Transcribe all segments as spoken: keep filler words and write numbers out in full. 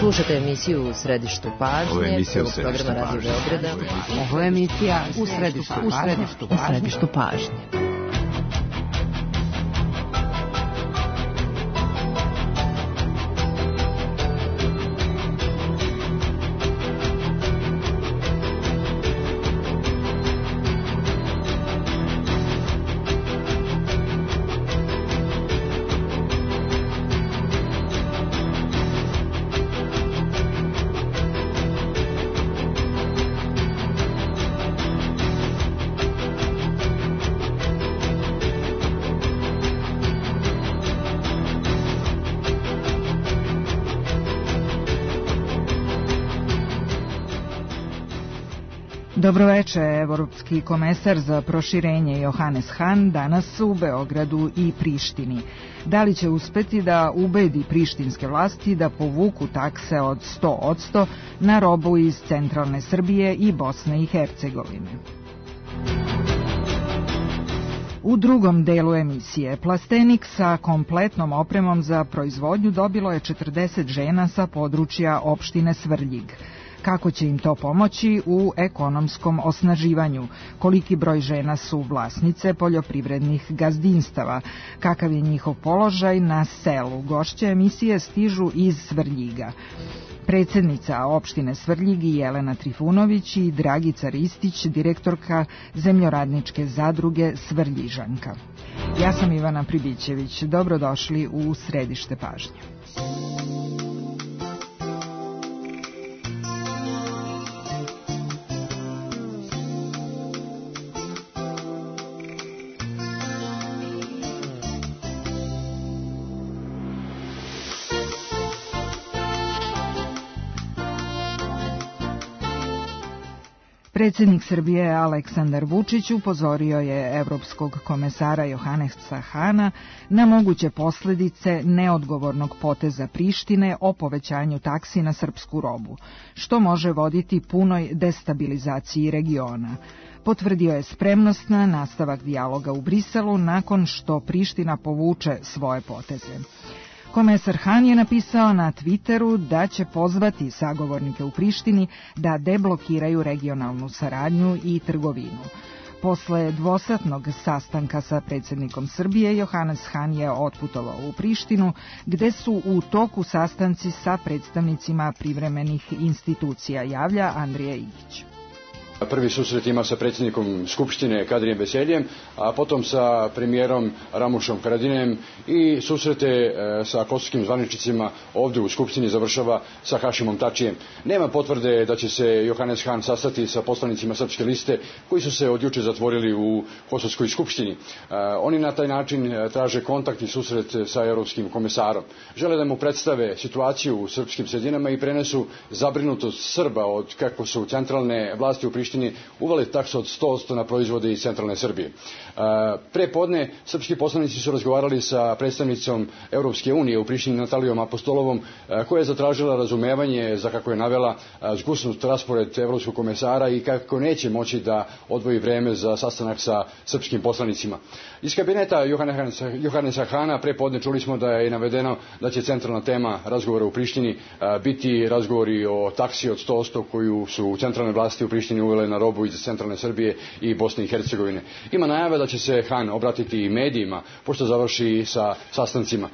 Slušate emisiju U središtu pažnje. Ovo je emisija U središtu pažnje. Ovo je emisija U središtu pažnje. U središtu pažnje. Dobroveče, evropski komesar za proširenje Johannes Hahn danas u Beogradu i Prištini. Da li će uspeti da ubedi prištinske vlasti da povuku takse od sto posto na robu iz centralne Srbije i Bosne i Hercegovine? U drugom delu emisije plastenik sa kompletnom opremom za proizvodnju dobilo je četrdeset žena sa područja opštine Svrljig. Kako će im to pomoći u ekonomskom osnaživanju? Koliki broj žena su vlasnice poljoprivrednih gazdinstava? Kakav je njihov položaj na selu? Gošće emisije stižu iz Svrljiga. Predsednica opštine Svrljig Jelena Trifunović i Dragica Ristić, direktorka zemljoradničke zadruge Svrljižanka. Ja sam Ivana Pribićević. Dobrodošli u središte pažnje. Predsjednik Srbije Aleksandar Vučić upozorio je evropskog komesara Johannesa Hahna na moguće posljedice neodgovornog poteza Prištine o povećanju taksi na srpsku robu, što može voditi punoj destabilizaciji regiona. Potvrdio je spremnost na nastavak dijaloga u Briselu nakon što Priština povuče svoje poteze. Komesar Hahn je napisao na Twitteru da će pozvati sagovornike u Prištini da deblokiraju regionalnu saradnju i trgovinu. Posle dvosatnog sastanka sa predsjednikom Srbije, Johannes Hahn je otputovao u Prištinu, gde su u toku sastanci sa predstavnicima privremenih institucija, javlja Andrija Igić. Prvi susret ima sa predsjednikom Skupštine Kadrijem Veseljem, a potom sa premijerom Ramušom Haradinajem i susrete sa kosovskim zvaničnicima ovdje u Skupštini završava sa Hašimom Tačijem. Nema potvrde da će se Johannes Hahn sastati sa poslanicima Srpske liste koji su se od juče zatvorili u Kosovskoj Skupštini. Oni na taj način traže kontakt i susret sa europskim komesarom. Žele da mu predstave situaciju u srpskim sredinama i prenesu zabrinutost Srba od kako su centralne vlasti u Prištini uvale taksu od sto posto na proizvode iz centralne Srbije. Pre podne srpski poslanici su razgovarali sa predstavnicom Europske unije u Prištini Natalijom Apostolovom, koja je zatražila razumevanje za, kako je navela, zgusnut raspored evropskog komesara i kako neće moći da odvoji vreme za sastanak sa srpskim poslanicima. Iz kabineta Johannesa Hahna pre podne čuli smo da je navedeno da će centralna tema razgovora u Prištini biti razgovori o taksi od sto posto koju su centralne vlasti u Prištini uvele na robu iz centralne Srbije i Bosne i Hercegovine. Ima najave da će se Hahn obratiti i medijima pošto završi sa sastancima.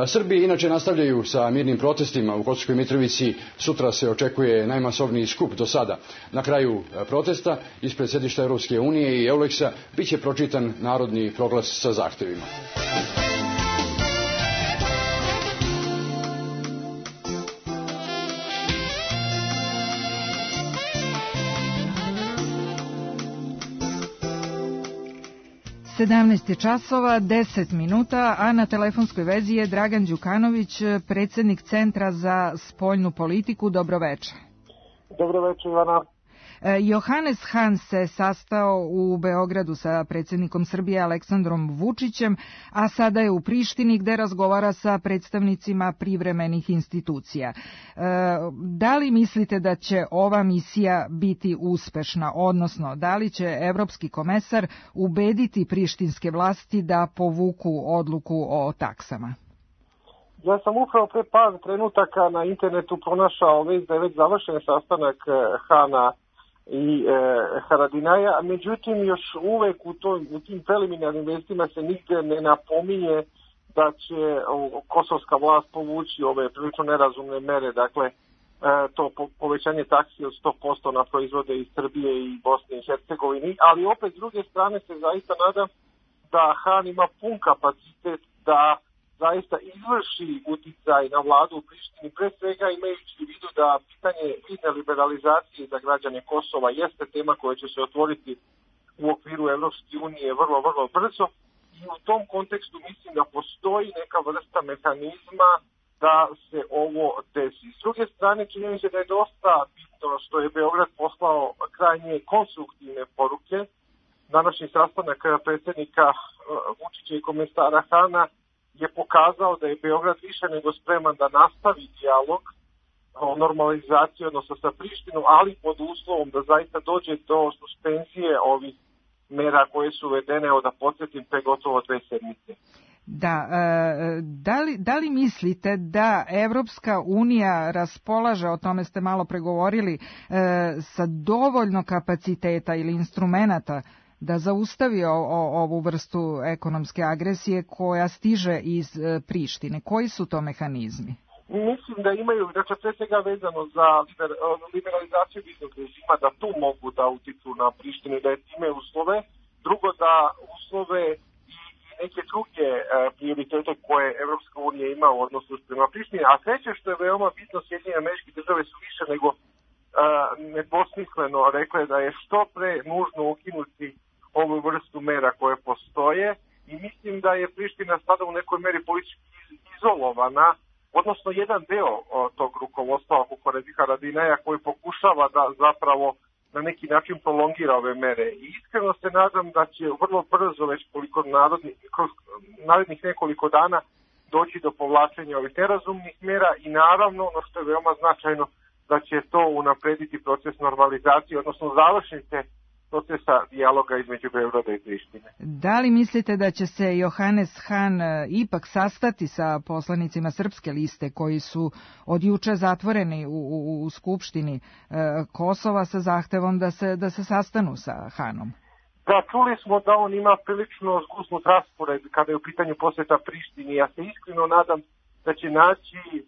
Srbi inače nastavljaju sa mirnim protestima u Kosovskoj Mitrovici. Sutra se očekuje najmasovniji skup do sada. Na kraju protesta ispred sedišta Europske unije i Euleksa biće pročitan narodni proglas sa zahtevima. sedamnaest je časova, deset minuta, a na telefonskoj vezi je Dragan Đukanović, predsjednik Centra za spoljnu politiku. Dobroveče. Dobroveče, Ivana. Johannes Hahn se sastao u Beogradu sa predsjednikom Srbije Aleksandrom Vučićem, a sada je u Prištini gde razgovara sa predstavnicima privremenih institucija. Da li mislite da će ova misija biti uspešna, odnosno da li će evropski komesar ubediti prištinske vlasti da povuku odluku o taksama? Ja sam upravo pre par trenutaka na internetu pronašao već da je već završen sastanak Hana i e, Haradinaja, a međutim još uvek u, to, u tim preliminarnim vestima se nigde ne napominje da će o, kosovska vlast povući ove prilično nerazumne mere, dakle e, to po, povećanje taksi od sto posto na proizvode iz Srbije i Bosne i Hercegovini, ali opet s druge strane se zaista nadam da Han ima pun kapacitet da zaista izvrši uticaj na vladu u Prištini, pre svega imajući u vidu da pitanje vizne liberalizacije za građane Kosova jeste tema koja će se otvoriti u okviru Evropske unije vrlo, vrlo brzo i u tom kontekstu mislim da postoji neka vrsta mehanizma da se ovo desi. S druge strane, čini mi se da je dosta bitno što je Beograd poslao krajnje konstruktivne poruke. Današnji sastanak predsjednika Vučića i komesara Hana je pokazao da je Beograd više nego spreman da nastavi dijalog o normalizaciji odnosno sa Prištinom, ali pod uslovom da zaista dođe do suspenzije ovih mera koje su uvedene, evo da podsjetim, pre gotovo dve sedmice. Da, da li, da li mislite da Evropska unija raspolaže, o tome ste malo pregovorili, sa dovoljno kapaciteta ili instrumenata da zaustavi o, o, ovu vrstu ekonomske agresije koja stiže iz e, Prištine? Koji su to mehanizmi? Mislim da imaju, dakle, pre svega vezano za liber, liberalizaciju viznog režima, da tu mogu da utiču na Prištinu, da je time uslove. Drugo, da uslove i, i neke druge e, prioritete koje Evropska unija ima u odnosu prema Prištini. A treće što je veoma bitno, Sjedinjene Američke Države su više nego e, nedvosmisleno rekle da je što pre nužno ukinuti ovu vrstu mera koje postoje i mislim da je Priština sada u nekoj meri politički izolovana, odnosno jedan deo tog rukovodstva oko Haradinaja koji pokušava da zapravo na neki način prolongira ove mere. I iskreno se nadam da će vrlo brzo, već koliko narodni, kroz narednih nekoliko dana, doći do povlačenja ovih nerazumnih mera i naravno, ono što je veoma značajno, da će to unaprediti proces normalizacije, odnosno završnice procesa dijaloga između Beograda i Prištine. Da li mislite da će se Johannes Han ipak sastati sa poslanicima Srpske liste koji su od juče zatvoreni u, u, u Skupštini e, Kosova sa zahtevom da se, da se sastanu sa Hanom? Da, čuli smo da on ima prilično zgusnut raspored kada je u pitanju posjeta Prištini. Ja se iskreno nadam da će naći e,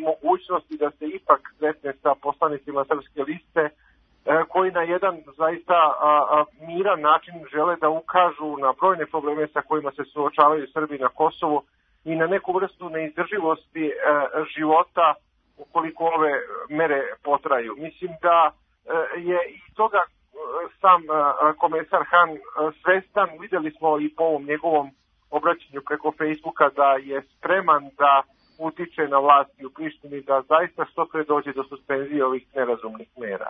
mogućnosti da se ipak sretne sa poslanicima Srpske liste koji na jedan zaista a, a, miran način žele da ukažu na brojne probleme sa kojima se suočavaju Srbi na Kosovu i na neku vrstu neizdrživosti a, života ukoliko ove mere potraju. Mislim da a, je i toga a, sam a, komesar Han a, svestan, videli smo i po ovom njegovom obraćanju preko Facebooka da je spreman da utiče na vlasti u Prištini da zaista što pre dođe do suspenzije ovih nerazumnih mera.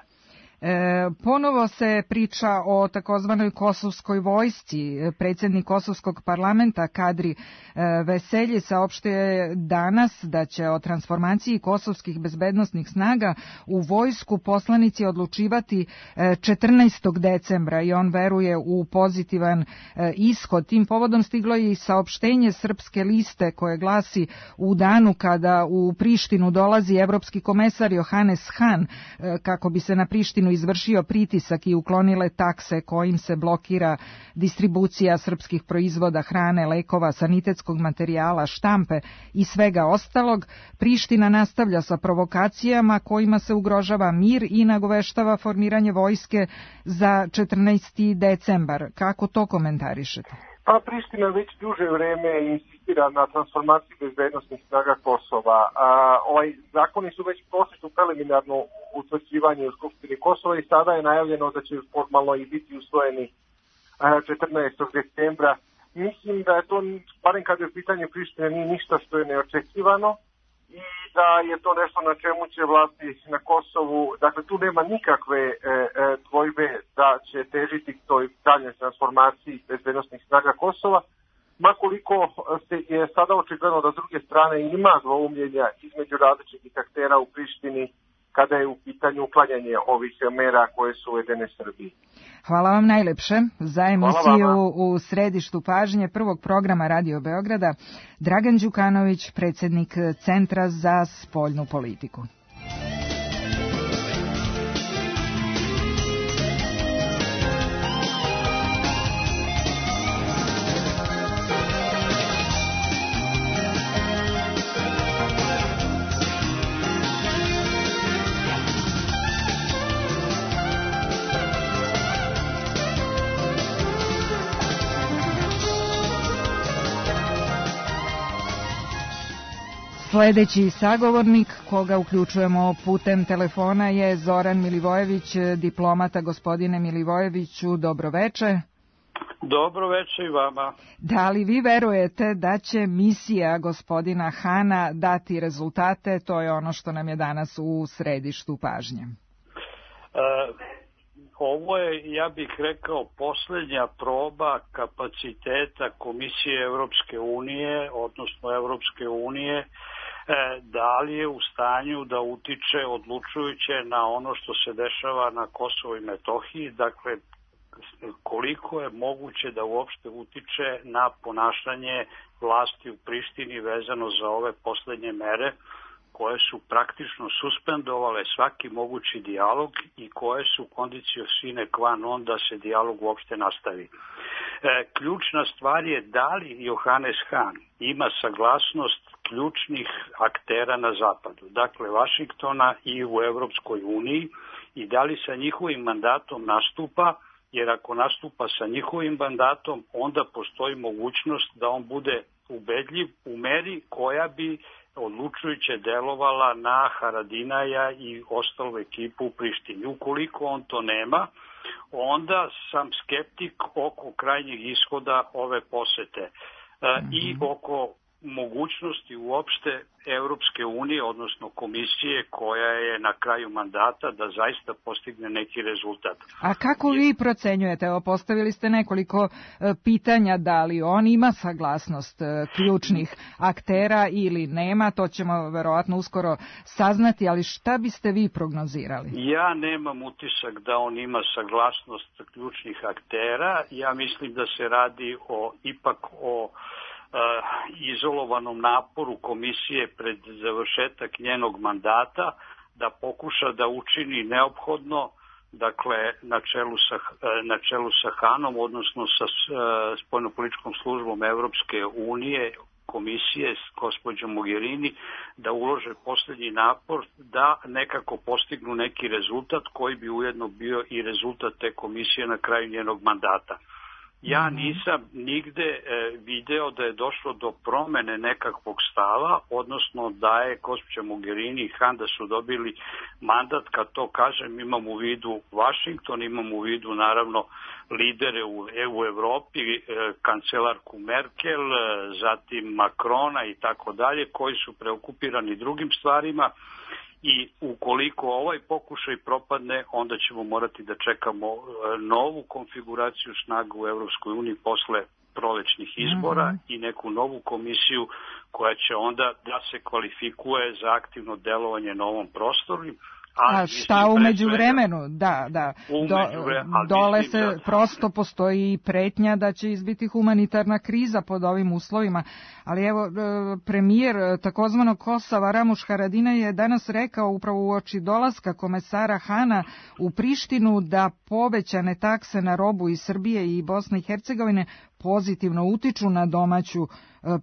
E, ponovo se priča o takozvanoj kosovskoj vojsci. Predsjednik kosovskog parlamenta Kadri e, Veselji saopštio je danas da će o transformaciji kosovskih bezbednosnih snaga u vojsku poslanici odlučivati e, četrnaestog decembra i on veruje u pozitivan e, ishod. Tim povodom stiglo je i saopštenje Srpske liste koje glasi: u danu kada u Prištinu dolazi evropski komesar Johannes Han e, kako bi se na Prištinu izvršio pritisak i uklonile takse kojim se blokira distribucija srpskih proizvoda, hrane, lekova, sanitetskog materijala, štampe i svega ostalog, Priština nastavlja sa provokacijama kojima se ugrožava mir i nagoveštava formiranje vojske za četrnaesti decembar. Kako to komentarišete? Pa Priština već duže vreme insistira na transformaciji bezbednosnih snaga Kosova. A, ovaj zakoni su već prošli u preliminarno utvrđivanje u Skupštini Kosova i sada je najavljeno da će formalno i biti usvojeni četrnaestog decembra. Mislim da je to, barem kada je u pitanju Prištine, nije ništa što je neočekivano i da je to nešto na čemu će vlasti na Kosovu, dakle tu nema nikakve e, e, dvojbe da će težiti toj daljnjoj transformaciji bezbednosnih snaga Kosova, makoliko se je sada očigledno da s druge strane ima dvoumljenja između različitih aktera u Prištini kada je u pitanju uklanjanje ovih mera koje su uvedene Srbiji. Hvala vam najlepše za emisiju u središtu pažnje prvog programa Radio Beograda. Dragan Đukanović, predsjednik Centra za spoljnu politiku. Sljedeći sagovornik, koga uključujemo putem telefona, je Zoran Milivojević, diplomata. Gospodine Milivojeviću, dobroveče. Dobroveče i vama. Da li vi verujete da će misija gospodina Hana dati rezultate? To je ono što nam je danas u središtu pažnje. E, ovo je, ja bih rekao, posljednja proba kapaciteta Komisije Evropske unije, odnosno Evropske unije, da li je u stanju da utiče odlučujuće na ono što se dešava na Kosovu i Metohiji, dakle koliko je moguće da uopšte utiče na ponašanje vlasti u Prištini vezano za ove poslednje mere koje su praktično suspendovale svaki mogući dijalog i koje su condicio sine qua non da se dijalog uopšte nastavi. E, ključna stvar je da li Johannes Hahn ima saglasnost ključnih aktera na zapadu, dakle Vašingtona i u Evropskoj uniji, i da li sa njihovim mandatom nastupa, jer ako nastupa sa njihovim mandatom, onda postoji mogućnost da on bude ubedljiv u meri koja bi odlučujuće delovala na Haradinaja i ostalu ekipu u Prištini. Ukoliko on to nema, onda sam skeptik oko krajnjeg ishoda ove posete e, mm-hmm. i oko mogućnosti uopšte Evropske unije, odnosno komisije koja je na kraju mandata da zaista postigne neki rezultat. A kako vi procenjujete? Evo, postavili ste nekoliko pitanja, da li on ima saglasnost ključnih aktera ili nema, to ćemo verovatno uskoro saznati, ali šta biste vi prognozirali? Ja nemam utisak da on ima saglasnost ključnih aktera, ja mislim da se radi o ipak o izolovanom naporu komisije pred završetak njenog mandata da pokuša da učini neophodno, dakle na čelu sa, na čelu sa Hanom, odnosno sa spoljnopolitičkom službom Evropske unije, komisije s gospođom Mogherini, da ulože posljednji napor da nekako postignu neki rezultat koji bi ujedno bio i rezultat te komisije na kraju njenog mandata. Ja nisam nigde e, video da je došlo do promene nekakvog stava, odnosno da je gospođa Mogherini i Han da su dobili mandat, kad to kažem imam u vidu Vašington, imam u vidu naravno lidere u, u Evropi, e, kancelarku Merkel, e, zatim Makrona i tako dalje, koji su preokupirani drugim stvarima. I ukoliko ovaj pokušaj propadne, onda ćemo morati da čekamo novu konfiguraciju snaga u Evropskoj uniji posle prolećnih izbora mm-hmm. i neku novu komisiju koja će onda da se kvalifikuje za aktivno delovanje na ovom prostoru. A šta u međuvremenu? Da, da. Do, dole se prosto postoji pretnja da će izbiti humanitarna kriza pod ovim uslovima. Ali evo, premijer takozvanog Kosova Ramuš Haradinaj je danas rekao upravo uoči dolaska komesara Hana u Prištinu da povećane takse na robu iz Srbije i Bosne i Hercegovine pozitivno utiču na domaću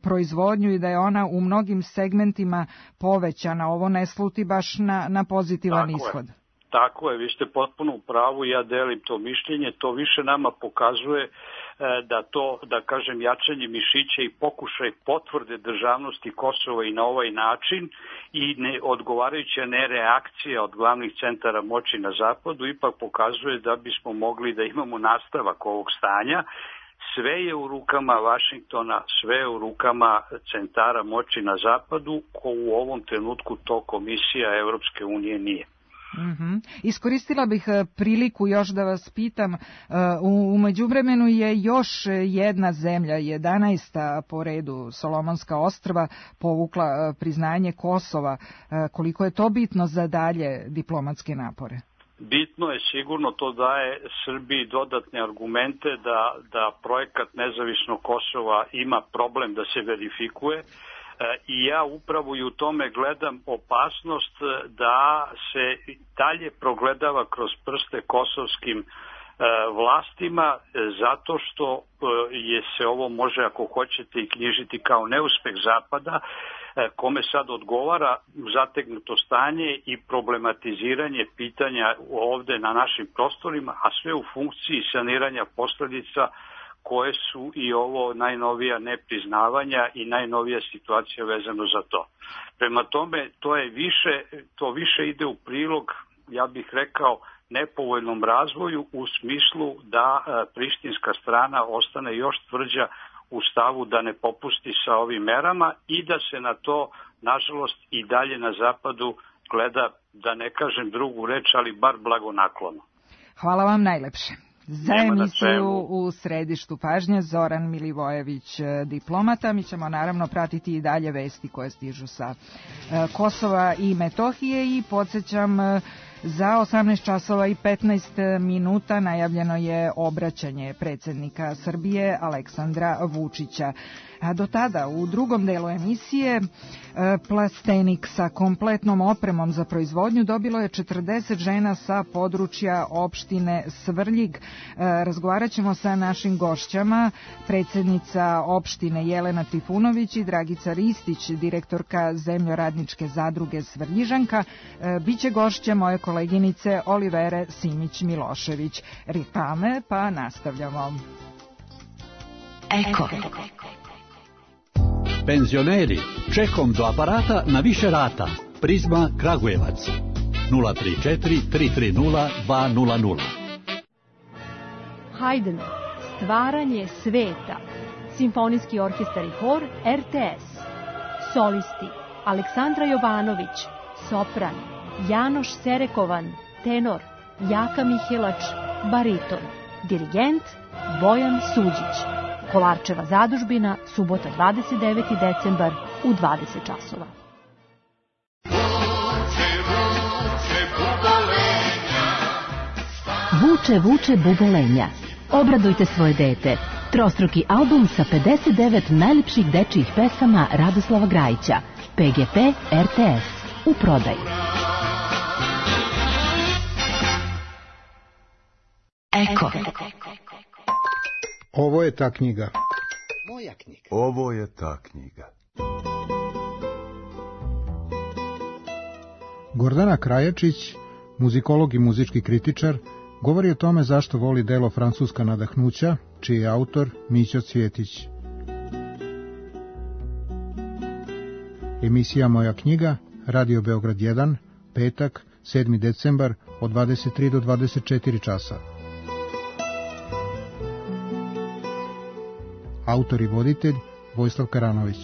proizvodnju i da je ona u mnogim segmentima povećana. Ovo ne sluti baš na, na pozitivan Tako ishod. Je. Tako je, vi ste potpuno u pravu, ja delim to mišljenje, to više nama pokazuje da to, da kažem, jačanje mišića i pokušaj potvrde državnosti Kosova i na ovaj način i ne odgovarajuća nereakcija od glavnih centara moći na zapadu ipak pokazuje da bismo mogli da imamo nastavak ovog stanja. Sve je u rukama Vašingtona, sve je u rukama centara moći na zapadu, ko u ovom trenutku to komisija Evropske unije nije. Mm-hmm. Iskoristila bih priliku još da vas pitam, u, u međuvremenu je još jedna zemlja, jedanaesta po redu, Solomonska ostrva, povukla priznanje Kosova. Koliko je to bitno za dalje diplomatske napore? Bitno je, sigurno to daje Srbiji dodatne argumente da, da projekat nezavisnog Kosova ima problem da se verifikuje. I ja upravo i u tome gledam opasnost da se dalje progledava kroz prste kosovskim vlastima, zato što je se ovo može, ako hoćete, i knjižiti kao neuspeh Zapada, kome sad odgovara zategnuto stanje i problematiziranje pitanja ovde na našim prostorima, a sve u funkciji saniranja posledica koje su i ovo najnovija nepriznavanja i najnovija situacija vezano za to. Prema tome, to je više, to više ide u prilog, ja bih rekao, nepovoljnom razvoju u smislu da prištinska strana ostane još tvrđa u stavu da ne popusti sa ovim merama i da se na to, nažalost, i dalje na zapadu gleda, da ne kažem drugu reč, ali bar blagonaklono. Hvala vam najlepše. Za emisiju u središtu pažnje Zoran Milivojević, diplomata. Mi ćemo naravno pratiti i dalje vesti koje stižu sa Kosova i Metohije i podsjećam, za osamnaest časova i petnaest minuta najavljeno je obraćanje predsjednika Srbije Aleksandra Vučića. A do tada, u drugom delu emisije, plastenik sa kompletnom opremom za proizvodnju dobilo je četrdeset žena sa područja opštine Svrljig. Razgovarat ćemo sa našim gošćama, predsjednica opštine Jelena Trifunović i Dragica Ristić, direktorka Zemljoradničke zadruge Svrljižanka. Biće gošće moje koleginice Olivere Simić-Milošević. Reklame, pa nastavljamo. Eko. Penzioneri, čekom do aparata na više rata. Prizma Kragujevac. nula tri četiri tri tri nula dva nula nula. Haydn, stvaranje sveta. Simfonijski orkestar i hor R T S. Solisti: Aleksandra Jovanović, sopran; Janoš Serekovan, tenor; Jaka Mihelač, bariton; dirigent Bojan Suđić. Kolarčeva zadužbina, subota dvadeset deveti decembar u dvadeset časova. Vuče, vuče bubolenja. Obradujte svoje dete. Trostruki album sa pedeset devet najlepših dečijih pesama Radoslava Grajića. P G P R T S. U prodaji. Eko. Ovo je ta knjiga. Moja knjiga. Ovo je ta knjiga. Gordana Krajačić, muzikolog i muzički kritičar, govori o tome zašto voli delo Francuska nadahnuća, čiji je autor Mićo Cvjetić. Emisija Moja knjiga, Radio Beograd jedan, petak, sedmi decembar, od dvadeset tri do dvadeset četiri časa. Autor i voditelj Vojislav Karanović.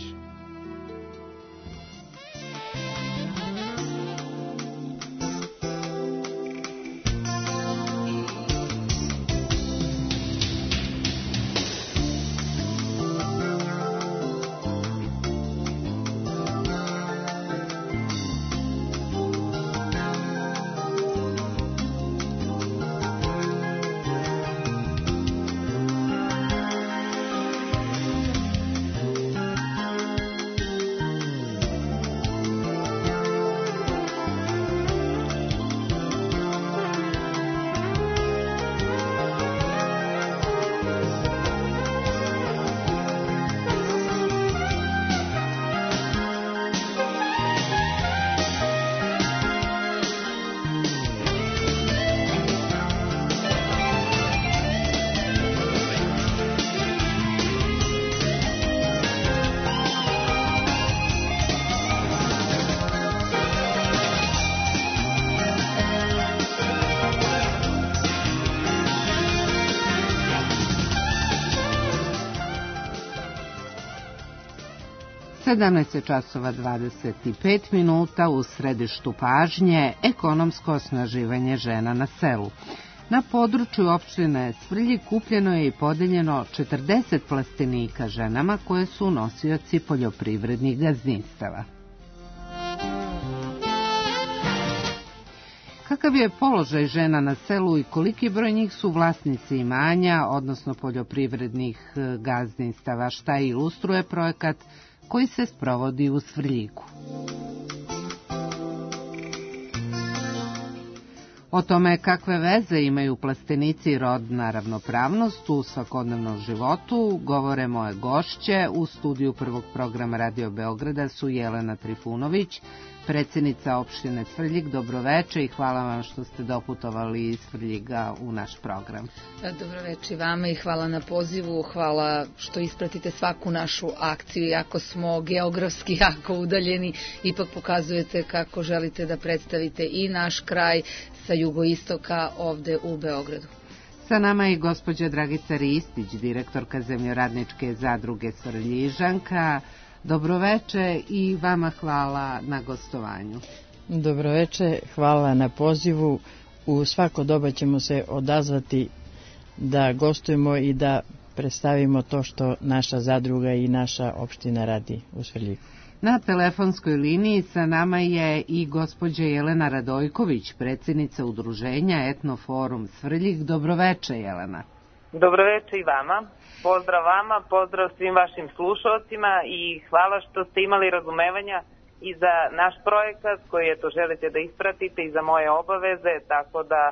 sedamnaest časova dvadeset pet minuta, u središtu pažnje ekonomsko osnaživanje žena na selu. Na području opštine Svrljig kupljeno je i podeljeno četrdeset plastenika ženama koje su nosioci poljoprivrednih gazdinstava. Kakav je položaj žena na selu i koliki broj njih su vlasnici imanja, odnosno poljoprivrednih gazdinstava, šta ilustruje projekat koji se sprovodi u Svrljigu. O tome kakve veze imaju plastenici i rodna ravnopravnost u svakodnevnom životu govore moje gošće. U studiju prvog programa Radio Beograda su Jelena Trifunović, predsjednica opštine Svrljig. Dobroveče i hvala vam što ste doputovali iz Svrljiga u naš program. Dobroveče vama i hvala na pozivu, hvala što ispratite svaku našu akciju, iako smo geografski jako udaljeni, ipak pokazujete kako želite da predstavite i naš kraj sa jugoistoka ovde u Beogradu. Sa nama je gospođa Dragica Ristić, direktorka Zemljoradničke zadruge Svrljižanka. Dobroveče i vama hvala na gostovanju. Dobroveče, hvala na pozivu. U svako doba ćemo se odazvati da gostujemo i da predstavimo to što naša zadruga i naša opština radi u Svrljigu. Na telefonskoj liniji sa nama je i gospođa Jelena Radojković, predsjednica udruženja Etnoforum Svrljig. Dobroveče, Jelena. Dobroveče i vama. Pozdrav vama, pozdrav svim vašim slušalcima i hvala što ste imali razumevanja i za naš projekat koji eto želite da ispratite i za moje obaveze, tako da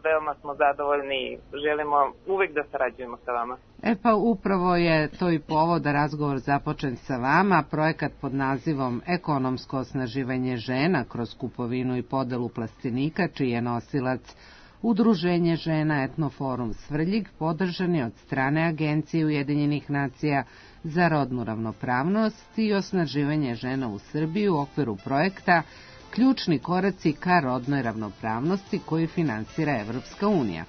veoma smo zadovoljni i želimo uvek da sarađujemo sa vama. E pa upravo je to i povod da razgovor započen sa vama. Projekat pod nazivom Ekonomsko osnaživanje žena kroz kupovinu i podelu plastenika, čiji je nosilac Udruženje žena Etnoforum Svrljig, podržan je od strane Agencije Ujedinjenih nacija za rodnu ravnopravnost i osnaživanje žena u Srbiji u okviru projekta Ključni koraci ka rodnoj ravnopravnosti koji finansira Evropska unija.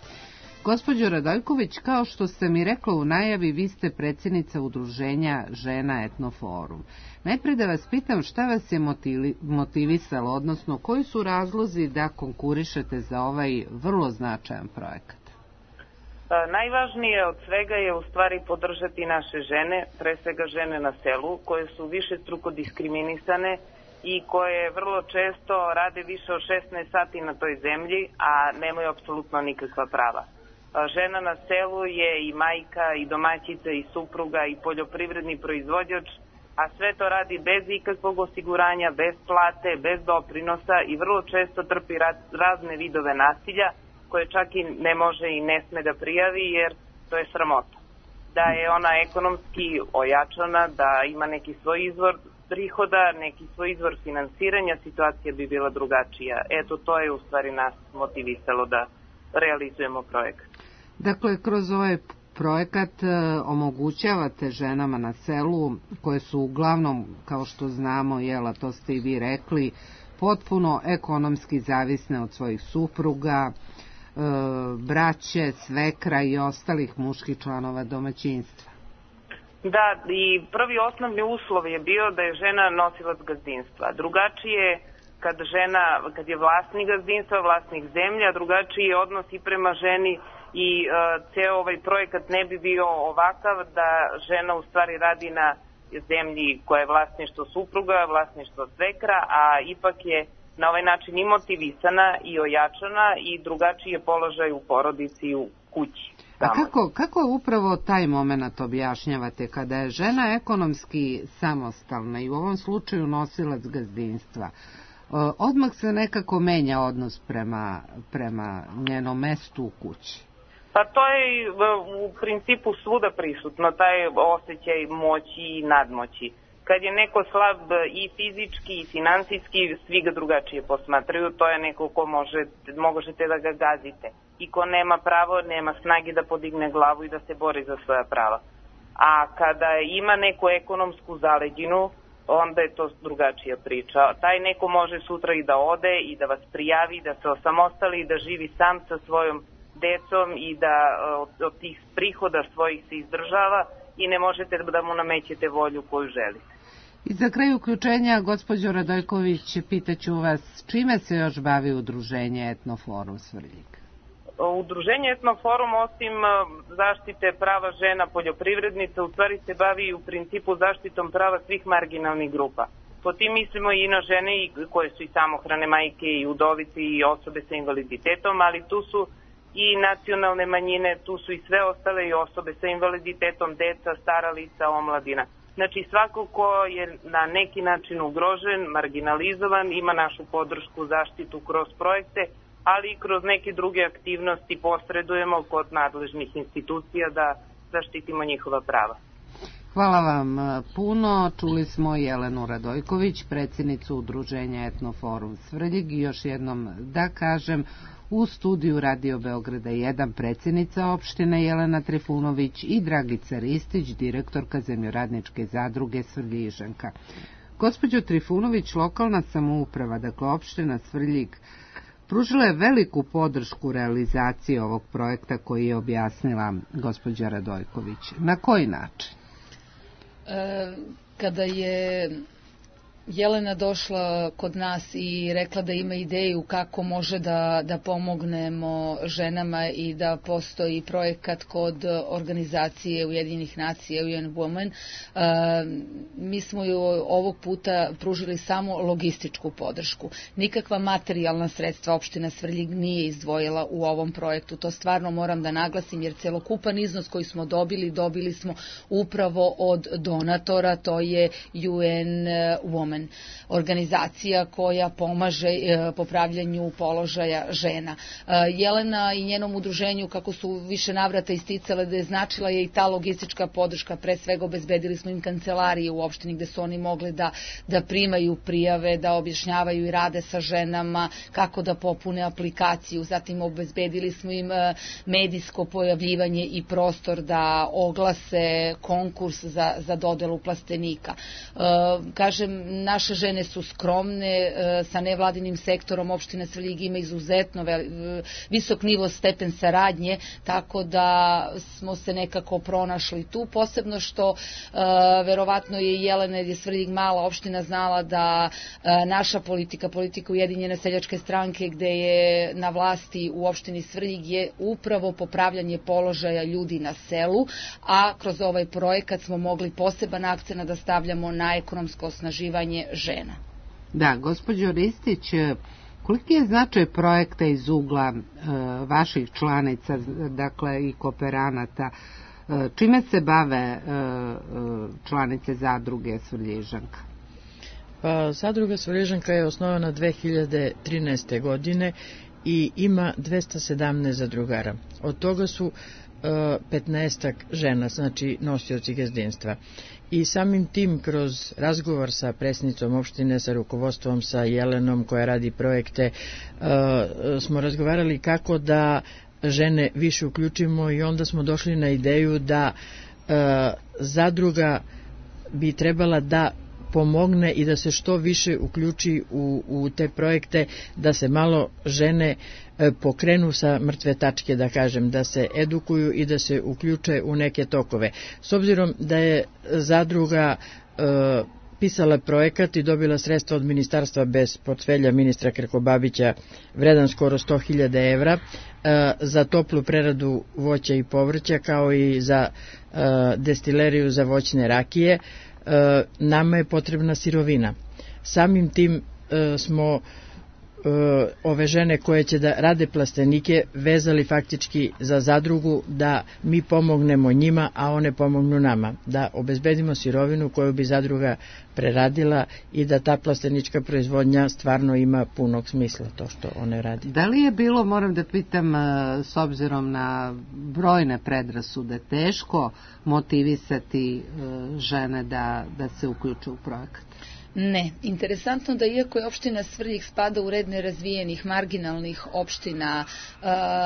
Gospođo Radojković, kao što ste mi rekla u najavi, vi ste predsjednica Udruženja žena Etnoforum. Najpre da vas pitam šta vas je motivisalo, odnosno koji su razlozi da konkurišete za ovaj vrlo značajan projekat? Najvažnije od svega je u stvari podržati naše žene, pre svega žene na selu, koje su višestruko diskriminisane i koje vrlo često rade više od šesnaest sati na toj zemlji, a nemaju apsolutno nikakva prava. Žena na selu je i majka, i domaćica, i supruga, i poljoprivredni proizvođač, a sve to radi bez ikakvog osiguranja, bez plate, bez doprinosa i vrlo često trpi razne vidove nasilja, koje čak i ne može i ne sme da prijavi jer to je sramota. Da je ona ekonomski ojačana, da ima neki svoj izvor prihoda, neki svoj izvor finansiranja, situacija bi bila drugačija. Eto, to je u stvari nas motivisalo da realizujemo projekat. Dakle, kroz ovaj projekat omogućavate ženama na selu, koje su uglavnom, kao što znamo, jela, to ste i vi rekli, potpuno ekonomski zavisne od svojih supruga, braće, svekra i ostalih muških članova domaćinstva. Da, i prvi osnovni uslov je bio da je žena nosilac gazdinstva. Drugačije kad žena, kad je vlasnik gazdinstva, vlasnik zemlje, a drugačiji je odnos i prema ženi i uh, ceo ovaj projekat ne bi bio ovakav da žena u stvari radi na zemlji koja je vlasništvo supruga, vlasništvo svekra, a ipak je na ovaj način i motivisana i ojačana i drugačiji je položaj u porodici i u kući. A kako, kako upravo taj moment objašnjavate kada je žena ekonomski samostalna i u ovom slučaju nosilac gazdinstva? Odmah se nekako menja odnos prema, prema njenom mestu u kući. Pa to je u principu svuda prisutno, taj osjećaj moći i nadmoći. Kad je neko slab i fizički i finansijski, svi ga drugačije posmatraju, to je neko ko može, možete da ga gazite. I ko nema pravo, nema snage da podigne glavu i da se bori za svoja prava. A kada ima neku ekonomsku zaleđinu, onda je to drugačija priča. Taj neko može sutra i da ode i da vas prijavi, da se osamostali i da živi sam sa svojom decom i da od, od tih prihoda svojih se izdržava i ne možete da mu namećete volju koju želite. I za kraj uključenja, gospođo Radojković, pitaću vas čime se još bavi udruženje Etnoforum Svrljig? Udruženje Etnoforum osim zaštite prava žena poljoprivrednica u stvari se bavi u principu zaštitom prava svih marginalnih grupa. Po tim mislimo i na žene koje su i samohrane majke i udovice i osobe sa invaliditetom, ali tu su i nacionalne manjine, tu su i sve ostale i osobe sa invaliditetom, deca, stara lica, omladina. Znači svako ko je na neki način ugrožen, marginalizovan, ima našu podršku, zaštitu kroz projekte, ali i kroz neke druge aktivnosti posredujemo kod nadležnih institucija da zaštitimo njihova prava. Hvala vam puno. Čuli smo Jelenu Radojković, predsjednicu udruženja Etnoforum Svrljig, i još jednom da kažem, u studiju Radio Beograda jedan predsjednica opštine Jelena Trifunović i Dragica Ristić, direktorka Zemljoradničke zadruge Svrljižanka. Gospođo Trifunović, lokalna samouprava, dakle opština Svrljig, pružila je veliku podršku realizaciji ovog projekta koji je objasnila gospođa Radojković. Na koji način? E, kada je Jelena došla kod nas i rekla da ima ideju kako može da, da pomognemo ženama i da postoji projekat kod organizacije Ujedinjenih nacija U N Women, e, mi smo ju ovog puta pružili samo logističku podršku. Nikakva materijalna sredstva opština Svrljig nije izdvojila u ovom projektu. To stvarno moram da naglasim, jer celokupan iznos koji smo dobili, dobili smo upravo od donatora, to je U N Women, organizacija koja pomaže e, popravljanju položaja žena. E, Jelena i njenom udruženju, kako su više navrata isticale, da je značila je i ta logistička podrška. Pre svega obezbedili smo im kancelarije u opštini gde su oni mogli da, da primaju prijave, da objašnjavaju i rade sa ženama, kako da popune aplikaciju. Zatim obezbedili smo im e, medijsko pojavljivanje i prostor da oglase konkurs za, za dodelu plastenika. E, kažem, naše žene su skromne, sa nevladinim sektorom opština Svrljig ima izuzetno visok nivo stepen saradnje, tako da smo se nekako pronašli tu, posebno što verovatno je Jelena, jer je Svrljig mala opština, znala da naša politika, politika Ujedinjene seljačke stranke gde je na vlasti u opštini Svrljig, je upravo popravljanje položaja ljudi na selu, a kroz ovaj projekat smo mogli poseban akcent da stavljamo na ekonomsko osnaživanje žena. Da, gospođo Ristić, koliki je značaj projekta iz ugla e, vaših članica, dakle i kooperanata, e, čime se bave e, članice zadruge Svrljižanka? Pa, zadruga Svrljižanka je osnovana dve hiljade trinaeste. godine i ima dvesta sedamnaest zadrugara. Od toga su petnaestak žena, znači nosioci gazdinstva. I samim tim, kroz razgovor sa predsjednicom opštine, sa rukovodstvom, sa Jelenom koja radi projekte, smo razgovarali kako da žene više uključimo i onda smo došli na ideju da zadruga bi trebala da pomogne i da se što više uključi u, u te projekte, da se malo žene e, pokrenu sa mrtve tačke, da kažem, da se edukuju i da se uključe u neke tokove. S obzirom da je zadruga e, pisala projekat i dobila sredstva od ministarstva bez portfelja ministra Krkobabića, vredan skoro sto hiljada evra, e, za toplu preradu voća i povrća, kao i za e, destileriju za voćne rakije, nama je potrebna sirovina. Samim tim e, smo e, ove žene koje će da rade plastenike vezali faktički za zadrugu, da mi pomognemo njima, a one pomognu nama, da obezbedimo sirovinu koju bi zadruga preradila i da ta plastenička proizvodnja stvarno ima punog smisla, to što one radi. Da li je bilo, moram da pitam, s obzirom na brojne predrasude, teško motivisati žene da, da se uključe u projekat? Ne. Interesantno da iako je opština Svrljig spada u red nerazvijenih, marginalnih opština,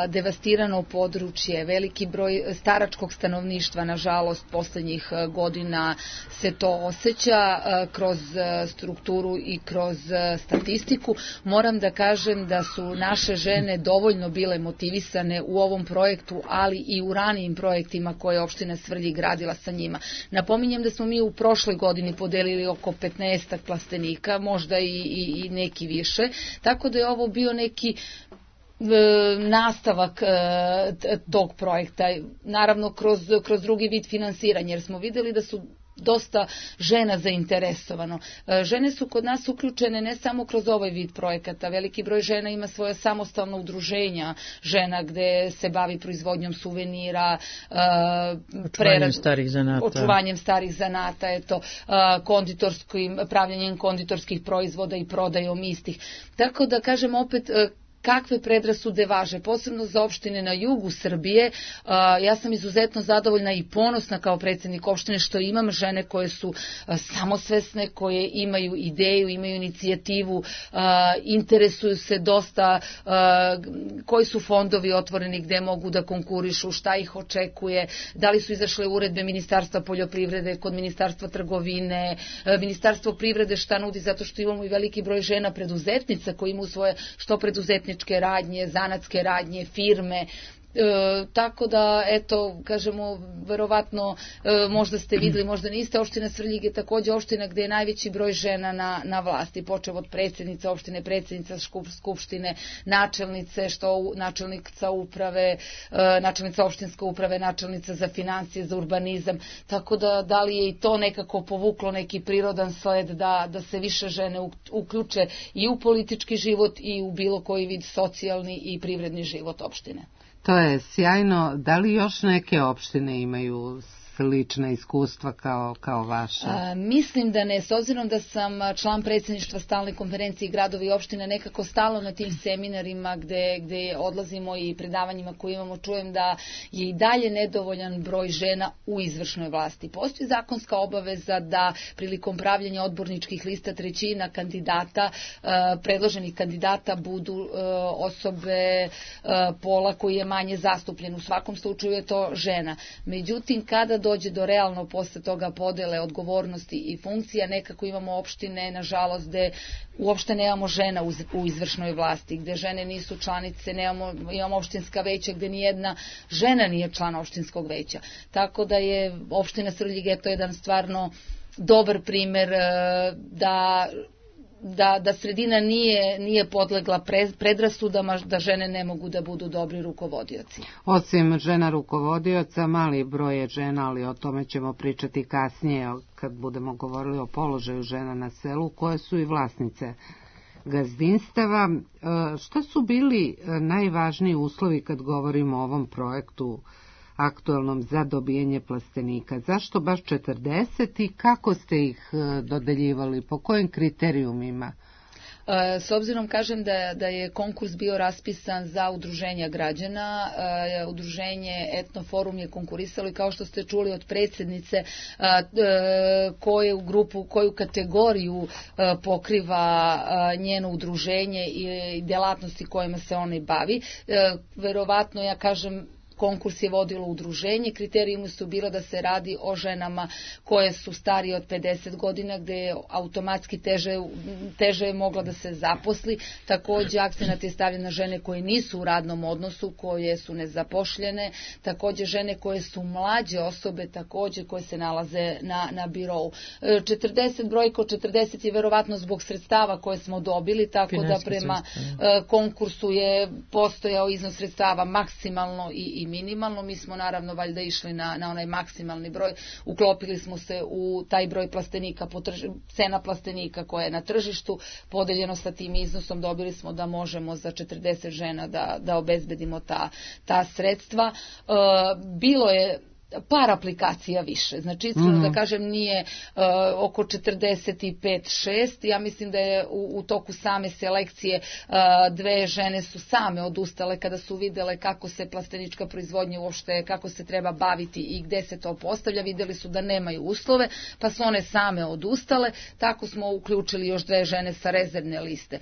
devastirano područje, veliki broj staračkog stanovništva, nažalost, poslednjih godina se to osjeća kroz strukturu i kroz statistiku, moram da kažem da su naše žene dovoljno bile motivisane u ovom projektu, ali i u ranijim projektima koje je opština Svrljig gradila sa njima. Napominjem da smo mi u prošloj godini podelili oko petnaest plastenika, možda i, i, i neki više, tako da je ovo bio neki nastavak tog projekta, naravno kroz, kroz drugi vid finansiranja, jer smo videli da su dosta žena zainteresovano. Žene su kod nas uključene ne samo kroz ovaj vid projekata, veliki broj žena ima svoje samostalno udruženja žena gde se bavi proizvodnjom suvenira, očuvanjem starih zanata, očuvanjem starih zanata, eto, konditorskim, pravljanjem konditorskih proizvoda i prodajom istih. Tako da kažem opet, kakve predrasude važe, posebno za opštine na jugu Srbije. Ja sam izuzetno zadovoljna i ponosna kao predsjednik opštine što imam žene koje su samosvesne, koje imaju ideju, imaju inicijativu, interesuju se dosta koji su fondovi otvoreni gde mogu da konkurišu, šta ih očekuje, da li su izašle uredbe Ministarstva poljoprivrede, kod Ministarstva trgovine, Ministarstvo privrede šta nudi, zato što imamo i veliki broj žena preduzetnica koji imaju svoje što preduzetničke radnje, zanatske radnje, firme. E, tako da, eto, kažemo, verovatno e, možda ste videli, možda niste, opština Svrljig je takođe opština gde je najveći broj žena na, na vlasti, počev od predsjednice opštine, predsjednica skupštine, načelnice, što načelnica uprave, e, načelnica opštinske uprave, načelnica za financije, za urbanizam, tako da da li je i to nekako povuklo neki prirodan sled da, da se više žene uključe i u politički život i u bilo koji vid socijalni i privredni život opštine. To je sjajno. Da li još neke opštine imaju slična iskustva kao, kao vaša? A, mislim da ne, s obzirom da sam član predsjedništva stalne konferencije gradovi i opštine, nekako stalno na tim seminarima gde, gde odlazimo i predavanjima koje imamo, čujem da je i dalje nedovoljan broj žena u izvršnoj vlasti. Postoji zakonska obaveza da prilikom pravljenja odborničkih lista trećina kandidata, predloženih kandidata budu osobe pola koji je manje zastupljen. U svakom slučaju je to žena. Međutim, kada dođe do realno posle toga podele odgovornosti i funkcija, nekako imamo opštine, nažalost, gde uopšte nemamo žena u izvršnoj vlasti, gde žene nisu članice, nemamo, imamo opštinska veća gde nijedna žena nije član opštinskog veća. Tako da je opština Svrljig je to jedan stvarno dobar primer da Da, da sredina nije, nije podlegla predrasudama da žene ne mogu da budu dobri rukovodioci. Osim žena rukovodioca, mali broj je žena, ali o tome ćemo pričati kasnije kad budemo govorili o položaju žena na selu, koje su i vlasnice gazdinstava. Šta su bili najvažniji uslovi kad govorimo o ovom projektu aktualnom za dobijanje plastenika? Zašto baš četrdeset i kako ste ih dodeljivali, po kojim kriterijumima? S obzirom kažem da, da je konkurs bio raspisan za udruženja građana, udruženje Etnoforum je konkurisalo i kao što ste čuli od predsjednice koju grupu, koju kategoriju pokriva njeno udruženje i delatnosti kojima se ona bavi. Verovatno, ja kažem, konkurs je vodilo udruženje, kriterijumi su bilo da se radi o ženama koje su starije od pedeset godina, gde je automatski teže, teže je mogla da se zaposli. Takođe, akcenat je stavljen na žene koje nisu u radnom odnosu, koje su nezapošljene, takođe žene koje su mlađe osobe, takođe koje se nalaze na, na birou. četrdeset, brojko četrdeset je verovatno zbog sredstava koje smo dobili, tako Finanski da prema sredstva. konkursu je postojao iznos sredstava maksimalno i, i minimalno. Mi smo naravno valjda išli na, na onaj maksimalni broj, uklopili smo se u taj broj plastenika, cena plastenika koja je na tržištu, podeljeno sa tim iznosom dobili smo da možemo za četrdeset žena da, da obezbedimo ta, ta sredstva. E, bilo je par aplikacija više. Znači, iskreno mm-hmm. da kažem, nije uh, oko četrdeset pet šest. Ja mislim da je u, u toku same selekcije uh, dve žene su same odustale kada su videle kako se plastenička proizvodnja uopšte, kako se treba baviti i gde se to postavlja. Videli su da nemaju uslove, pa su one same odustale. Tako smo uključili još dve žene sa rezervne liste.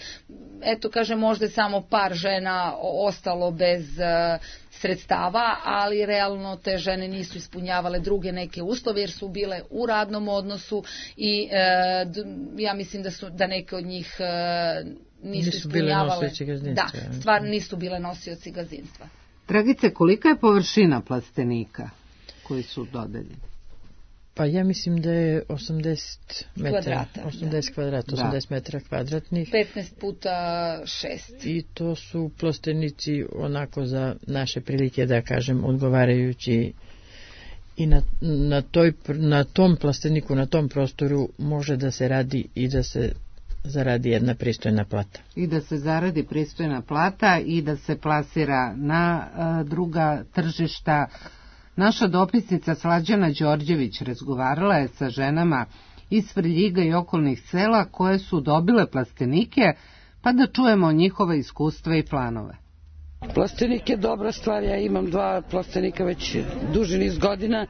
Eto, kažem, možda je samo par žena ostalo bez uh, sredstava, ali realno te žene nisu ispunjavale druge neke uslove jer su bile u radnom odnosu i e, d, ja mislim da su da neke od njih e, nisu, nisu ispunjavale. Da, stvarno nisu bile nosioci gazdinstva. Dragice, kolika je površina plastenika koji su dodeljeni? Pa ja mislim da je osamdeset metara, kvadrata, osamdeset da. kvadrata, osamdeset metara kvadratnih. petnaest puta šest. I to su plastenici onako za naše prilike, da kažem, odgovarajući i na, na, toj, na tom plasteniku, na tom prostoru može da se radi i da se zaradi jedna pristojna plata. I da se zaradi pristojna plata i da se plasira na a, druga tržišta. Naša dopisnica Slađana Đorđević razgovarala je sa ženama iz Svrljiga i okolnih sela koje su dobile plastenike, pa da čujemo njihova iskustva i planove. Plastenik je dobra stvar, ja imam dva plastenika već duži niz godina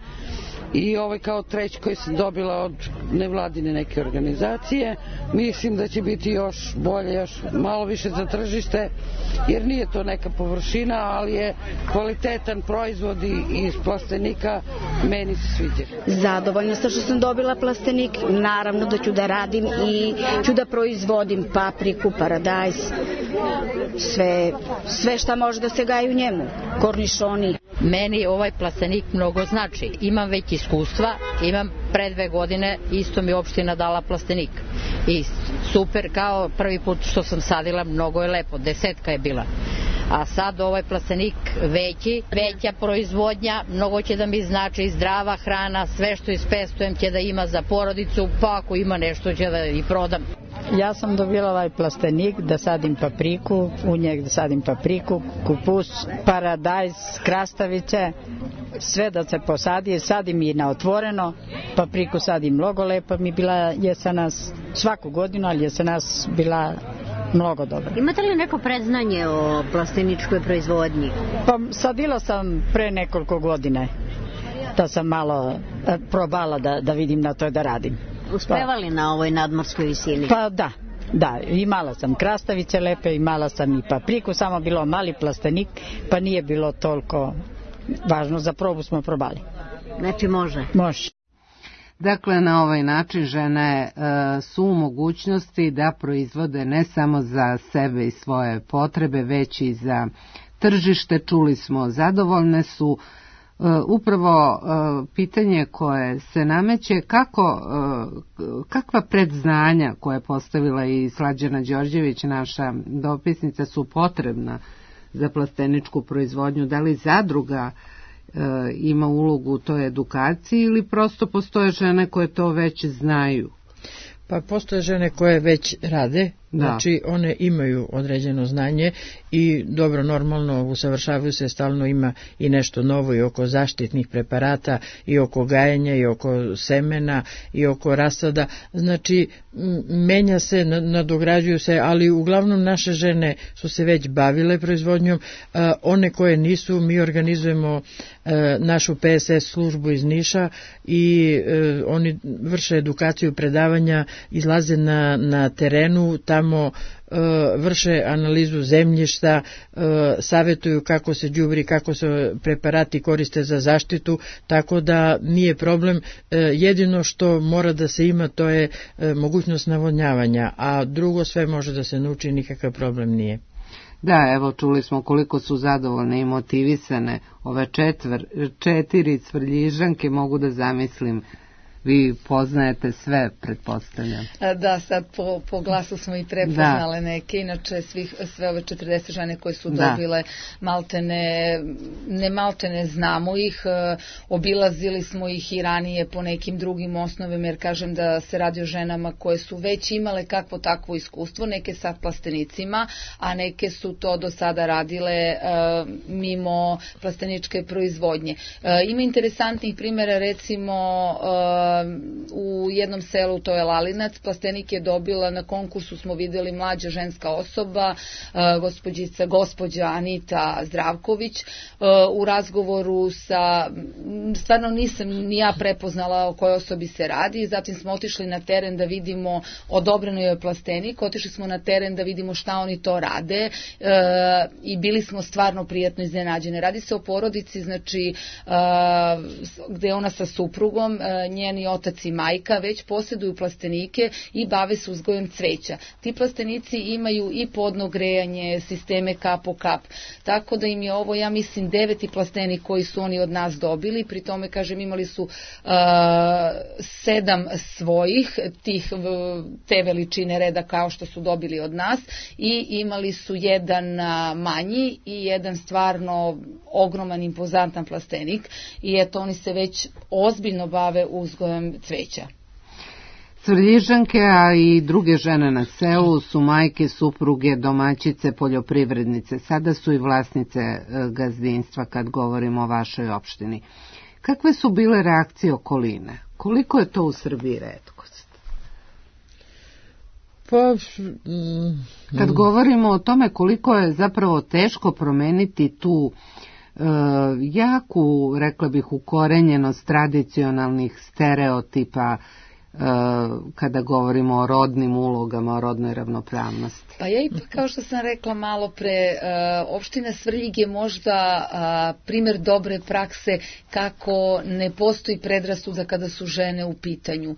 i ovaj kao treći koji sam dobila od nevladine neke organizacije. Mislim da će biti još bolje, još malo više za tržište, jer nije to neka površina, ali je kvalitetan proizvod i iz plastenika, meni se sviđa. Zadovoljna sam što sam dobila plastenik, naravno da ću da radim i ću da proizvodim papriku, paradajz, sve, sve šta može da se gaji u njemu, kornišoni. Meni ovaj plastenik mnogo znači. Imam već iskustva, imam pre dve godine, isto mi opština dala plastenik. I super, kao prvi put što sam sadila, mnogo je lepo, desetka je bila. A sad ovaj plastenik veći, veća proizvodnja, mnogo će da mi znači zdrava hrana, sve što ispestujem će da ima za porodicu, pa ako ima nešto će da i prodam. Ja sam dobila ovaj plastenik da sadim papriku, u njeg da sadim papriku, kupus, paradajz, krastavice, sve da se posadi, sadim i na otvoreno, papriku sadim mnogo lepa, mi bila jesenas svaku godinu, ali jesenas bila mnogo dobro. Imate li neko predznanje o plasteničkoj proizvodnji? Pa sadila sam pre nekoliko godine, da sam malo probala da, da vidim na to da radim. Uspevali pa, na ovoj nadmorskoj visini? Pa da, da, imala sam krastavice lepe, imala sam i papriku, samo bilo mali plastenik, pa nije bilo toliko važno, za probu smo probali. Znači može? Može. Dakle, na ovaj način žene e, su u mogućnosti da proizvode ne samo za sebe i svoje potrebe, već i za tržište. Čuli smo, zadovoljne su. Uh, upravo uh, pitanje koje se nameće, kako, uh, kakva predznanja koje je postavila i Slađana Đorđević, naša dopisnica, su potrebna za plasteničku proizvodnju? Da li zadruga uh, ima ulogu u toj edukaciji ili prosto postoje žene koje to već znaju? Pa postoje žene koje već rade, da. Znači one imaju određeno znanje i dobro, normalno usavršavaju se, stalno ima i nešto novo i oko zaštitnih preparata i oko gajenja i oko semena i oko rasada, znači menja se, nadograđuju se, ali uglavnom naše žene su se već bavile proizvodnjom, one koje nisu, mi organizujemo našu P S S službu iz Niša i oni vrše edukaciju, predavanja, izlaze na, na terenu, tamo vrše analizu zemljišta, savjetuju kako se đubri, kako se preparati koriste za zaštitu, tako da nije problem. Jedino što mora da se ima, to je mogućnost navodnjavanja, a drugo sve može da se nauči, nikakav problem nije. Da, evo čuli smo koliko su zadovoljne i motivisane ove četvr, četiri Svrljižanke, mogu da zamislim vi poznajete sve, pretpostavljam. Da, sad po, po glasu smo i prepoznale da. neke, inače svih, sve ove četrdeset žene koje su da. dobile maltene, ne maltene znamo ih, obilazili smo ih i ranije po nekim drugim osnovima, jer kažem da se radi o ženama koje su već imale kakvo takvo iskustvo, neke sa plastenicima, a neke su to do sada radile uh, mimo plasteničke proizvodnje. Uh, ima interesantnih primjera, recimo uh, u jednom selu, to je Lalinac, plastenik je dobila, na konkursu smo vidjeli mlađa ženska osoba, gospođica, gospođa Anita Zdravković, u razgovoru sa, stvarno nisam ni ja prepoznala o kojoj osobi se radi, zatim smo otišli na teren da vidimo, odobreno je plastenik, otišli smo na teren da vidimo šta oni to rade i bili smo stvarno prijatno iznenađene. Radi se o porodici, znači, gde je ona sa suprugom, njeni otac i majka već posjeduju plastenike i bave se uzgojem cveća. Ti plastenici imaju i podno grejanje, sisteme kap po kap, tako da im je ovo, ja mislim, deveti plastenik koji su oni od nas dobili, pri tome, kažem, imali su uh, sedam svojih, tih, te veličine reda kao što su dobili od nas, i imali su jedan manji i jedan stvarno ogroman, impozantan plastenik, i eto, oni se već ozbiljno bave uzgojem cveća. Svrljižanke, a i druge žene na selu su majke, supruge, domaćice, poljoprivrednice. Sada su i vlasnice gazdinstva kad govorimo o vašoj opštini. Kakve su bile reakcije okoline? Koliko je to u Srbiji retkost? Pa, mm, kad govorimo o tome koliko je zapravo teško promeniti tu e, jaku, rekla bih, ukorenjenost tradicionalnih stereotipa kada govorimo o rodnim ulogama, o rodnoj ravnopravnosti. Pa ja ipak, kao što sam rekla malo pre, opština Svrljig je možda primer dobre prakse kako ne postoji predrasuda kada su žene u pitanju.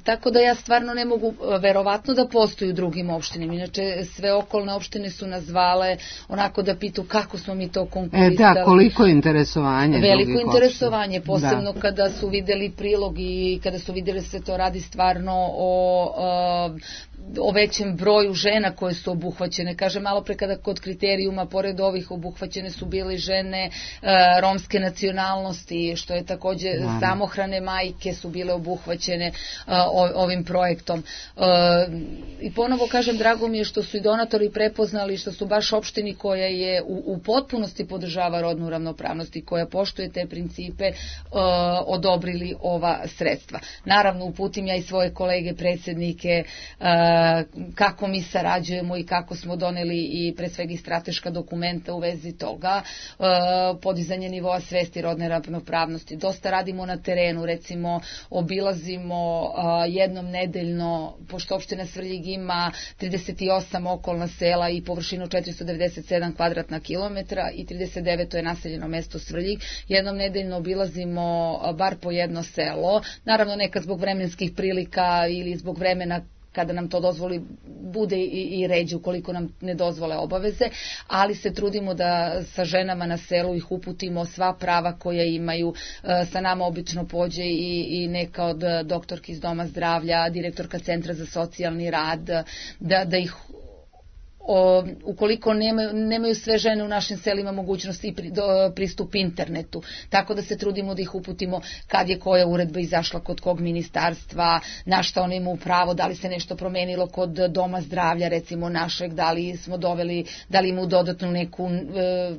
Tako da ja stvarno ne mogu, verovatno da postoji u drugim opštinama, inače sve okolne opštine su nas zvale onako da pitu kako smo mi to konkurisali. E da, koliko je interesovanje? Veliko interesovanje, posebno da. Kada su videli prilog i kada su videli se to radi stvarno o, o većem broju žena koje su obuhvaćene. Kaže, malo pre kada kod kriterijuma, pored ovih obuhvaćene su bile žene romske nacionalnosti, što je takođe da. Samohrane majke su bile obuhvaćene ovim projektom. I ponovo kažem, drago mi je što su i donatori prepoznali, što su baš opštini koja je u, u potpunosti podržava rodnu ravnopravnost i koja poštuje te principe, odobrili ova sredstva. Naravno, uputim ja i svoje kolege predsjednike kako mi sarađujemo i kako smo doneli i pre svega i strateška dokumenta u vezi toga, podizanje nivoa svesti rodne ravnopravnosti. Dosta radimo na terenu, recimo obilazimo jednom nedeljno, pošto opština Svrljig ima trideset osam okolna sela i površinu četiristo devedeset sedam kvadratna kilometra i trideset devet je naseljeno mesto Svrljig, jednom nedeljno obilazimo bar po jedno selo, naravno nekad zbog vremenskih prilika ili zbog vremena kada nam to dozvoli, bude i, i ređe ukoliko nam ne dozvole obaveze, ali se trudimo da sa ženama na selu ih uputimo sva prava koja imaju. Sa nama obično pođe i, i neka od doktorki iz Doma zdravlja, direktorka Centra za socijalni rad, da, da ih O, ukoliko nemaju, nemaju sve žene u našim selima mogućnosti pri, do, pristup internetu, tako da se trudimo da ih uputimo kad je koja uredba izašla kod kog ministarstva, na šta oni imaju pravo, da li se nešto promenilo kod Doma zdravlja, recimo našeg, da li smo doveli, da li imaju dodatnu neku e,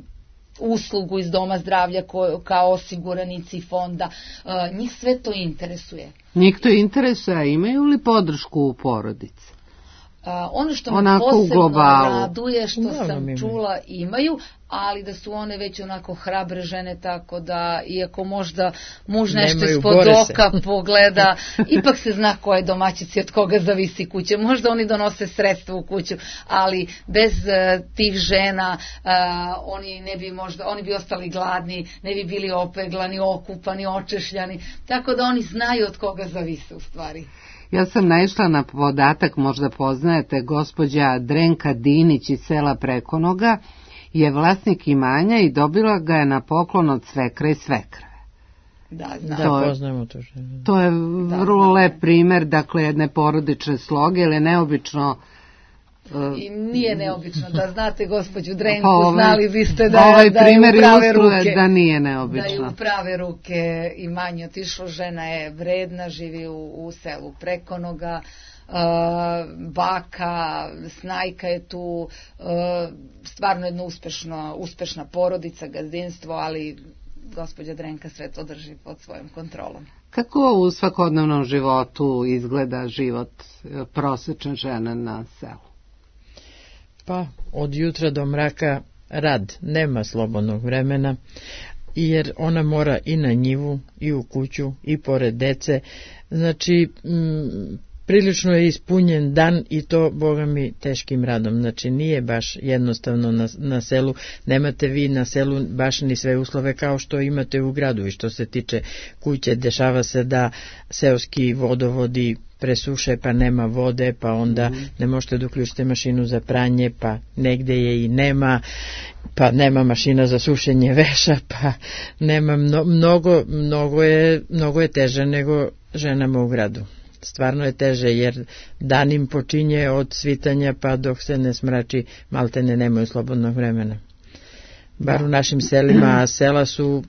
uslugu iz Doma zdravlja ko, kao osiguranici fonda. E, njih sve to interesuje. Njih to interesuje, a imaju li podršku u porodici? Uh, ono što me posebno raduje, što no, sam čula, imaju, ali da su one već onako hrabre žene, tako da, iako možda muž nešto ispod oka pogleda, ipak se zna ko je domaćic i od koga zavisi kuće. Možda oni donose sredstva u kuću, ali bez uh, tih žena uh, oni ne bi možda, oni bi ostali gladni, ne bi bili opeglani, okupani, očešljani, tako da oni znaju od koga zavise u stvari. Ja sam naišla na podatak, možda poznajete, gospođa Drenka Dinić iz sela Prekonoga je vlasnik imanja i dobila ga je na poklon od svekra i svekrve. Da, znam. Da, poznajemo tu ženu. To je vrlo lep primer, dakle, jedne porodične sloge, ili neobično. I nije neobično, da znate gospođu Drenku, pa ovaj, znali biste da, ovaj da je u prave ruke. Da nije neobično. Da je u prave ruke i manje otišlo, žena je vredna, živi u, u selu Prekonoga, uh, baka, snajka je tu, uh, stvarno jedna uspešno, uspešna porodica, gazdinstvo, ali gospođa Drenka sve to drži pod svojom kontrolom. Kako u svakodnevnom životu izgleda život prosečne žene na selu? Pa, od jutra do mraka rad, nema slobodnog vremena, jer ona mora i na njivu, i u kuću, i pored dece. Znači, m, prilično je ispunjen dan i to, boga mi, teškim radom. Znači, nije baš jednostavno na, na selu. Nemate vi na selu baš ni sve uslove kao što imate u gradu. I što se tiče kuće, dešava se da seoski vodovodi presuše, pa nema vode, pa onda mm. ne možete da uključite mašinu za pranje, pa negde je i nema, pa nema mašina za sušenje veša, pa nema mno, mnogo, mnogo je, mnogo je teže nego ženama u gradu. Stvarno je teže, jer dan im počinje od svitanja pa dok se ne smrači, malte ne nemaju slobodnog vremena. Bar u našim selima, a sela su,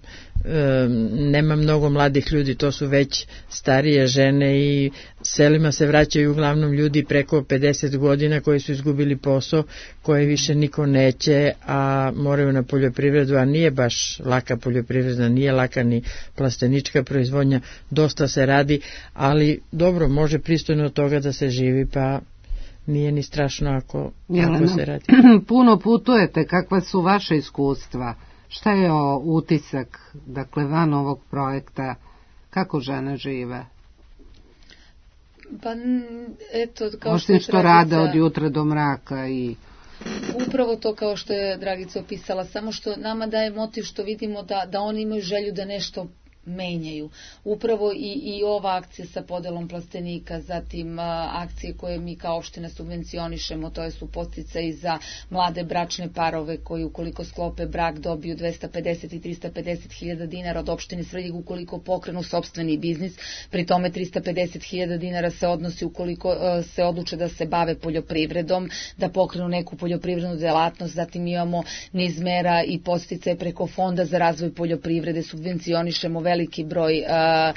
e, nema mnogo mladih ljudi, to su već starije žene i selima se vraćaju uglavnom ljudi preko pedeset godina koji su izgubili posao, koje više niko neće, a moraju na poljoprivredu, a nije baš laka poljoprivreda, nije laka ni plastenička proizvodnja, dosta se radi, ali dobro, može pristojno od toga da se živi, pa nije ni strašno ako, ako se radi. Puno putujete, kakva su vaše iskustva? Šta je o utisak, dakle, van ovog projekta, kako žene žive? Pa, eto, kao Osim što, što rade od jutra do mraka i... Upravo to kao što je Dragica opisala, samo što nama daje motiv što vidimo da, da oni imaju želju da nešto menjaju. Upravo i, i ova akcija sa podelom plastenika, zatim a, akcije koje mi kao opština subvencionišemo, to su podsticaji za mlade bračne parove koji ukoliko sklope brak dobiju dvesta pedeset i trista pedeset hiljada dinara od opštine Svrljig ukoliko pokrenu sopstveni biznis, pri tome trista pedeset hiljada dinara se odnosi ukoliko a, se odluče da se bave poljoprivredom, da pokrenu neku poljoprivrednu delatnost, zatim imamo niz mera i podsticaje preko Fonda za razvoj poljoprivrede, subvencionišemo veliki broj uh,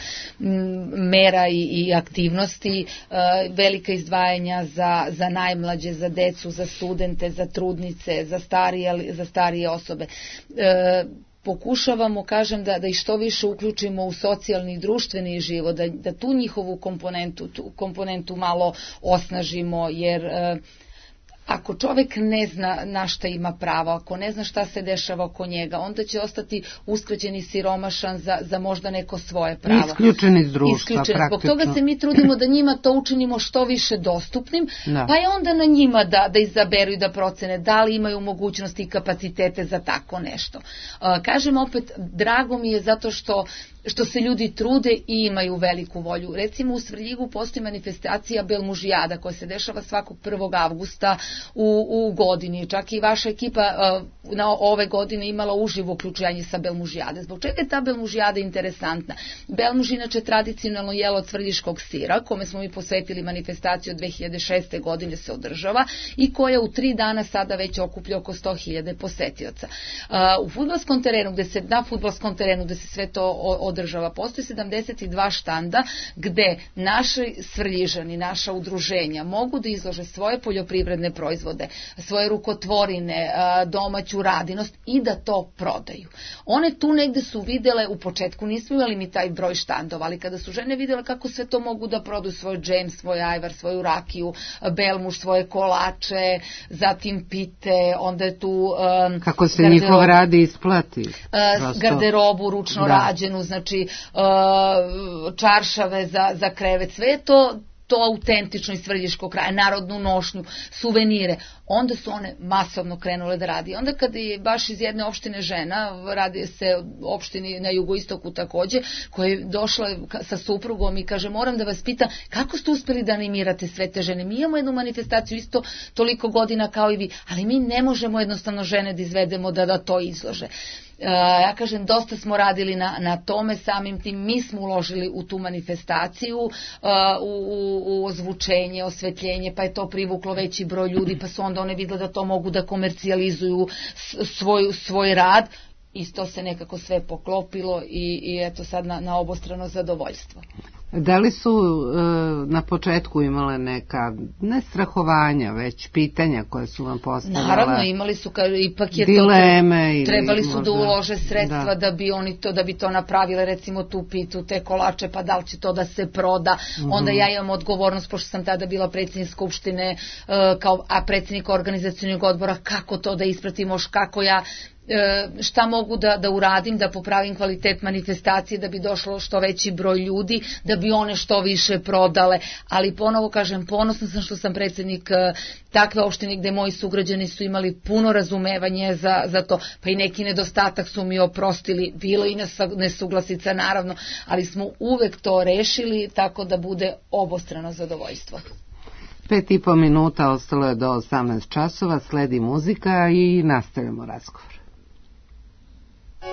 mera i, i aktivnosti, uh, velika izdvajanja za, za najmlađe, za decu, za studente, za trudnice, za starije, za starije osobe. Uh, pokušavamo, kažem, da, da i što više uključimo u socijalni i društveni život, da, da tu njihovu komponentu, tu komponentu malo osnažimo, jer uh, ako čovek ne zna na šta ima pravo, ako ne zna šta se dešava oko njega, onda će ostati uskraćen i siromašan za, za možda neko svoje pravo. Isključen iz društva, Isključen. Zbog toga se mi trudimo da njima to učinimo što više dostupnim, no. pa je onda na njima da, da izaberu i da procene da li imaju mogućnosti i kapacitete za tako nešto. Uh, kažem opet, drago mi je zato što što se ljudi trude i imaju veliku volju. Recimo u Svrljigu postoji manifestacija Belmužijada koja se dešava svakog prvog avgusta u, u godini. Čak i vaša ekipa uh, na ove godine imala uživo uključenje sa Belmužijade. Zbog čega je ta Belmužijada interesantna? Belmuž inače tradicionalno jelo od svrljiškog sira, kome smo mi posvetili manifestaciju od dve hiljade šeste. godine se održava i koja u tri dana sada već okuplja oko sto hiljada posetioca. Uh, u fudbalskom terenu, gde se, na fudbalskom terenu gde se sve to održava, postoji sedamdeset dva štanda gde naši Svrljižani, naša udruženja mogu da izlože svoje poljoprivredne proizvode, svoje rukotvorine, domaću radinost i da to prodaju. One tu negde su videle, u početku nismo imali mi taj broj štandova, ali kada su žene videle kako sve to mogu da prodaju, svoj džem, svoj ajvar, svoju rakiju, Belmuž, svoje kolače, zatim pite, onda je tu um, kako se garderob, njihov radi isplati. Uh, garderobu ručno da. rađenu, znači Znači, uh, čaršave za, za krevet, sve je to, to autentično iz svrljiškog kraja, narodnu nošnju, suvenire. Onda su one masovno krenule da radi. Onda kada je baš iz jedne opštine žena, radi se opštini na jugoistoku takođe, koja je došla sa suprugom i kaže, moram da vas pitam, kako ste uspeli da animirate sve te žene? Mi imamo jednu manifestaciju isto toliko godina kao i vi, ali mi ne možemo jednostavno žene da izvedemo da, da to izlože. ja kažem, dosta smo radili na, na tome, samim tim mi smo uložili u tu manifestaciju, u, u, u ozvučenje, osvetljenje, pa je to privuklo veći broj ljudi, pa su onda one vidjeli da to mogu da komercijalizuju svoj, svoj rad. Isto se nekako sve poklopilo i, i eto sad na, na obostrano zadovoljstvo. Da li su e, na početku imale neka, ne strahovanja, već pitanja koje su vam postavljala? Naravno, imali su, ka, ipak je dileme, to, trebali su možda, da ulože sredstva da. da bi oni to, da bi to napravile, recimo tu pitu, te kolače, pa da li će to da se proda. Mm-hmm. Onda ja imam odgovornost, pošto sam tada bila predsjednik skupštine, uh, kao, a predsjednik organizacionog odbora, kako to da ispratimo, kako ja šta mogu da, da uradim, da popravim kvalitet manifestacije, da bi došlo što veći broj ljudi, da bi one što više prodale, ali ponovo kažem, ponosna sam što sam predsjednik takve opštine gde moji sugrađani su imali puno razumevanje za, za to, pa i neki nedostatak su mi oprostili, bilo i nesuglasica naravno, ali smo uvek to rešili tako da bude obostrano zadovoljstvo. Pet i po minuta ostalo je do osamnaest časova, sledi muzika i nastavljamo razgovor. I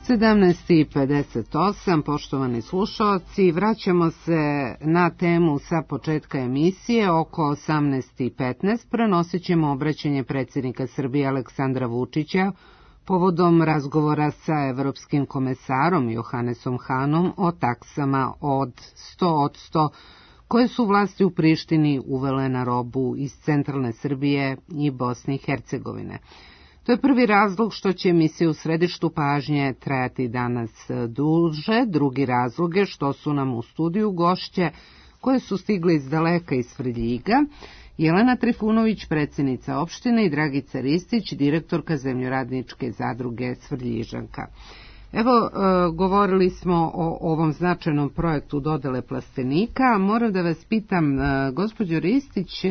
sedamnaest i pedeset osam, poštovani slušalci, vraćamo se na temu sa početka emisije. Oko osamnaest i petnaest prenosit ćemo obraćanje predsjednika Srbije Aleksandra Vučića povodom razgovora sa evropskim komesarom Johanesom Hanom o taksama od sto odsto koje su vlasti u Prištini uvele na robu iz centralne Srbije i Bosne i Hercegovine. To je prvi razlog što će emisija u središtu pažnje trajati danas duže. Drugi razlog je što su nam u studiju gošće koje su stigle iz daleka iz Svrljiga. Jelena Trifunović, predsjednica opštine, i Dragica Ristić, direktorka zemljoradničke zadruge Svrljižanka. Evo, govorili smo o ovom značajnom projektu dodele plastenika. Moram da vas pitam, gospođo Ristić,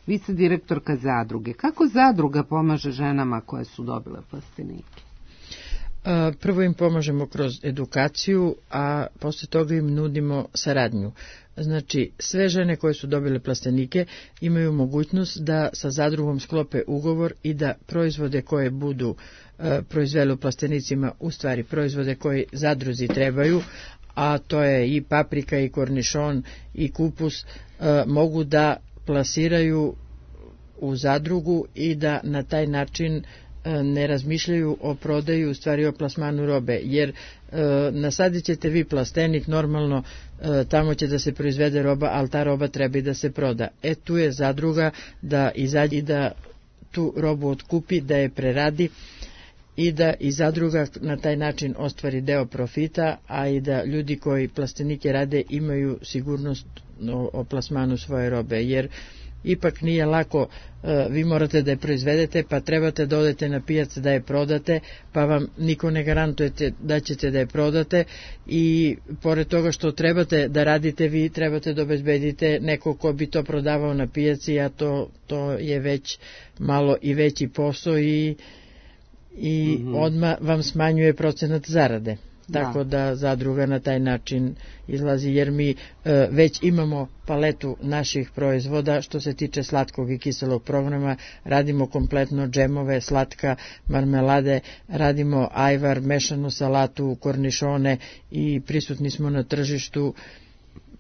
vi ste direktorka zadruge. Kako zadruga pomaže ženama koje su dobile plastenike? Prvo im pomažemo kroz edukaciju, a posle toga im nudimo saradnju. Znači, sve žene koje su dobile plastenike imaju mogućnost da sa zadrugom sklope ugovor i da proizvode koje budu e, proizvele u plastenicima, u stvari proizvode koje zadruzi trebaju, a to je i paprika, i kornišon, i kupus, e, mogu da plasiraju u zadrugu i da na taj način ne razmišljaju o prodaju, u stvari o plasmanu robe, jer e, nasadit ćete vi plastenik, normalno e, tamo će da se proizvede roba, ali ta roba treba i da se proda. E tu je zadruga da izađe i da tu robu otkupi, da je preradi i da i zadruga na taj način ostvari deo profita, a i da ljudi koji plastenike rade imaju sigurnost o, o plasmanu svoje robe, jer ipak nije lako, vi morate da je proizvedete, pa trebate da odete na pijac da je prodate, pa vam niko ne garantujete da ćete da je prodate, i pored toga što trebate da radite, vi trebate da obezbedite neko ko bi to prodavao na pijaci, a to, to je već malo i veći posao i, i mm-hmm. odmah vam smanjuje procenat zarade. Tako da zadruga na taj način izlazi, jer mi e, već imamo paletu naših proizvoda što se tiče slatkog i kiselog programa, radimo kompletno džemove, slatka, marmelade, radimo ajvar, mešanu salatu, kornišone i prisutni smo na tržištu.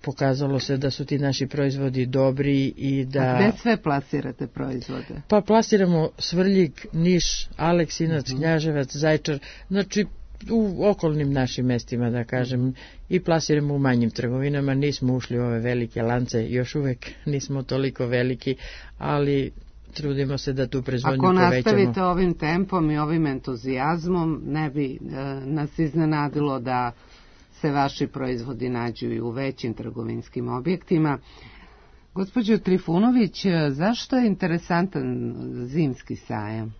Pokazalo se da su ti naši proizvodi dobri i da... A gde sve plasirate proizvode? Pa plasiramo Svrljig, Niš, Aleksinac, uh-huh. Knjaževac, Zaječar, znači u okolnim našim mestima, da kažem, i plasiramo u manjim trgovinama. Nismo ušli u ove velike lance, još uvek nismo toliko veliki, ali trudimo se da tu proizvodnju povećamo. Ako nastavite ovim tempom i ovim entuzijazmom, ne bi e, nas iznenadilo da se vaši proizvodi nađu i u većim trgovinskim objektima. Gospođo Trifunović, zašto je interesantan zimski sajam?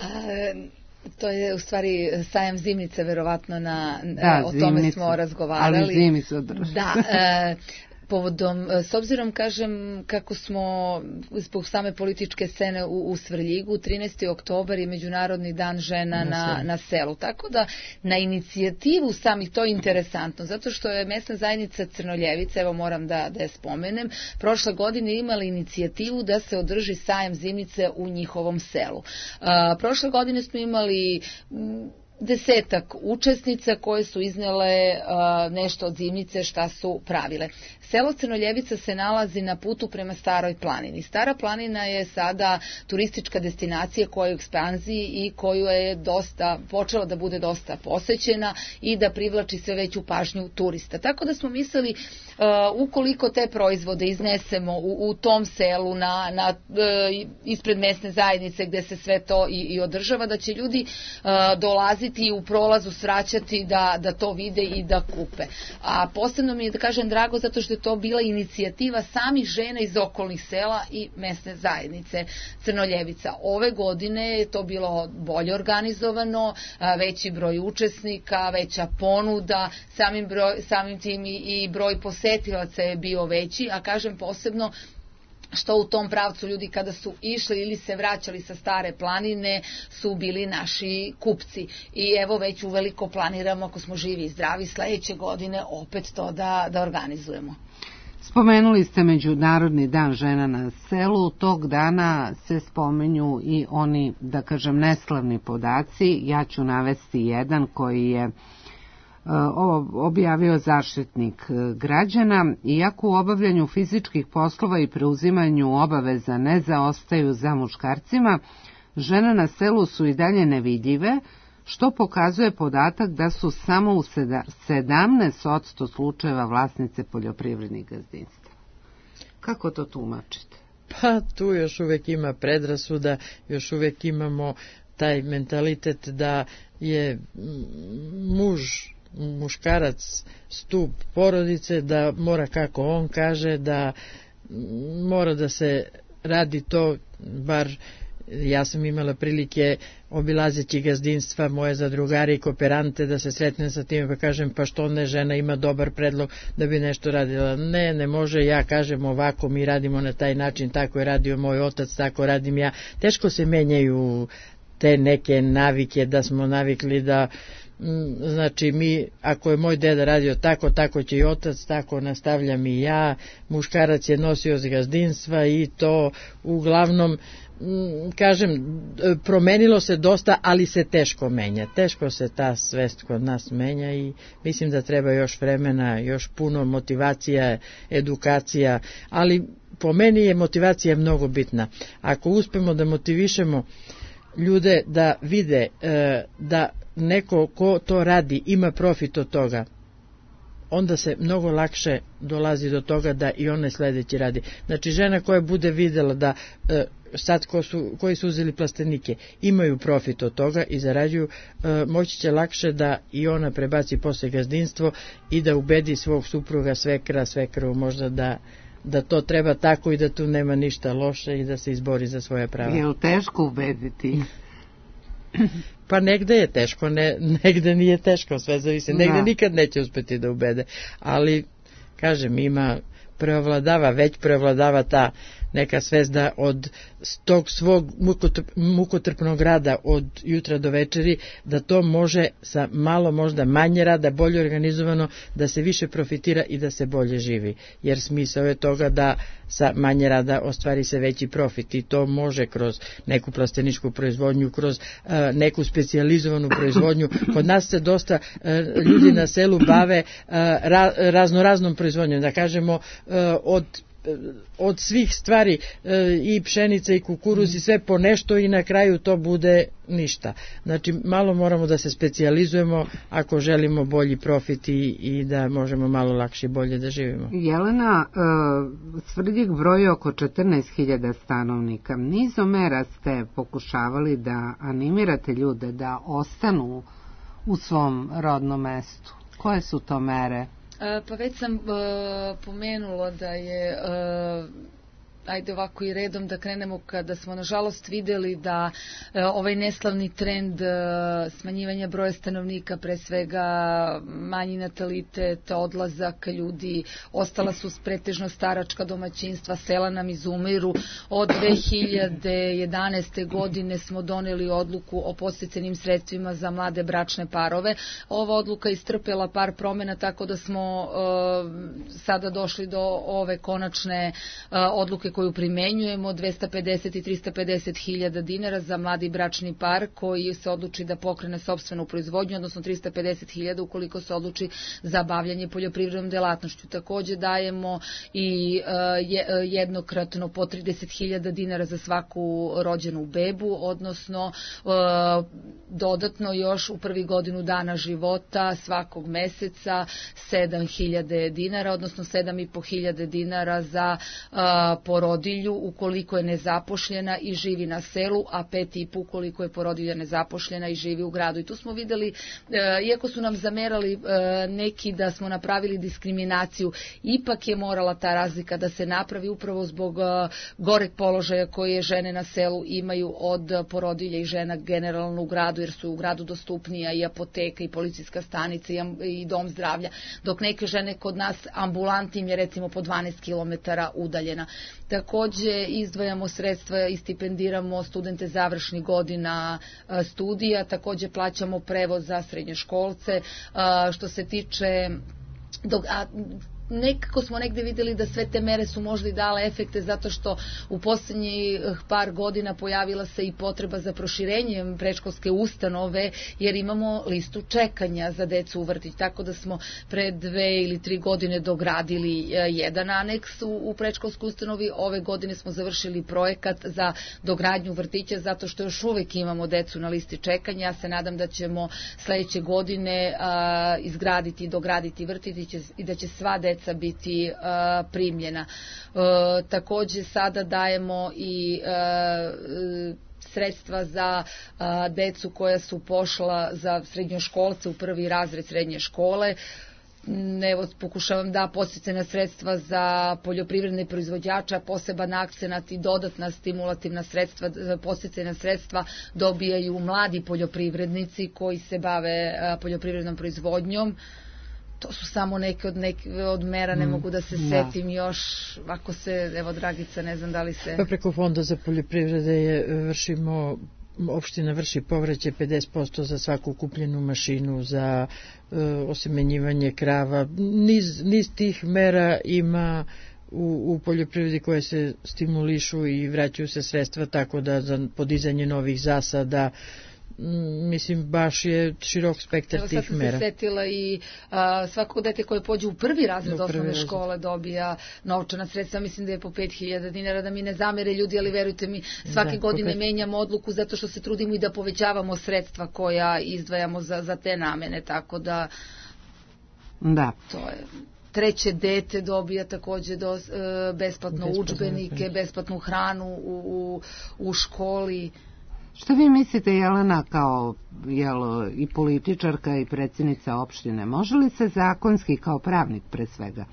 E... To je u stvari sajam zimnice, verovatno na, da, o tome zimnicu, smo razgovarali. Ali zimi se održava. Da, e, povodom, s obzirom, kažem, kako smo zbog same političke scene u, u Svrljigu, trinaesti oktobar je Međunarodni dan žena na, na, na selu. Tako da na inicijativu samih, to je interesantno, zato što je mesna zajednica Crnoljevica, evo moram da, da je spomenem, prošle godine imali inicijativu da se održi sajam zimnice u njihovom selu. A, prošle godine smo imali... M, desetak učesnica koje su iznele uh, nešto od zimnice šta su pravile. Selo Crnoljevica se nalazi na putu prema Staroj planini. Stara planina je sada turistička destinacija koja je u ekspanziji i koju je dosta, počela da bude dosta posećena i da privlači sve veću pažnju turista. Tako da smo mislili, uh, ukoliko te proizvode iznesemo u, u tom selu na, na, uh, ispred mesne zajednice gde se sve to i, i održava, da će ljudi uh, dolaziti i u prolazu svraćati da, da to vide i da kupe. A posebno mi je, da kažem, drago zato što je to bila inicijativa samih žena iz okolnih sela i mesne zajednice Crnoljevica. Ove godine je to bilo bolje organizovano, veći broj učesnika, veća ponuda, samim, broj, samim tim i, i broj posetilaca je bio veći, a kažem posebno što u tom pravcu ljudi kada su išli ili se vraćali sa Stare planine su bili naši kupci. I evo već uveliko planiramo, ako smo živi i zdravi, sledeće godine opet to da, da organizujemo. Spomenuli ste Međunarodni dan žena na selu, tog dana se spomenju i oni, da kažem, neslavni podaci. Ja ću navesti jedan koji je objavio Zaštitnik građana. Iako u obavljanju fizičkih poslova i preuzimanju obaveza ne zaostaju za muškarcima, žene na selu su i dalje nevidljive, što pokazuje podatak da su samo u sedamnaest posto slučajeva vlasnice poljoprivrednih gazdinstva. Kako to tumačite? Pa tu još uvek ima predrasuda, još uvek imamo taj mentalitet da je muž, muškarac stup porodice, da mora kako on kaže, da mora da se radi to, bar ja sam imala prilike obilazeći gazdinstva moje zadrugare i kooperante da se sretnem sa tim pa kažem pa što ne, žena ima dobar predlog da bi nešto radila. Ne, ne može, ja kažem ovako, mi radimo na taj način, tako je radio moj otac, tako radim ja. Teško se menjaju te neke navike da smo navikli da znači mi, ako je moj deda radio tako, tako će i otac, tako nastavljam i ja, muškarac je nosio gazdinstva i to uglavnom kažem, promenilo se dosta, ali se teško menja. Teško se ta svest kod nas menja i mislim da treba još vremena, još puno motivacija, edukacija, ali po meni je motivacija mnogo bitna. Ako uspemo da motivišemo ljude da vide da neko ko to radi ima profit od toga, onda se mnogo lakše dolazi do toga da i one sledeći radi. Znači žena koja bude videla da sad ko su, koji su uzeli plastenike imaju profit od toga i zarađuju, moći će lakše da i ona prebaci posle gazdinstvo i da ubedi svog supruga, svekra, svekru možda da da to treba tako i da tu nema ništa loše i da se izbori za svoje prava. Je li teško ubediti? Pa negde je teško, ne, negde nije teško, sve zavisi. Negde nikad neće uspeti da ubede. Ali, kažem, ima, preovladava, već preovladava ta neka svest da od tog svog mukotrpnog rada od jutra do večeri, da to može sa malo možda manje rada, bolje organizovano, da se više profitira i da se bolje živi. Jer smisao je toga da sa manje rada ostvari se veći profit i to može kroz neku plasteničku proizvodnju, kroz uh, neku specijalizovanu proizvodnju. Kod nas se dosta uh, ljudi na selu bave uh, ra, raznoraznom proizvodnjom, da kažemo uh, od od svih stvari i pšenica i kukuruz i sve po nešto i na kraju to bude ništa. Znači malo moramo da se specijalizujemo ako želimo bolji profit i, i da možemo malo lakše i bolje da živimo. Jelena, Svrljig broji oko četrnaest hiljada stanovnika. Nizom mera ste pokušavali da animirate ljude da ostanu u svom rodnom mestu. Koje su to mere? Pa već sam uh, pomenula da je, uh, ajde ovako i redom da krenemo, kada smo nažalost videli da uh, ovaj neslavni trend uh, smanjivanja broja stanovnika, pre svega manji natalitet, odlazak ljudi, ostala su pretežno staračka domaćinstva, sela nam izumiru. Od dve hiljade jedanaeste. godine smo doneli odluku o podsticajnim sredstvima za mlade bračne parove. Ova odluka istrpela par promena, tako da smo uh, sada došli do ove konačne uh, odluke koju primenjujemo, dvesta pedeset i trista pedeset hiljada dinara za mladi bračni par koji se odluči da pokrene sopstvenu proizvodnju, odnosno trista pedeset hiljada ukoliko se odluči za bavljanje poljoprivrednom delatnošću. Takođe dajemo i uh, jednokratno po trideset hiljada dinara za svaku rođenu bebu, odnosno uh, dodatno još u prvi godinu dana života svakog meseca sedam hiljada dinara, odnosno sedam i po hiljada dinara za uh, porodilju ukoliko je nezapošljena i živi na selu, a pet i po ukoliko je porodilja nezapošljena i živi u gradu. I tu smo videli, uh, iako su nam zamerali uh, neki da smo napravili diskriminaciju, ipak je morala ta razlika da se napravi upravo zbog uh, goreg položaja koje žene na selu imaju od porodilja i žena generalno u gradu, jer su u gradu dostupnija i apoteka i policijska stanica i, i dom zdravlja, dok neke žene kod nas ambulanti im je recimo po dvanaest kilometara udaljena. Takođe izdvajamo sredstva i stipendiramo studente završnih godina studija, takođe plaćamo prevoz za srednjoškolce. Što se tiče Dok, a, nekako smo negde videli da sve te mere su možda i dale efekte zato što u poslednjih par godina pojavila se i potreba za proširenjem predškolske ustanove jer imamo listu čekanja za decu u vrtić, tako da smo pre dve ili tri godine dogradili jedan aneks u, u predškolskoj ustanovi. Ove godine smo završili projekat za dogradnju vrtića zato što još uvek imamo decu na listi čekanja. Ja se nadam da ćemo sledeće godine a, izgraditi i dograditi vrtić i da će sva deca biti a, primljena. A, takođe sada dajemo i a, sredstva za a, decu koja su pošla za srednjoškolce u prvi razred srednje škole. Evo, pokušavam da podsticajna sredstva za poljoprivredne proizvođača, poseban akcenat i dodatna stimulativna sredstva, podsticajna sredstva dobijaju mladi poljoprivrednici koji se bave poljoprivrednom proizvodnjom. To su samo neke od, neke od mera, ne mogu da se setim još, ako se, evo Dragica, ne znam da li se... Pa preko Fonda za poljoprivrede je, vršimo, opština vrši povraćaj pedeset posto za svaku kupljenu mašinu, za e, osemenjivanje krava. Niz, niz tih mera ima u, u poljoprivredi koje se stimulišu i vraćaju se sredstva, tako da za podizanje novih zasada, mislim, baš je širok spektar tih mera. Evo sad sam se setila i a, svako dete koje pođe u prvi razred osnovne škole dobija novčana sredstva, mislim da je po pet hiljada dinara, da mi ne zamere ljudi, ali verujte mi, svake da, godine pet... menjamo odluku zato što se trudimo i da povećavamo sredstva koja izdvajamo za, za te namene, tako da da. To je... Treće dete dobija takođe do, e, besplatno udžbenike, besplatnu hranu u, u, u školi. Što vi mislite, Jelena, kao jel, i političarka i predsjednica opštine, može li se zakonski, kao pravnik pre svega,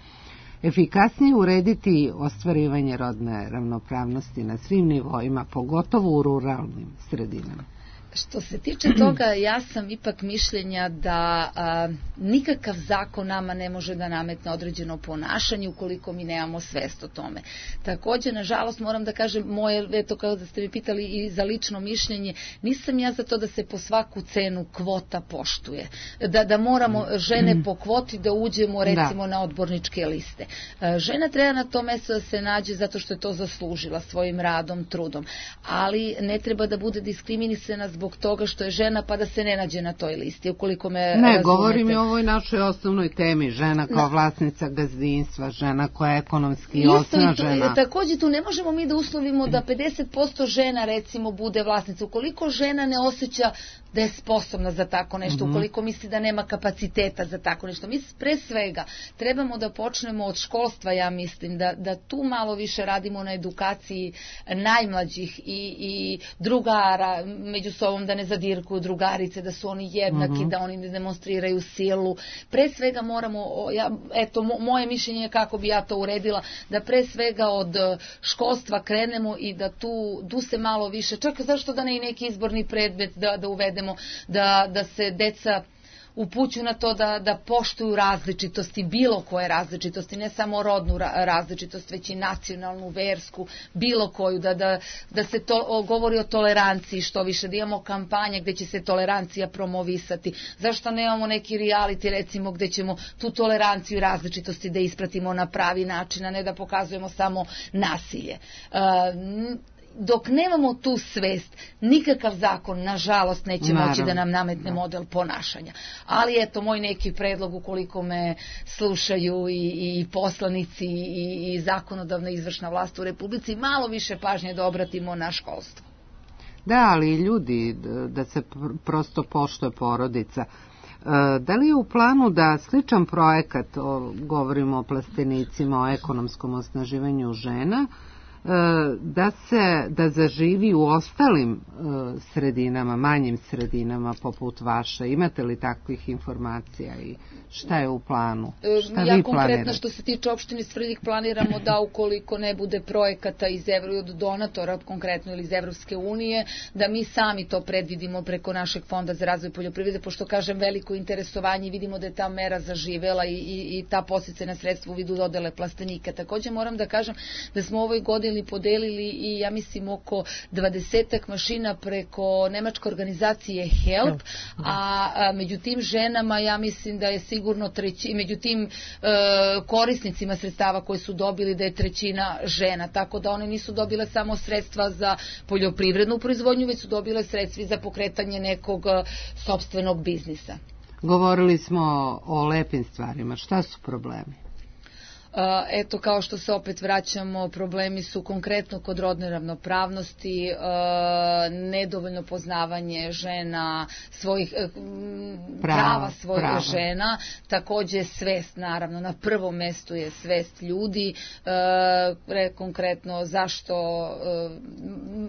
efikasnije urediti ostvarivanje rodne ravnopravnosti na svim nivoima, pogotovo u ruralnim sredinama? Što se tiče toga, ja sam ipak mišljenja da a, nikakav zakon nama ne može da nametne određeno ponašanje ukoliko mi nemamo svest o tome. Također, nažalost, moram da kažem, moje, eto kao da ste mi pitali i za lično mišljenje, nisam ja za to da se po svaku cenu kvota poštuje. Da, da moramo žene po kvoti da uđemo recimo da. na odborničke liste. A, žena treba na to mesto da se nađe zato što je to zaslužila svojim radom, trudom. Ali ne treba da bude diskriminisana zbog zbog toga što je žena pa da se ne nađe na toj listi, ukoliko me ne, razumete. Govorim i o ovoj našoj osnovnoj temi, žena kao vlasnica gazdinstva, žena koja je ekonomski osnažena. Takođe tu ne možemo mi da uslovimo da pedeset posto žena recimo bude vlasnica, ukoliko žena ne osjeća da je sposobna za tako nešto, ukoliko misli da nema kapaciteta za tako nešto. Mi pre svega trebamo da počnemo od školstva, ja mislim, da, da tu malo više radimo na edukaciji najmlađih i, i drugara, među sobom da ne zadirkuju drugarice, da su oni jednaki, uh-huh. da oni ne demonstriraju silu. Pre svega moramo, ja, eto, moje mišljenje je kako bi ja to uredila, da pre svega od školstva krenemo i da tu, tu se malo više, čak zašto da ne i neki izborni predmet da, da uvedemo, Da, da se deca upućuju na to da, da poštuju različitosti, bilo koje različitosti, ne samo rodnu različitost, već i nacionalnu, versku, bilo koju, da, da, da se to o, govori o toleranciji što više, da imamo kampanje gde će se tolerancija promovisati. Zašto nemamo neki reality recimo gde ćemo tu toleranciju i različitosti da ispratimo na pravi način, a ne da pokazujemo samo nasilje. Uh, Dok nemamo tu svest, nikakav zakon, nažalost, neće Naravno. moći da nam nametne model ponašanja. Ali eto, moj neki predlog, ukoliko me slušaju i, i poslanici i, i zakonodavna izvršna vlast u Republici, malo više pažnje da obratimo na školstvo. Da, ali ljudi, da se prosto poštuje porodica. Da li je u planu da sličan projekat, o, govorimo o plastenicima, o ekonomskom osnaživanju žena, da se da zaživi u ostalim sredinama, manjim sredinama poput vaše? Imate li takvih informacija i šta je u planu? Šta ja vi konkretno planirate? Što se tiče opštine Svrljig planiramo da ukoliko ne bude projekata iz Evro, od donatora konkretno ili iz Evropske unije, da mi sami to predvidimo preko našeg fonda za razvoj poljoprivrede, pošto kažem veliko interesovanje, vidimo da je ta mera zaživela i, i, i ta podsticajna sredstva u vidu dodele plastenika. Takođe moram da kažem da smo u ovoj godini podijelili, podelili i ja mislim oko dvadesetak mašina preko nemačke organizacije Help, a, a među tim ženama ja mislim da je sigurno treći, među tim e, korisnicima sredstava koje su dobili da je trećina žena, tako da one nisu dobile samo sredstva za poljoprivrednu proizvodnju, već su dobile sredstva za pokretanje nekog sopstvenog biznisa. Govorili smo o lepim stvarima. Šta su problemi? Eto, kao što se opet vraćamo, problemi su konkretno kod rodne ravnopravnosti, nedovoljno poznavanje žena, svojih prava, prava svojih prava. žena, takođe svest, naravno, na prvom mestu je svest ljudi, konkretno zašto,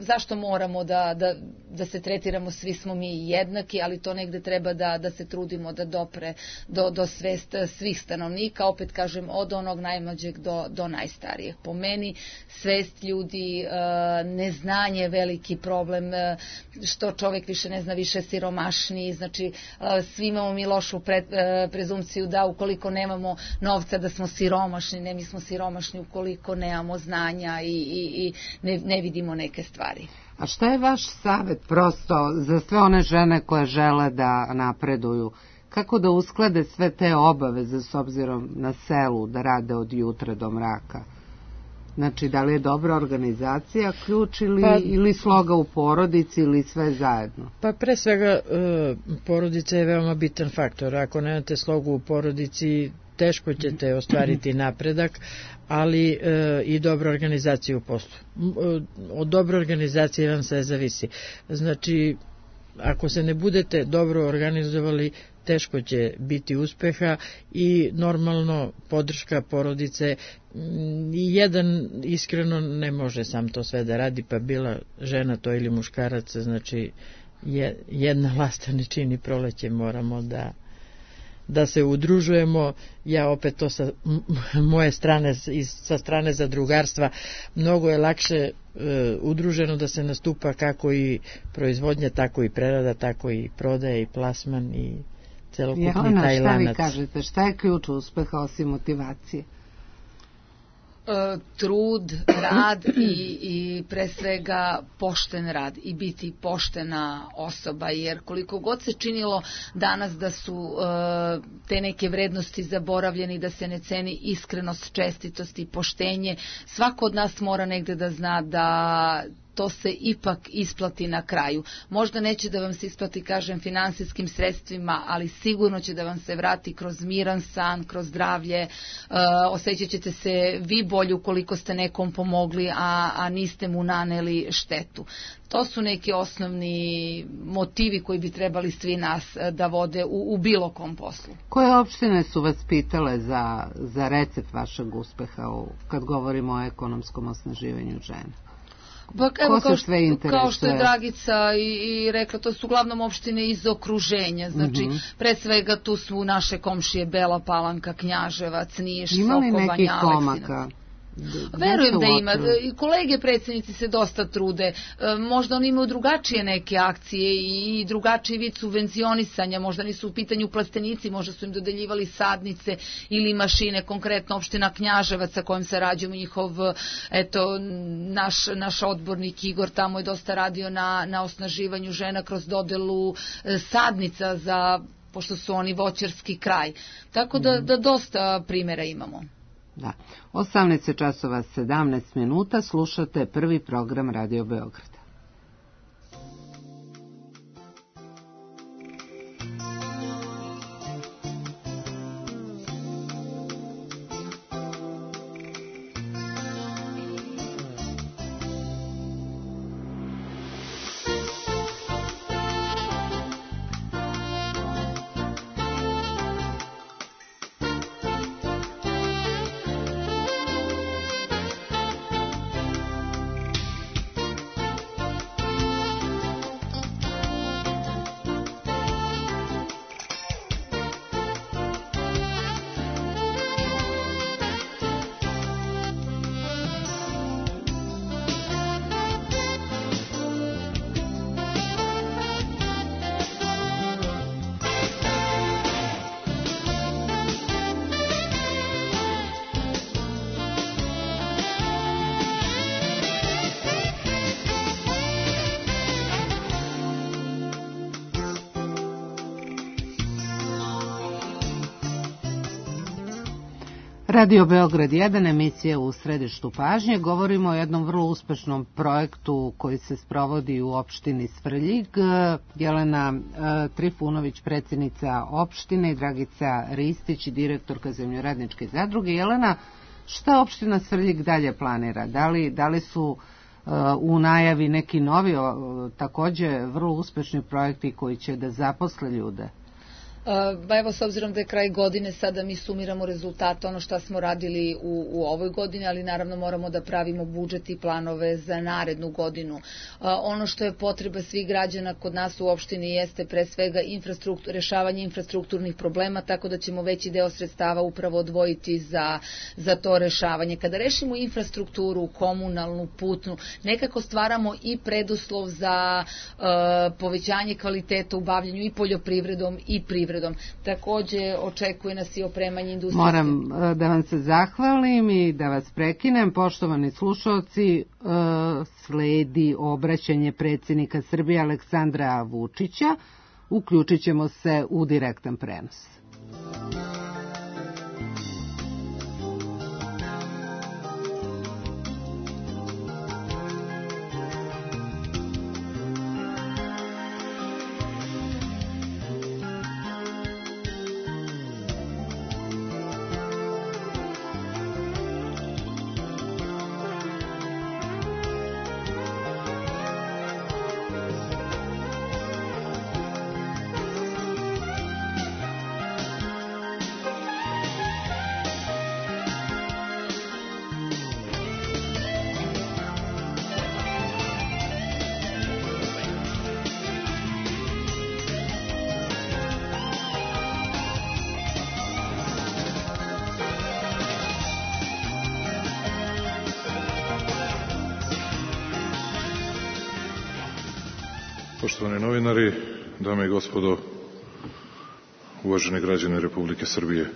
zašto moramo da, da, da se tretiramo, svi smo mi jednaki, ali to negde treba da, da se trudimo da dopre do, do svest svih stanovnika, opet kažem, od onog naj najmlađeg do, do najstarijeg. Po meni svest ljudi, neznanje je veliki problem, što čovjek više ne zna, više siromašniji, znači svi imamo mi lošu pre, prezumciju da ukoliko nemamo novca da smo siromašni, ne, mi smo siromašni ukoliko nemamo znanja i, i, i ne, ne vidimo neke stvari. A šta je vaš savjet prosto za sve one žene koje žele da napreduju? Kako da usklade sve te obaveze s obzirom na selu, da rade od jutra do mraka? Znači, da li je dobra organizacija ključ ili, pa, ili sloga u porodici ili sve zajedno? Pa pre svega porodica je veoma bitan faktor. Ako nemate slogu u porodici, teško ćete ostvariti napredak, ali e, i dobra organizacija u poslu. Od dobre organizacije vam sve zavisi. Znači, ako se ne budete dobro organizovali, teško će biti uspeha i normalno podrška porodice. I jedan iskreno ne može sam to sve da radi, pa bila žena to ili muškarac, znači jedna lasta ne čini proleće, moramo da da se udružujemo. Ja opet to sa moje strane, sa strane zadrugarstva, mnogo je lakše e, udruženo da se nastupa kako i proizvodnja, tako i prerada, tako i prodaja i plasman i celokupni Jelena, taj lanac. Šta vi kažete, šta je ključ uspeha osim motivacije? E, trud, rad i, i pre svega pošten rad i biti poštena osoba, jer koliko god se činilo danas da su e, te neke vrednosti zaboravljeni, da se ne ceni iskrenost, čestitost i poštenje, svako od nas mora negde da zna da to se ipak isplati na kraju. Možda neće da vam se isplati, kažem, finansijskim sredstvima, ali sigurno će da vam se vrati kroz miran san, kroz zdravlje, e, osjećat ćete se vi bolje ukoliko ste nekom pomogli, a, a niste mu naneli štetu. To su neki osnovni motivi koji bi trebali svi nas da vode u, u bilo kom poslu. Koje opštine su vas pitale za, za recept vašeg uspeha u, kad govorimo o ekonomskom osnaživanju žena? Pa, evo, kao, što, kao što je Dragica i, i rekla, to su uglavnom opštine iz okruženja, znači mm -hmm. pre svega tu su naše komšije Bela Palanka, Knjaževac, Niš, Sokobanja, Aleksinac. Verujem da ima. I kolege predsjednici se dosta trude. Možda oni imaju drugačije neke akcije i drugačiji vid subvencionisanja. Možda nisu u pitanju plastenici, možda su im dodeljivali sadnice ili mašine. Konkretno opština Knjaževac sa kojim se rađujemo, njihov, eto, naš, naš odbornik Igor tamo je dosta radio na, na osnaživanju žena kroz dodelu sadnica za, pošto su oni voćarski kraj. Tako da, da dosta primjera imamo. Da. osamnaest časova sedamnaest minuta, slušate prvi program Radio Beograda. Radio Beograd jedan, emisija u središtu pažnje. Govorimo o jednom vrlo uspešnom projektu koji se sprovodi u opštini Svrljig. Jelena Trifunović, predsjednica opštine, i Dragica Ristić, direktorka Zemljoradničke zadruge. Jelena, šta opština Svrljig dalje planira? Da li, da li su u najavi neki novi, takođe vrlo uspešni projekti koji će da zaposle ljude? Ba evo, s obzirom da je kraj godine, sada mi sumiramo rezultate, ono što smo radili u, u ovoj godini, ali naravno moramo da pravimo budžet i planove za narednu godinu. Ono što je potreba svih građana kod nas u opštini jeste pre svega infrastruktur, rešavanje infrastrukturnih problema, tako da ćemo veći deo sredstava upravo odvojiti za, za to rešavanje. Kada rešimo infrastrukturu, komunalnu, putnu, nekako stvaramo i preduslov za uh, povećanje kvaliteta u bavljanju i poljoprivredom i privredom. Takođe očekuje nas i opremanje industrijske. Moram da vam se zahvalim i da vas prekinem. Poštovani slušalci, sledi obraćanje predsjednika Srbije Aleksandra Vučića. Uključit ćemo se u direktan prenos. Poštovani novinari, dame i gospodo, uvaženi građani Republike Srbije.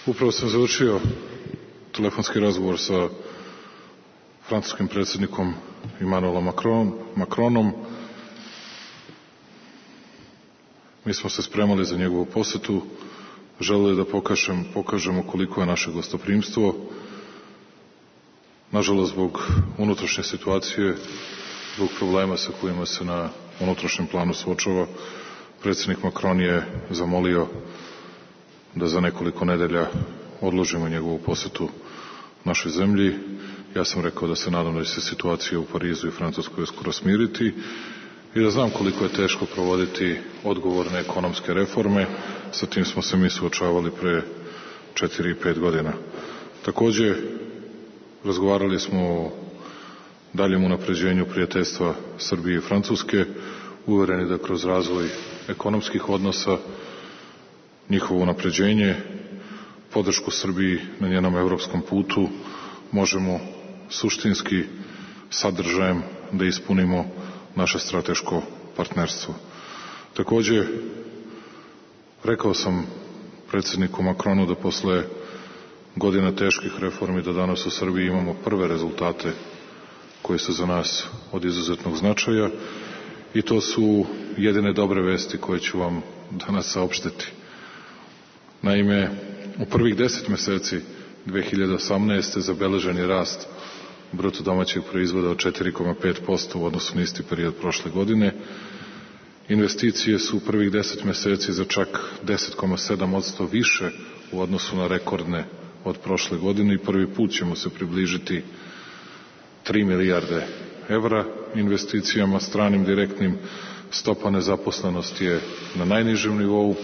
Upravo sam završio telefonski razgovor sa francuskim predsjednikom Emmanuelom Macron, Macronom. Mi smo se spremali za njegovu posetu, želeli da pokažem, pokažemo koliko je naše gostoprimstvo. Nažalost, zbog unutrašnje situacije, zbog problema sa kojima se na unutrašnjem planu suočava, predsjednik Macron je zamolio da za nekoliko nedelja odložimo njegovu posetu našoj zemlji. Ja sam rekao da se nadam da će se situacija u Parizu i Francuskoj uskoro smiriti i da znam koliko je teško provoditi odgovorne ekonomske reforme. Sa tim smo se mi suočavali pre četiri i pet godina. Takođe, razgovarali smo o daljem unapređenju prijateljstva Srbije i Francuske, uvereni da kroz razvoj ekonomskih odnosa, njihovo unapređenje, podršku Srbiji na njenom evropskom putu, možemo suštinski sadržajem da ispunimo naše strateško partnerstvo. Takođe, rekao sam predsjedniku Macronu da posle godina teških reformi da danas u Srbiji imamo prve rezultate koji su za nas od izuzetnog značaja i to su jedine dobre vesti koje ću vam danas saopštiti. Naime, u prvih deset meseci dve hiljade osamnaeste. zabeležen je rast bruto domaćeg proizvoda od četiri zarez pet posto u odnosu na isti period prošle godine. Investicije su u prvih deset meseci za čak deset zarez sedam posto više u odnosu na rekordne od prošle godine i prvi put ćemo se približiti tri milijarde evra investicijama stranim direktnim. Stopa nezaposlenosti je na najnižem nivou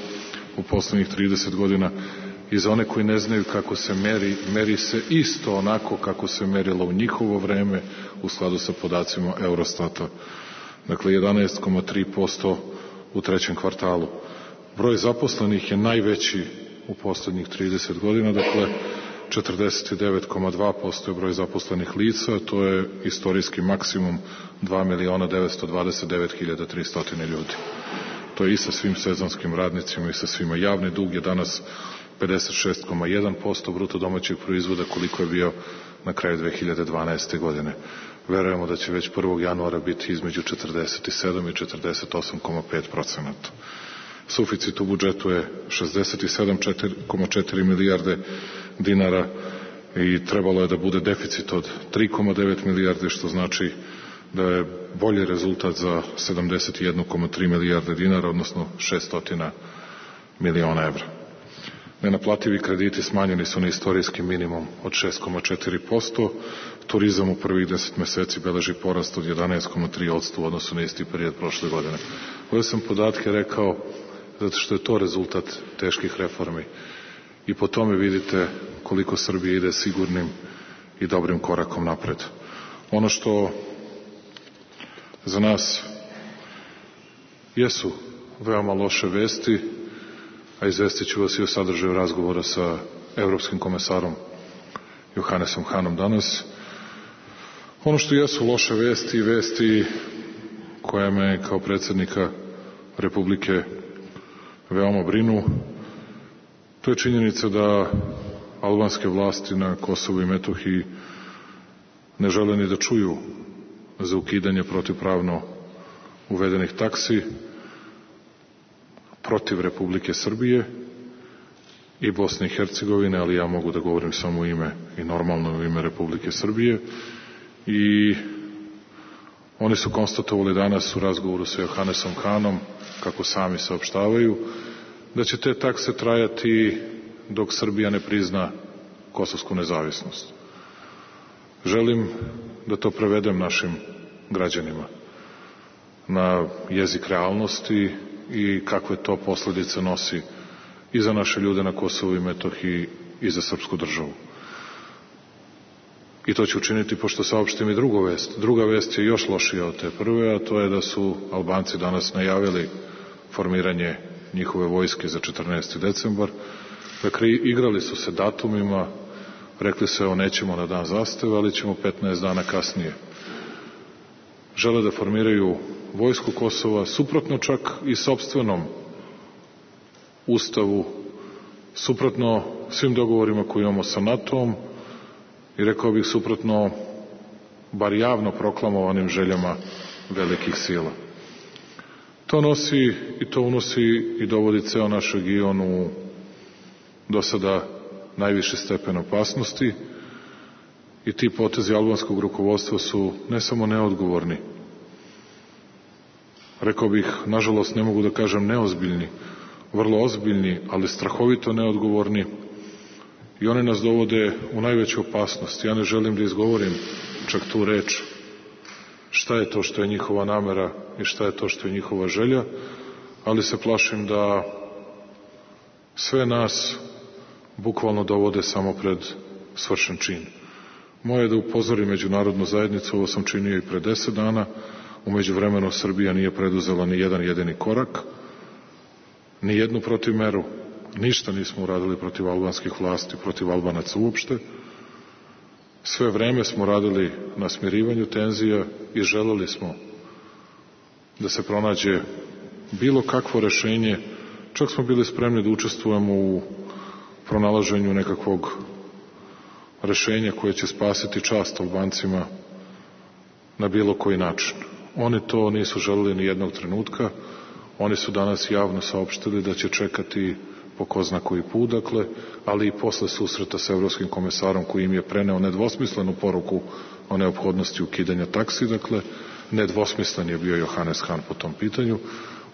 u poslednjih trideset godina i za one koji ne znaju kako se meri, meri se isto onako kako se merilo u njihovo vreme u skladu sa podacima Eurostata. Dakle, jedanaest zarez tri posto u trećem kvartalu. Broj zaposlenih je najveći u poslednjih trideset godina, dakle, četrdeset devet zarez dva posto je broj zaposlenih lica, to je istorijski maksimum dva miliona devetsto dvadeset devet hiljada tristo ljudi. To je i sa svim sezonskim radnicima i sa svima. Javni dug je danas pedeset šest zarez jedan posto bruto domaćeg proizvoda koliko je bio na kraju dve hiljade dvanaeste. godine. Verujemo da će već prvog januara biti između četrdeset sedam i četrdeset osam zarez pet procenata. Suficit u budžetu je šezdeset sedam zarez četiri milijarde, dinara i trebalo je da bude deficit od tri zarez devet milijarde, što znači da je bolji rezultat za sedamdeset jedan zarez tri milijarde dinara, odnosno šesnaest miliona evra. Nenaplativi krediti smanjeni su na istorijski minimum od šest zarez četiri posto, turizam u prvih deset meseci beleži porast od jedanaest zarez tri posto u odnosu na isti period prošle godine. Ove sam podatke rekao zato što je to rezultat teških reformi i po tome vidite koliko Srbija ide sigurnim i dobrim korakom napred. Ono što za nas jesu veoma loše vesti, a izvestit ću vas i o sadržaju razgovora sa evropskim komesarom Johannesom Hanom danas. Ono što jesu loše vesti i vesti koja me kao predsjednika Republike veoma brinu, to je činjenica da albanske vlasti na Kosovu i Metohiji ne žele ni da čuju za ukidanje protivpravno uvedenih taksi protiv Republike Srbije i Bosne i Hercegovine, ali ja mogu da govorim samo u ime i normalno u ime Republike Srbije. I oni su konstatovali danas u razgovoru sa Johannesom Hanom, kako sami saopštavaju, da će te takse trajati dok Srbija ne prizna kosovsku nezavisnost. Želim da to prevedem našim građanima na jezik realnosti i kakve to posledice nosi i za naše ljude na Kosovu i Metohiji i za srpsku državu. I to ću učiniti pošto saopštim i drugu vest. Druga vest je još lošija od te prve, a to je da su Albanci danas najavili formiranje njihove vojske za četrnaesti decembar. Dakle, igrali su se datumima, rekli su evo nećemo na dan zastave, ali ćemo petnaest dana kasnije. Žele da formiraju vojsku Kosova, suprotno čak i sopstvenom ustavu, suprotno svim dogovorima koje imamo sa NATO-om i rekao bih suprotno bar javno proklamovanim željama velikih sila. To nosi i to unosi i dovodi ceo naš region u do sada najviši stepen opasnosti i ti potezi albanskog rukovodstva su ne samo neodgovorni, rekao bih, nažalost ne mogu da kažem neozbiljni, vrlo ozbiljni, ali strahovito neodgovorni i oni nas dovode u najveću opasnost. Ja ne želim da izgovorim čak tu reč šta je to što je njihova namera i šta je to što je njihova želja, ali se plašim da sve nas bukvalno dovode samo pred svršen čin. Moje je da upozorim međunarodnu zajednicu, ovo sam činio i pre deset dana, u međuvremenu Srbija nije preduzela ni jedan jedini korak, ni jednu protivmeru, ništa nismo uradili protiv albanskih vlasti, protiv Albanaca uopšte. Sve vreme smo radili na smirivanju tenzija i želeli smo da se pronađe bilo kakvo rešenje, čak smo bili spremni da učestvujemo u pronalaženju nekakvog rešenja koje će spasiti čast Albancima na bilo koji način. Oni to nisu želeli ni jednog trenutka, oni su danas javno saopštili da će čekati po ko zna koji put, dakle, ali i posle susreta sa evropskim komesarom koji im je preneo nedvosmislenu poruku o neophodnosti ukidanja taksi, dakle, nedvosmislen je bio Johannes Han po tom pitanju.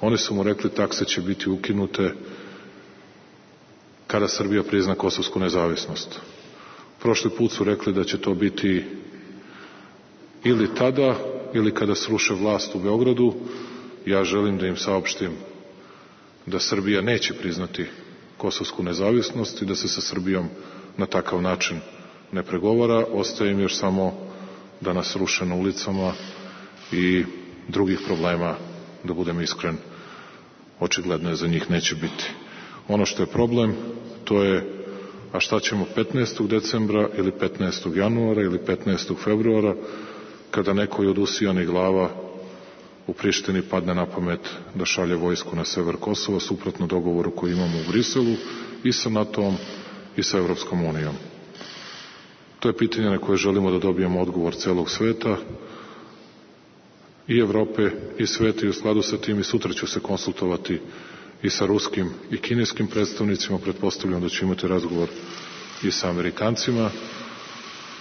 Oni su mu rekli takse će biti ukinute kada Srbija prizna kosovsku nezavisnost. Prošli put su rekli da će to biti ili tada, ili kada sruše vlast u Beogradu. Ja želim da im saopštim da Srbija neće priznati kosovsku nezavisnost i da se sa Srbijom na takav način ne pregovara. Ostaje im još samo da nas ruše na ulicama i drugih problema, da budem iskren, očigledno je za njih neće biti. Ono što je problem, to je a šta ćemo petnaestog decembra ili petnaestog januara ili petnaestog februara, kada nekoj od usijanih glava u Prištini padne na pamet da šalje vojsku na sever Kosova, suprotno dogovoru koji imamo u Briselu i sa NATO-om i sa Evropskom unijom. To je pitanje na koje želimo da dobijemo odgovor celog sveta i Evrope i sveta i u skladu sa tim i sutra ću se konsultovati i sa ruskim i kineskim predstavnicima, pretpostavljam da ću imati razgovor i sa Amerikancima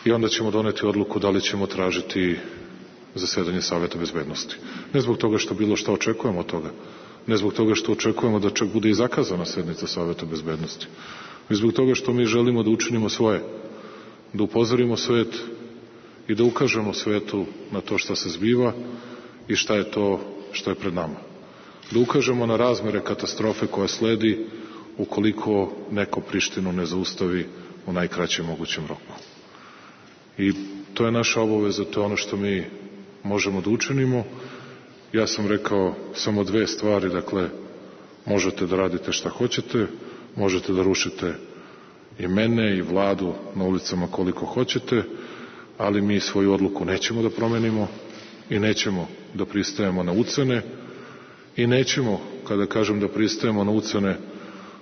i onda ćemo doneti odluku da li ćemo tražiti zasedanje Saveta bezbednosti. Ne zbog toga što bilo šta očekujemo od toga, ne zbog toga što očekujemo da čak bude i zakazana sednica Saveta bezbednosti, već zbog toga što mi želimo da učinimo svoje, da upozorimo svet i da ukažemo svetu na to šta se zbiva i šta je to što je pred nama. Da ukažemo na razmere katastrofe koja sledi ukoliko neko Prištinu ne zaustavi u najkraćem mogućem roku. I to je naša obaveza, to je ono što mi možemo da učinimo. Ja sam rekao samo dve stvari, dakle, možete da radite šta hoćete, možete da rušite i mene i vladu na ulicama koliko hoćete, ali mi svoju odluku nećemo da promenimo i nećemo da pristajemo na ucene i nećemo, kada kažem da pristajemo na ucene,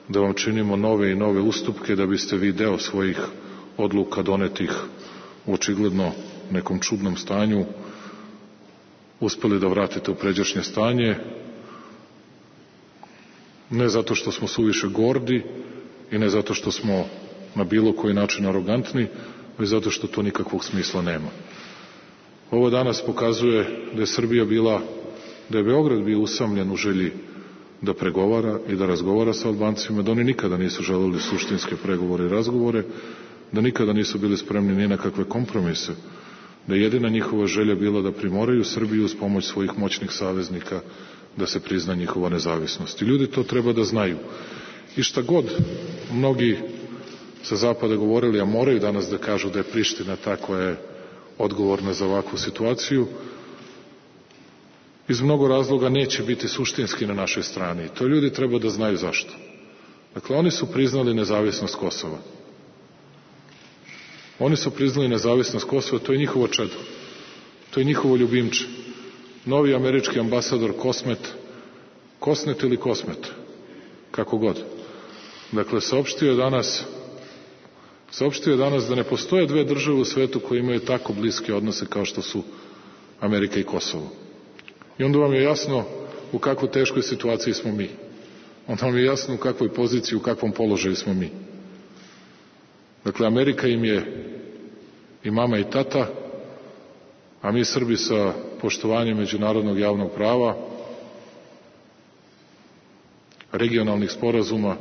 da vam činimo nove i nove ustupke da biste vi deo svojih odluka donetih u očigledno nekom čudnom stanju uspeli da vratite u pređašnje stanje, ne zato što smo suviše gordi i ne zato što smo na bilo koji način arogantni, već zato što to nikakvog smisla nema. Ovo danas pokazuje da je Srbija bila, da je Beograd bio usamljen u želji da pregovara i da razgovara sa Albancima, da oni nikada nisu želeli suštinske pregovore i razgovore, da nikada nisu bili spremni ni na kakve kompromise, da je jedina njihova želja bila da primoraju Srbiju uz pomoć svojih moćnih saveznika da se prizna njihova nezavisnost. I ljudi to treba da znaju. I šta god mnogi sa zapada govorili, a moraju danas da kažu da je Priština ta koja je odgovorna za ovakvu situaciju, iz mnogo razloga neće biti suštinski na našoj strani. To ljudi treba da znaju zašto. Dakle, oni su priznali nezavisnost Kosova. Oni su priznali nezavisnost Kosova, to je njihovo čedo. To je njihovo ljubimče. Novi američki ambasador Kosmet, Kosnet ili Kosmet, kako god. Dakle, saopštio je danas saopštio je danas da ne postoje dve države u svetu koje imaju tako bliske odnose kao što su Amerika i Kosovo. I onda vam je jasno u kakvoj teškoj situaciji smo mi. Onda vam je jasno u kakvoj poziciji, u kakvom položaju smo mi. Dakle, Amerika im je i mama i tata, a mi Srbi sa poštovanjem međunarodnog javnog prava, regionalnih sporazuma,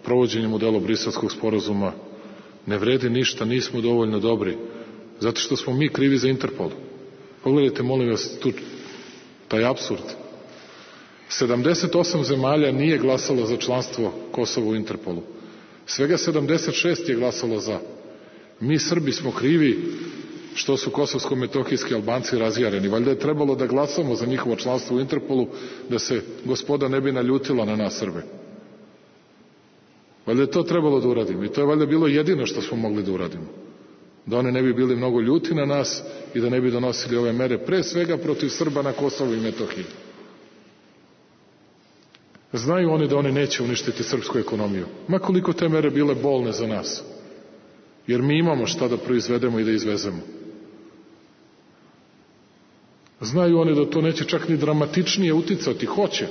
provođenjem u delo Briselskog sporazuma, ne vredi ništa, nismo dovoljno dobri, zato što smo mi krivi za Interpol. Pogledajte, molim vas, tu taj apsurd. sedamdeset osam zemalja nije glasalo za članstvo Kosova u Interpolu. Svega sedamdeset šest je glasalo za. Mi Srbi smo krivi što su kosovsko-metohijski Albanci razjareni. Valjda je trebalo da glasamo za njihovo članstvo u Interpolu, da se gospoda ne bi naljutila na nas Srbe. Valjda je to trebalo da uradimo. I to je valjda bilo jedino što smo mogli da uradimo. Da oni ne bi bili mnogo ljuti na nas i da ne bi donosili ove mere, pre svega protiv Srba na Kosovu i Metohiji. Znaju oni da oni neće uništiti srpsku ekonomiju. Ma koliko te mere bile bolne za nas. Jer mi imamo šta da proizvedemo i da izvezemo. Znaju oni da to neće čak ni dramatičnije uticati. Hoće.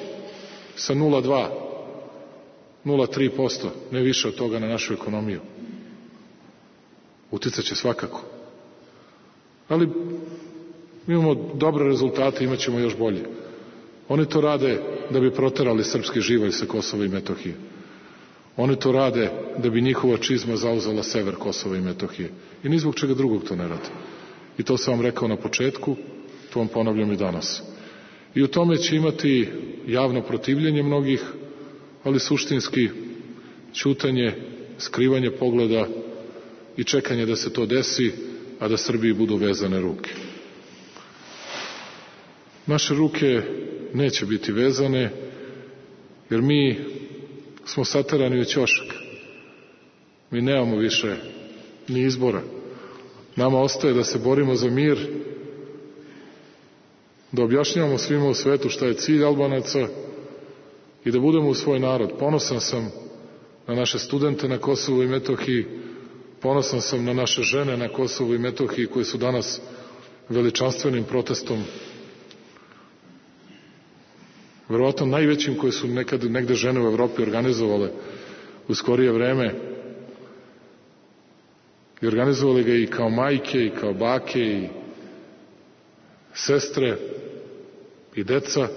Sa nula zarez dva, nula zarez tri posto, ne više od toga na našu ekonomiju. Uticaće svakako. Ali imamo dobre rezultate, imat ćemo još bolje. Oni to rade da bi proterali srpski živalj sa Kosova i Metohije. Oni to rade da bi njihova čizma zauzela sever Kosova i Metohije. I ni zbog čega drugog to ne rade. I to sam vam rekao na početku, to vam ponavljam i danas. I u tome će imati javno protivljenje mnogih, ali suštinski ćutanje, skrivanje pogleda i čekanje da se to desi, a da Srbiji budu vezane ruke. Naše ruke neće biti vezane, jer mi smo saterani u ćošak. Mi nemamo više ni izbora. Nama ostaje da se borimo za mir, da objašnjavamo svima u svetu šta je cilj Albanaca i da budemo u svoj narod. Ponosan sam na naše studente na Kosovu i Metohiji, ponosan sam na naše žene na Kosovu i Metohiji koje su danas veličanstvenim protestom, verovatno najvećim koje su nekad negde žene u Evropi organizovale u skorije vreme, i organizovali ga i kao majke i kao bake i sestre i deca,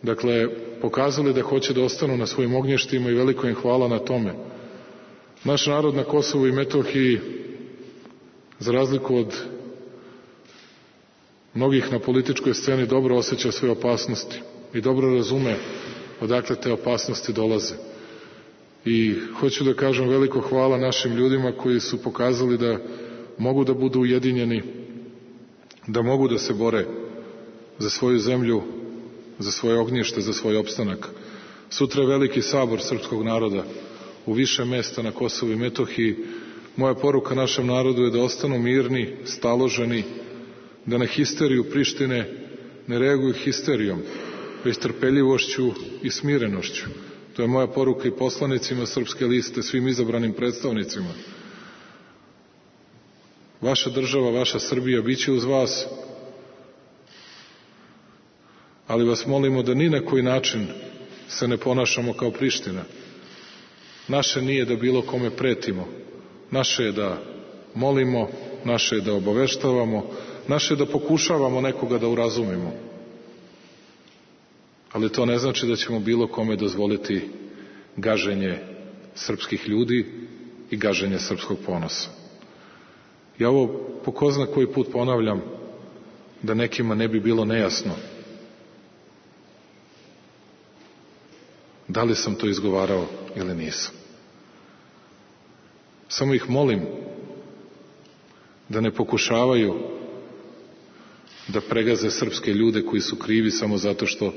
dakle pokazali da hoće da ostanu na svojim ognjištima i veliko im hvala na tome. Naš narod na Kosovu i Metohiji, za razliku od mnogih na političkoj sceni, dobro osjeća sve opasnosti i dobro razume odakle te opasnosti dolaze. I hoću da kažem veliko hvala našim ljudima koji su pokazali da mogu da budu ujedinjeni, da mogu da se bore za svoju zemlju, za svoje ognjište, za svoj opstanak. Sutra je veliki sabor srpskog naroda u više mesta na Kosovu i Metohiji. Moja poruka našem narodu je da ostanu mirni, staloženi, da na histeriju Prištine ne reaguju histerijom, već trpeljivošću i smirenošću. To je moja poruka i poslanicima Srpske liste, svim izabranim predstavnicima. Vaša država, vaša Srbija biće uz vas, ali vas molimo da ni na koji način se ne ponašamo kao Priština. Naše nije da bilo kome pretimo. Naše je da molimo, naše je da obaveštavamo, naše je da pokušavamo nekoga da urazumimo. Ali to ne znači da ćemo bilo kome dozvoliti gaženje srpskih ljudi i gaženje srpskog ponosa. Ja ovo po ko zna koji put ponavljam, da nekima ne bi bilo nejasno. Da li sam to izgovarao ili nisam. Samo ih molim da ne pokušavaju da pregaze srpske ljude koji su krivi samo zato što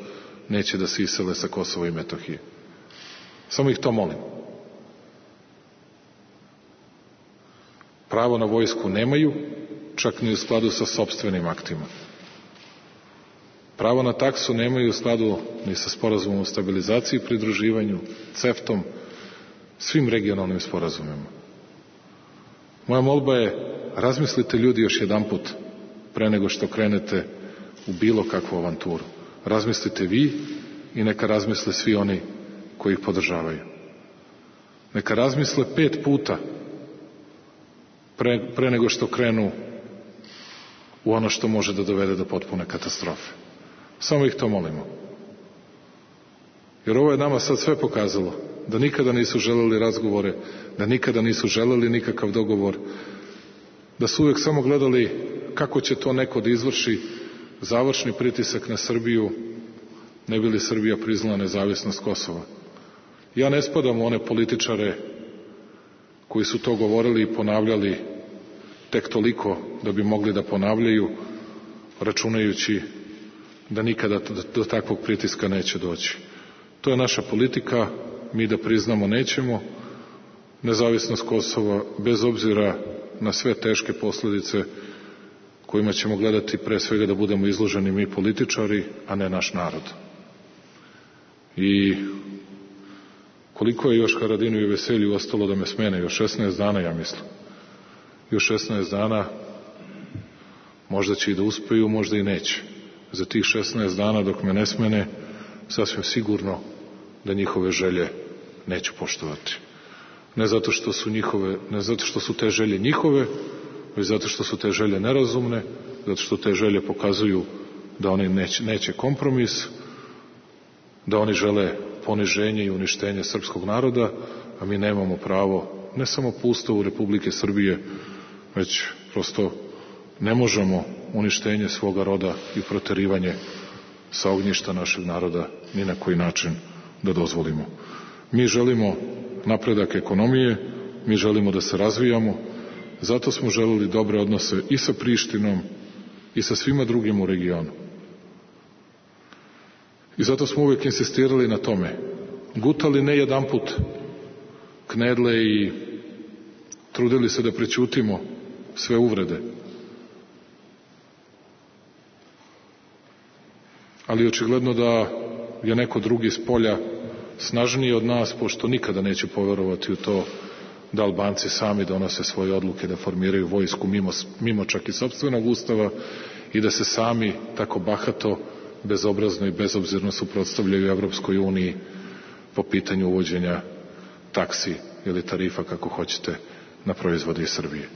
neće da se isele sa Kosova i Metohije. Samo ih to molim. Pravo na vojsku nemaju, čak ni u skladu sa sopstvenim aktima. Pravo na taksu nemaju u skladu ni sa sporazumom o stabilizaciji i pridruživanju, ceftom, svim regionalnim sporazumima. Moja molba je, razmislite ljudi još jedanput pre nego što krenete u bilo kakvu avanturu. Razmislite vi i neka razmisle svi oni koji ih podržavaju. Neka razmisle pet puta pre, pre nego što krenu u ono što može da dovede do potpune katastrofe. Samo ih to molimo. Jer ovo je nama sad sve pokazalo, da nikada nisu želeli razgovore, da nikada nisu želeli nikakav dogovor, da su uvek samo gledali kako će to neko da izvrši završni pritisak na Srbiju, ne bi li Srbija priznala nezavisnost Kosova. Ja ne spadam u one političare koji su to govorili i ponavljali tek toliko da bi mogli da ponavljaju, računajući da nikada do takvog pritiska neće doći. To je naša politika, mi da priznamo nećemo nezavisnost Kosova, bez obzira na sve teške posledice kojima ćemo gledati, pre svega da budemo izloženi mi političari, a ne naš narod. I koliko je još Haradinu i Veselju ostalo da me smene? Još šesnaest dana, ja mislim. Još šesnaest dana, možda će i da uspeju, možda i neće. Za tih šesnaest dana dok me ne smene, sasvim sigurno da njihove želje neću poštovati. Ne zato što su njihove, ne zato što su te želje njihove, već zato što su te želje nerazumne, zato što te želje pokazuju da oni neće, neće kompromis, da oni žele poniženje i uništenje srpskog naroda, a mi nemamo pravo, ne samo po Ustavu Republike Srbije, već prosto ne možemo uništenje svoga roda i proterivanje sa ognjišta našeg naroda ni na koji način da dozvolimo. Mi želimo napredak ekonomije, mi želimo da se razvijamo, zato smo želeli dobre odnose i sa Prištinom i sa svima drugim u regionu. I zato smo uvek insistirali na tome, gutali ne jedan put knedle i trudili se da prećutimo sve uvrede. Ali očigledno da je neko drugi s polja snažniji od nas, pošto nikada neću poverovati u to da Albanci sami donose svoje odluke, da formiraju vojsku mimo, mimo čak i sopstvenog ustava i da se sami tako bahato, bezobrazno i bezobzirno suprotstavljaju Evropskoj uniji po pitanju uvođenja taksi ili tarifa, kako hoćete, na proizvode iz Srbije.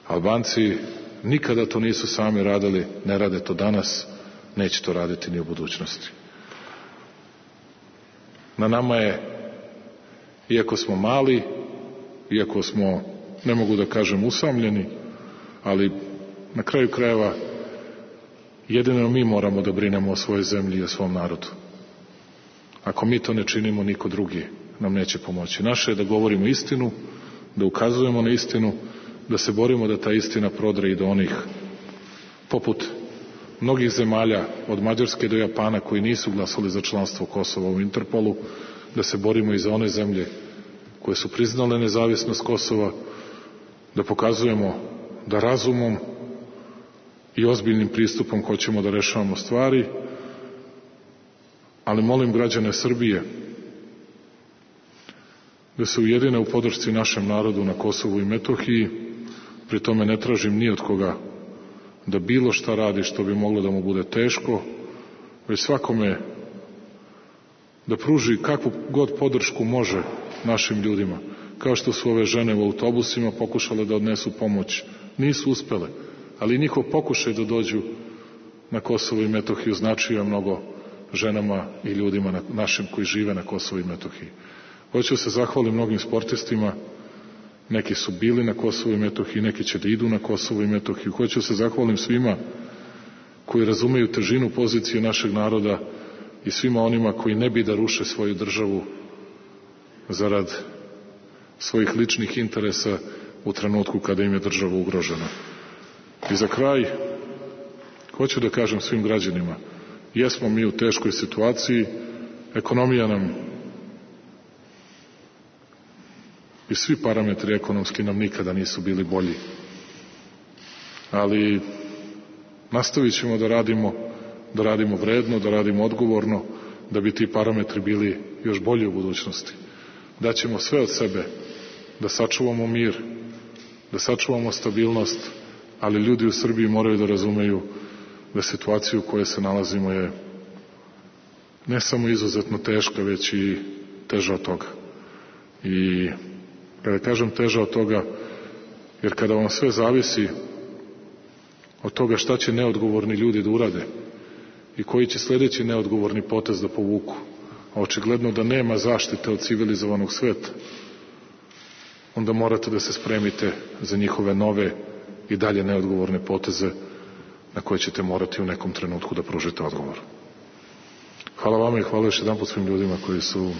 Albanci nikada to nisu sami radili, ne rade to danas, neće to raditi ni u budućnosti. Na nama je, iako smo mali, iako smo, ne mogu da kažem, usamljeni, ali na kraju krajeva jedino mi moramo da brinemo o svojoj zemlji i o svom narodu. Ako mi to ne činimo, niko drugi nam neće pomoći. Naše je da govorimo istinu, da ukazujemo na istinu, da se borimo da ta istina prodre i do onih poput mnogih zemalja, od Mađarske do Japana, koji nisu glasali za članstvo Kosova u Interpolu, da se borimo i za one zemlje koje su priznale nezavisnost Kosova, da pokazujemo da razumom i ozbiljnim pristupom hoćemo da rešavamo stvari, ali molim građane Srbije da se ujedine u podršci našem narodu na Kosovu i Metohiji. Pri tome ne tražim ni od koga da bilo šta radi što bi moglo da mu bude teško, već svakome da pruži kakvu god podršku može našim ljudima. Kao što su ove žene u autobusima pokušale da odnesu pomoć. Nisu uspele, ali njihov pokušaj da dođu na Kosovo i Metohiju značio mnogo ženama i ljudima na, našim koji žive na Kosovo i Metohiji. Hoću se zahvalim mnogim sportistima, neki su bili na Kosovo i Metohiji, neki će da idu na Kosovo i Metohiju. Hoću se zahvalim svima koji razumeju težinu pozicije našeg naroda i svima onima koji ne bi da ruše svoju državu zarad svojih ličnih interesa u trenutku kada im je država ugrožena. I za kraj, hoću da kažem svim građanima, jesmo mi u teškoj situaciji, ekonomija nam i svi parametri ekonomski nam nikada nisu bili bolji. Ali nastavit ćemo da radimo, da radimo vredno, da radimo odgovorno, da bi ti parametri bili još bolji u budućnosti. Daćemo sve od sebe da sačuvamo mir, da sačuvamo stabilnost, ali ljudi u Srbiji moraju da razumeju da situacija u kojoj se nalazimo je ne samo izuzetno teška, već i teža od toga. I kada kažem teža od toga, jer kada vam sve zavisi od toga šta će neodgovorni ljudi da urade i koji će sledeći neodgovorni potez da povuku, a očigledno da nema zaštite od civilizovanog sveta, onda morate da se spremite za njihove nove i dalje neodgovorne poteze na koje ćete morati u nekom trenutku da pružite odgovor. Hvala vama i hvala još jedan put svim ljudima koji su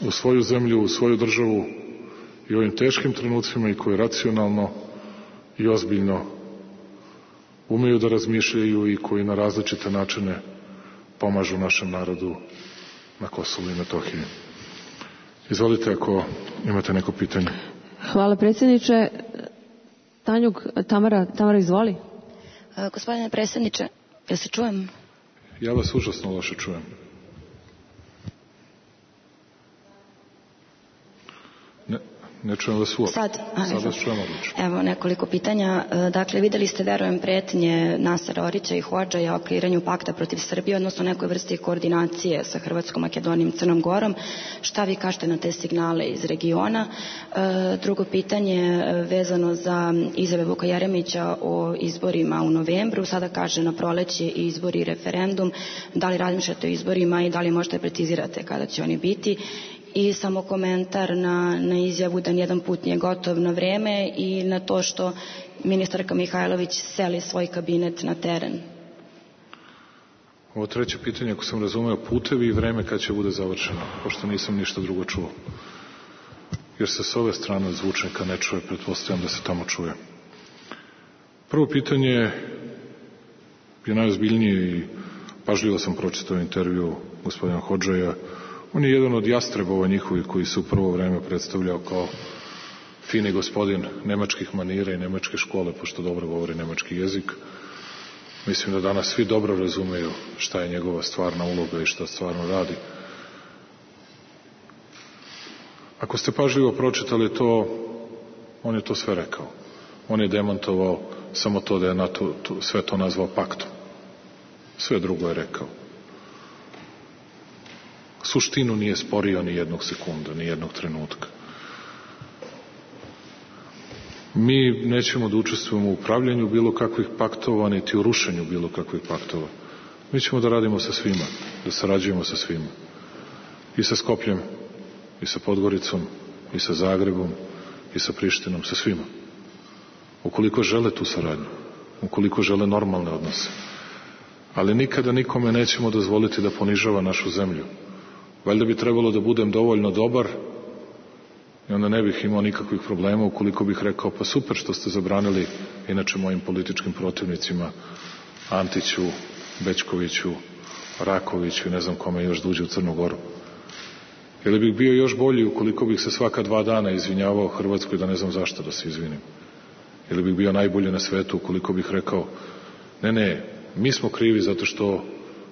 u svoju zemlju, u svoju državu i ovim teškim trenucima i koji racionalno i ozbiljno umeju da razmišljaju i koji na različite načine pomažu našem narodu na Kosovu i Metohiji. Izvolite ako imate neko pitanje. Hvala predsjedniče. Tanjug, Tamara, Tamara izvoli. E, gospodine predsjedniče, jel se čujem? Ja vas užasno loše čujem. Ne, ne čujem vas uopšte. Sad, a, Sad vas čujem odlično. Evo nekoliko pitanja. Dakle, videli ste, verujem, pretnje Nasera Orića i Hodžaja o kreiranju pakta protiv Srbije, odnosno nekoj vrsti koordinacije sa Hrvatskom, Makedonijom, Crnom Gorom. Šta vi kažete na te signale iz regiona? E, drugo pitanje vezano za izjave Vuka Jeremića o izborima u novembru. Sada kaže na proleće i izbori i referendum. Da li razmišljate o izborima i da li možete precizirate kada će oni biti? I samo komentar na, na izjavu da nijedan put nije gotov na vreme i na to što ministarka Mihajlović seli svoj kabinet na teren. Ovo treće pitanje, ako sam razumeo, putevi i vreme kad će bude završeno, pošto nisam ništa drugo čuo. Jer se s ove strane zvučnika ne čuje, pretpostavljam da se tamo čuje. Prvo pitanje je najozbiljnije i pažljivo sam pročitao intervju gospodina Hodžaja. On je jedan od jastrebova njihovih koji se u prvo vreme predstavljao kao fini gospodin nemačkih manira i nemačke škole, pošto dobro govori nemački jezik. Mislim da danas svi dobro razumeju šta je njegova stvarna uloga i šta stvarno radi. Ako ste pažljivo pročitali to, on je to sve rekao. On je demantovao samo to da je NATO to, sve to nazvao paktom. Sve drugo je rekao. Suštinu nije sporio ni jednog sekunda, ni jednog trenutka. Mi nećemo da učestvujemo u upravljanju bilo kakvih paktova, niti u rušenju bilo kakvih paktova. Mi ćemo da radimo sa svima, da sarađujemo sa svima. I sa Skopljem, i sa Podgoricom, i sa Zagrebom, i sa Prištinom, sa svima. Ukoliko žele tu saradnju, ukoliko žele normalne odnose. Ali nikada nikome nećemo dozvoliti da ponižava našu zemlju. Valjda bi trebalo da budem dovoljno dobar i onda ne bih imao nikakvih problema ukoliko bih rekao pa super što ste zabranili inače mojim političkim protivnicima Antiću, Bećkoviću, Rakoviću i ne znam kome još da uđe u Crnu Goru. Ili bih bio još bolji ukoliko bih se svaka dva dana izvinjavao Hrvatskoj da ne znam zašto da se izvinim. Ili bih bio najbolji na svetu ukoliko bih rekao ne, ne, mi smo krivi zato što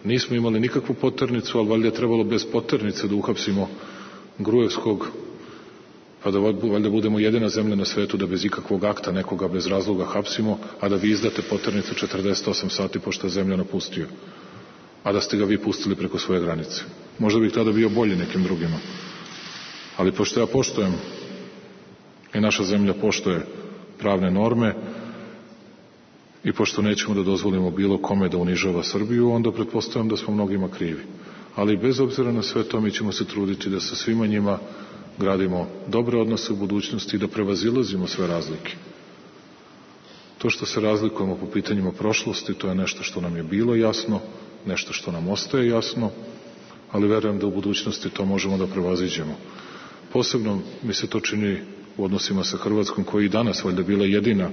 nismo imali nikakvu poternicu, ali valjda je trebalo bez poternice da uhapsimo Gruevskog, pa da valjda budemo jedina zemlja na svetu da bez ikakvog akta nekoga bez razloga hapsimo, a da vi izdate poternicu četrdeset osam sati pošto je zemlja napustio, a da ste ga vi pustili preko svoje granice. Možda bih tada bio bolji nekim drugima. Ali pošto ja poštujem i naša zemlja poštuje pravne norme i pošto nećemo da dozvolimo bilo kome da unižava Srbiju, onda pretpostavljam da smo mnogima krivi. Ali bez obzira na sve to mi ćemo se truditi da sa svima njima gradimo dobre odnose u budućnosti i da prevazilazimo sve razlike. To što se razlikujemo po pitanjima prošlosti, to je nešto što nam je bilo jasno, nešto što nam ostaje jasno, ali verujem da u budućnosti to možemo da prevaziđemo. Posebno mi se to čini u odnosima sa Hrvatskom, koja i danas valjda bila jedina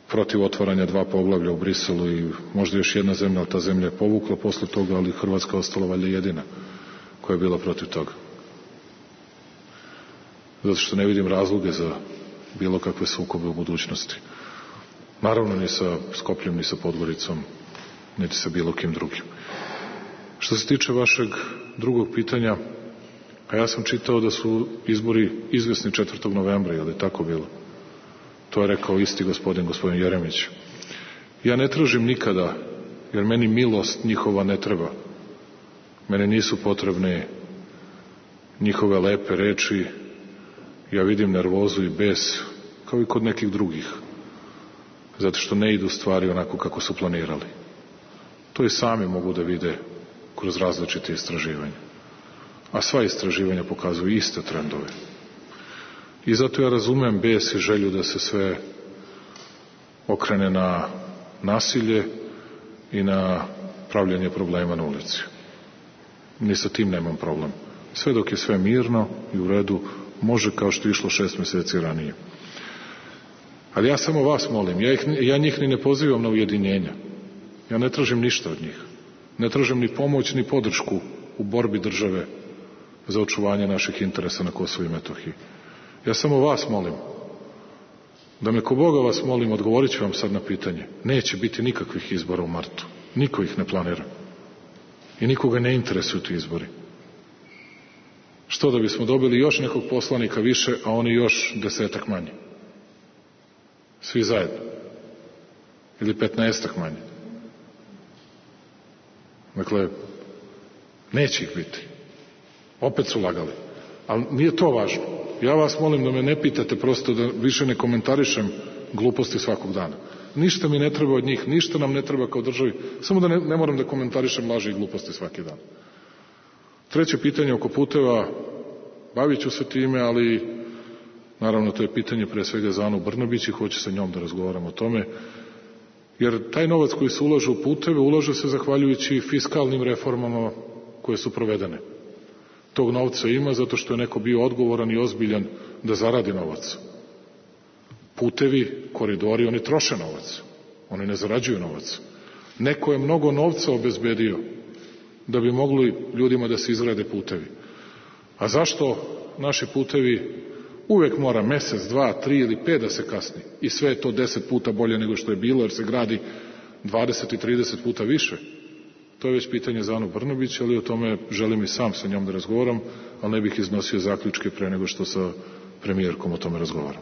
protiv otvaranja dva poglavlja u Briselu i možda još jedna zemlja, ali ta zemlja je povukla posle toga, ali Hrvatska ostala valjda jedina koja je bila protiv toga. Zato što ne vidim razloge za bilo kakve sukobe u budućnosti. Naravno ni sa Skopljem, ni sa Podgoricom, niti sa bilo kim drugim. Što se tiče vašeg drugog pitanja, a ja sam čitao da su izbori izvesni četvrtog novembra, je li tako bilo? To je rekao isti gospodin, gospodin Jeremić. Ja ne tražim nikada, jer meni milost njihova ne treba. Mene nisu potrebne njihove lepe reči. Ja vidim nervozu i bes, kao i kod nekih drugih, zato što ne idu stvari onako kako su planirali. To i sami mogu da vide kroz različite istraživanja. A sva istraživanja pokazuju iste trendove. I zato ja razumem bes i želju da se sve okrene na nasilje i na pravljanje problema na ulici. Ni sa tim nemam problem. Sve dok je sve mirno i u redu, može kao što je išlo šest meseci ranije. Ali ja samo vas molim, ja, ih, ja njih ni ne pozivam na ujedinjenja. Ja ne tražim ništa od njih. Ne tražim ni pomoć, ni podršku u borbi države za očuvanje naših interesa na Kosovu i Metohiji. Ja samo vas molim, da me ko Boga vas molim, odgovorit ću vam sad na pitanje. Neće biti nikakvih izbora u martu. Niko ih ne planira. I nikoga ne interesuju ti izbori. Što da bismo dobili još nekog poslanika više, a oni još desetak manje? Svi zajedno. Ili petnaestak manje. Dakle, neće ih biti. Opet su lagali. Ali nije to važno. Ja vas molim da me ne pitate, prosto da više ne komentarišem gluposti svakog dana. Ništa mi ne treba od njih, ništa nam ne treba kao državi, samo da ne, ne moram da komentarišem laži i gluposti svaki dan. Treće pitanje oko puteva, bavit ću se time, ali naravno to je pitanje pre svega za Anu Brnabić i hoće sa njom da razgovaram o tome, jer taj novac koji se ulaže u puteve, ulaže se zahvaljujući fiskalnim reformama koje su provedene. Tog novca ima zato što je neko bio odgovoran i ozbiljan da zaradi novac. Putevi, koridori, oni troše novac. Oni ne zarađuju novac. Neko je mnogo novca obezbedio da bi mogli ljudima da se izgrade putevi. A zašto naši putevi uvek mora mesec, dva, tri ili pet da se kasni? I sve je to deset puta bolje nego što je bilo, jer se gradi dvadeset i trideset puta više. To je već pitanje za Anu Brnabić, ali o tome želim i sam sa njom da razgovaram, ali ne bih iznosio zaključke pre nego što sa premijerkom o tome razgovaram.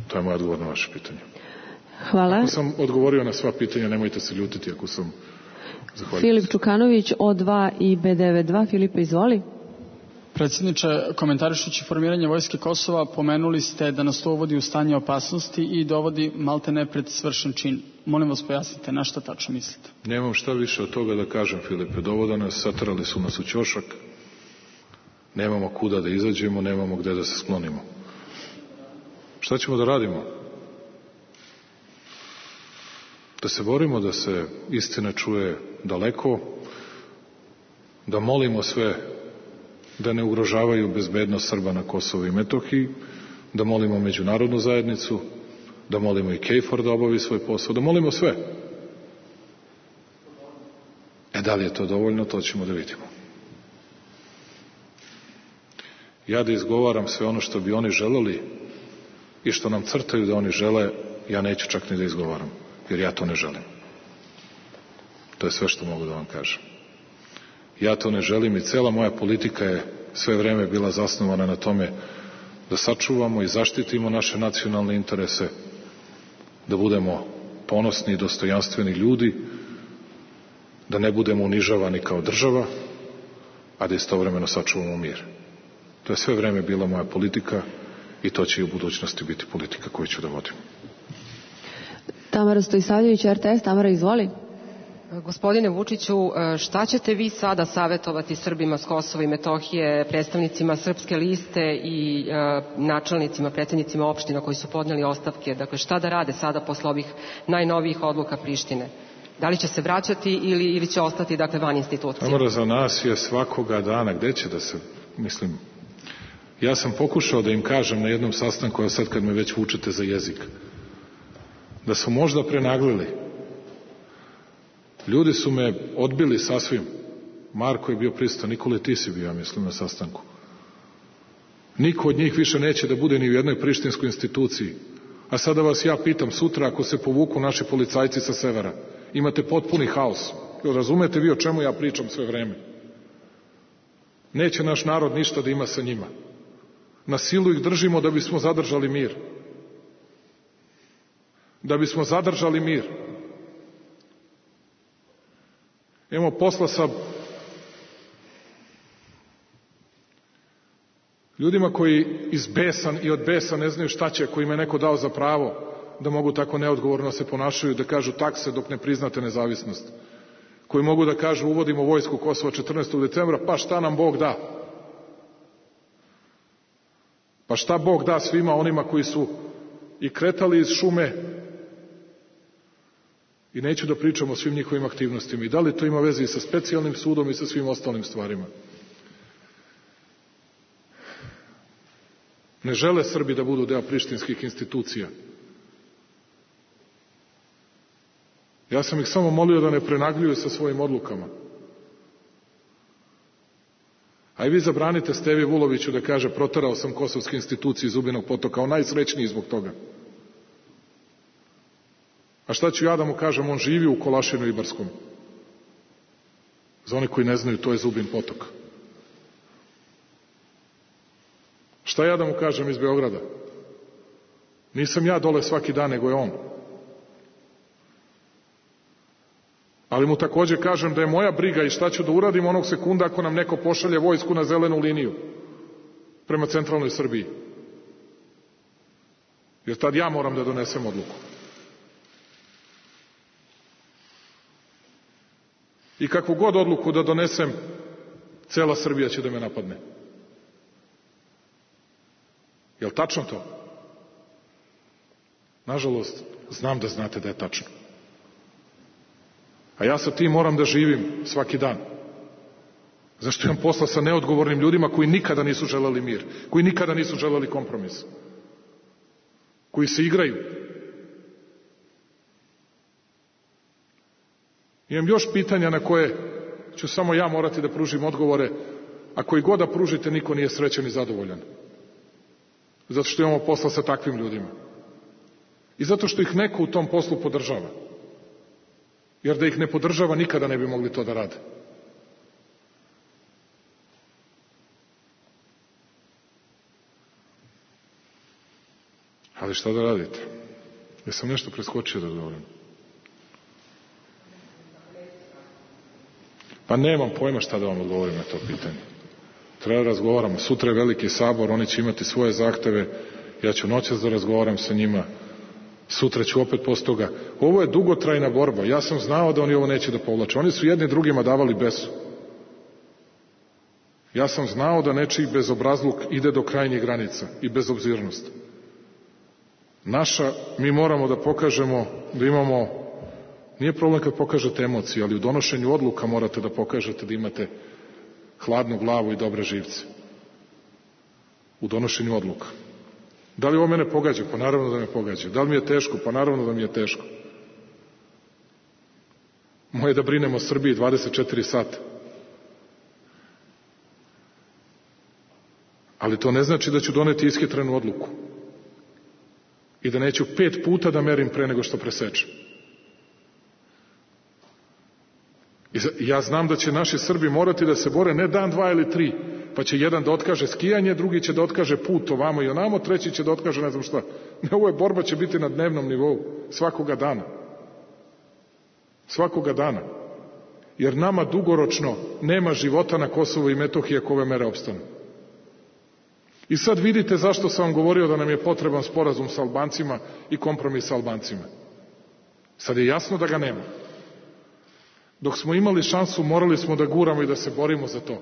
To je moj odgovor na vaše pitanje. Hvala. Ako sam odgovorio na sva pitanja, nemojte se ljutiti ako sam. Zahvaljujem. Filip Čukanović, O dva i B devedeset dva. Filipe, izvoli. Predsjedniče, komentarišući formiranje Vojske Kosova, pomenuli ste da nas to uvodi u stanje opasnosti i dovodi maltene pred svršen čin. Molim vas, pojasnite na šta tačno mislite. Nemam šta više od toga da kažem, Filipe. Dovoda nas, satrali su nas u ćošak. Nemamo kuda da izađemo, nemamo gde da se sklonimo. Šta ćemo da radimo? Da se borimo da se istina čuje daleko, da molimo sve da ne ugrožavaju bezbednost Srba na Kosovu i Metohiji, da molimo međunarodnu zajednicu, da molimo i KFOR da obavi svoj posao, da molimo sve. E, da li je to dovoljno, to ćemo da vidimo. Ja da izgovaram sve ono što bi oni želeli i što nam crtaju da oni žele, ja neću čak ni da izgovaram, jer ja to ne želim. To je sve što mogu da vam kažem. Ja to ne želim i cela moja politika je sve vreme bila zasnovana na tome da sačuvamo i zaštitimo naše nacionalne interese, da budemo ponosni i dostojanstveni ljudi, da ne budemo unižavani kao država, a da istovremeno sačuvamo mir. To je sve vreme bila moja politika i to će i u budućnosti biti politika koju ću da vodim. Tamara Stojsavljević, R T S. Tamara, izvoli. Gospodine Vučiću, šta ćete vi sada savjetovati Srbima s Kosova i Metohije, predstavnicima Srpske liste i e, načelnicima, predsednicima opština koji su podneli ostavke? Dakle, šta da rade sada posle ovih najnovijih odluka Prištine? Da li će se vraćati ili, ili će ostati, dakle, van institucije? Tamara, za nas je svakoga dana, gde će da se, mislim, ja sam pokušao da im kažem na jednom sastanku, a sad kad me već vučete za jezik, da su možda prenaglili. Ljudi su me odbili sasvim. Marko je bio prisutan, Nikole, ti si bio, ja mislim, na sastanku. Niko od njih više neće da bude ni u jednoj prištinskoj instituciji. A sada vas ja pitam, sutra ako se povuku naši policajci sa severa, imate potpuni haos. Razumete vi o čemu ja pričam sve vreme? Neće naš narod ništa da ima sa njima. Na silu ih držimo da bismo zadržali mir. Da bismo zadržali mir. Imamo posla sa ljudima koji iz besa i od besa ne znaju šta će, koji im je neko dao za pravo da mogu tako neodgovorno se ponašaju, da kažu takse dok ne priznate nezavisnost. Koji mogu da kažu uvodimo vojsku Kosova četrnaestog decembra, pa šta nam Bog da? Pa šta Bog da svima onima koji su i kretali iz šume. I neću da pričam o svim njihovim aktivnostima. I da li to ima veze i sa specijalnim sudom i sa svim ostalim stvarima. Ne žele Srbi da budu deo prištinskih institucija. Ja sam ih samo molio da ne prenagljuju sa svojim odlukama. A i vi zabranite Stevi Vuloviću da kaže proterao sam kosovske institucije iz Zubinog Potoka, on najsrećniji zbog toga. A šta ću ja da mu kažem, on živi u Kolašinu i Brskom. Za one koji ne znaju, to je Zubin Potok. Šta ja da mu kažem iz Beograda? Nisam ja dole svaki dan, nego je on. Ali mu takođe kažem da je moja briga i šta ću da uradim onog sekunda ako nam neko pošalje vojsku na zelenu liniju prema centralnoj Srbiji. Jer tad ja moram da donesem odluku. I kakvu god odluku da donesem, cela Srbija će da me napadne. Je li tačno to? Nažalost, znam da znate da je tačno. A ja sa tim moram da živim svaki dan. Zašto imam posla sa neodgovornim ljudima koji nikada nisu želeli mir, koji nikada nisu želeli kompromis, koji se igraju. Imam još pitanja na koje ću samo ja morati da pružim odgovore, a koji god da pružite, niko nije srećan i zadovoljan. Zato što imamo posla sa takvim ljudima. I zato što ih neko u tom poslu podržava. Jer da ih ne podržava, nikada ne bi mogli to da rade. Ali šta da radite? Jesam nešto preskočio da govorim? Pa nemam pojma šta da vam odgovorim na to pitanje. Treba da razgovaramo. Sutra je veliki sabor, oni će imati svoje zahteve, ja ću noćas da razgovaram sa njima, sutra ću opet posle toga. Ovo je dugotrajna borba, ja sam znao da oni ovo neće da povlače. Oni su jedni drugima davali besu. Ja sam znao da nečiji bezobrazluk ide do krajnjih granica i bezobzirnost. Naša, mi moramo da pokažemo da imamo, nije problem kad pokažete emocije, ali u donošenju odluka morate da pokažete da imate hladnu glavu i dobre živce. U donošenju odluka. Da li ovo mene pogađa? Pa naravno da me pogađa. Da li mi je teško? Pa naravno da mi je teško. Moje da brinemo o Srbiji dvadeset četiri sata. Ali to ne znači da ću doneti ishitrenu odluku. I da neću pet puta da merim pre nego što presečem. I ja znam da će naši Srbi morati da se bore ne dan, dva ili tri, pa će jedan da otkaže skijanje, drugi će da otkaže put ovamo i onamo, treći će da otkaže ne znam šta. Ne, ovo je borba će biti na dnevnom nivou, svakoga dana. Svakoga dana. Jer nama dugoročno nema života na Kosovu i Metohiji ako ove mere opstanu. I sad vidite zašto sam vam govorio da nam je potreban sporazum sa Albancima i kompromis sa Albancima. Sad je jasno da ga nema. Dok smo imali šansu, morali smo da guramo i da se borimo za to.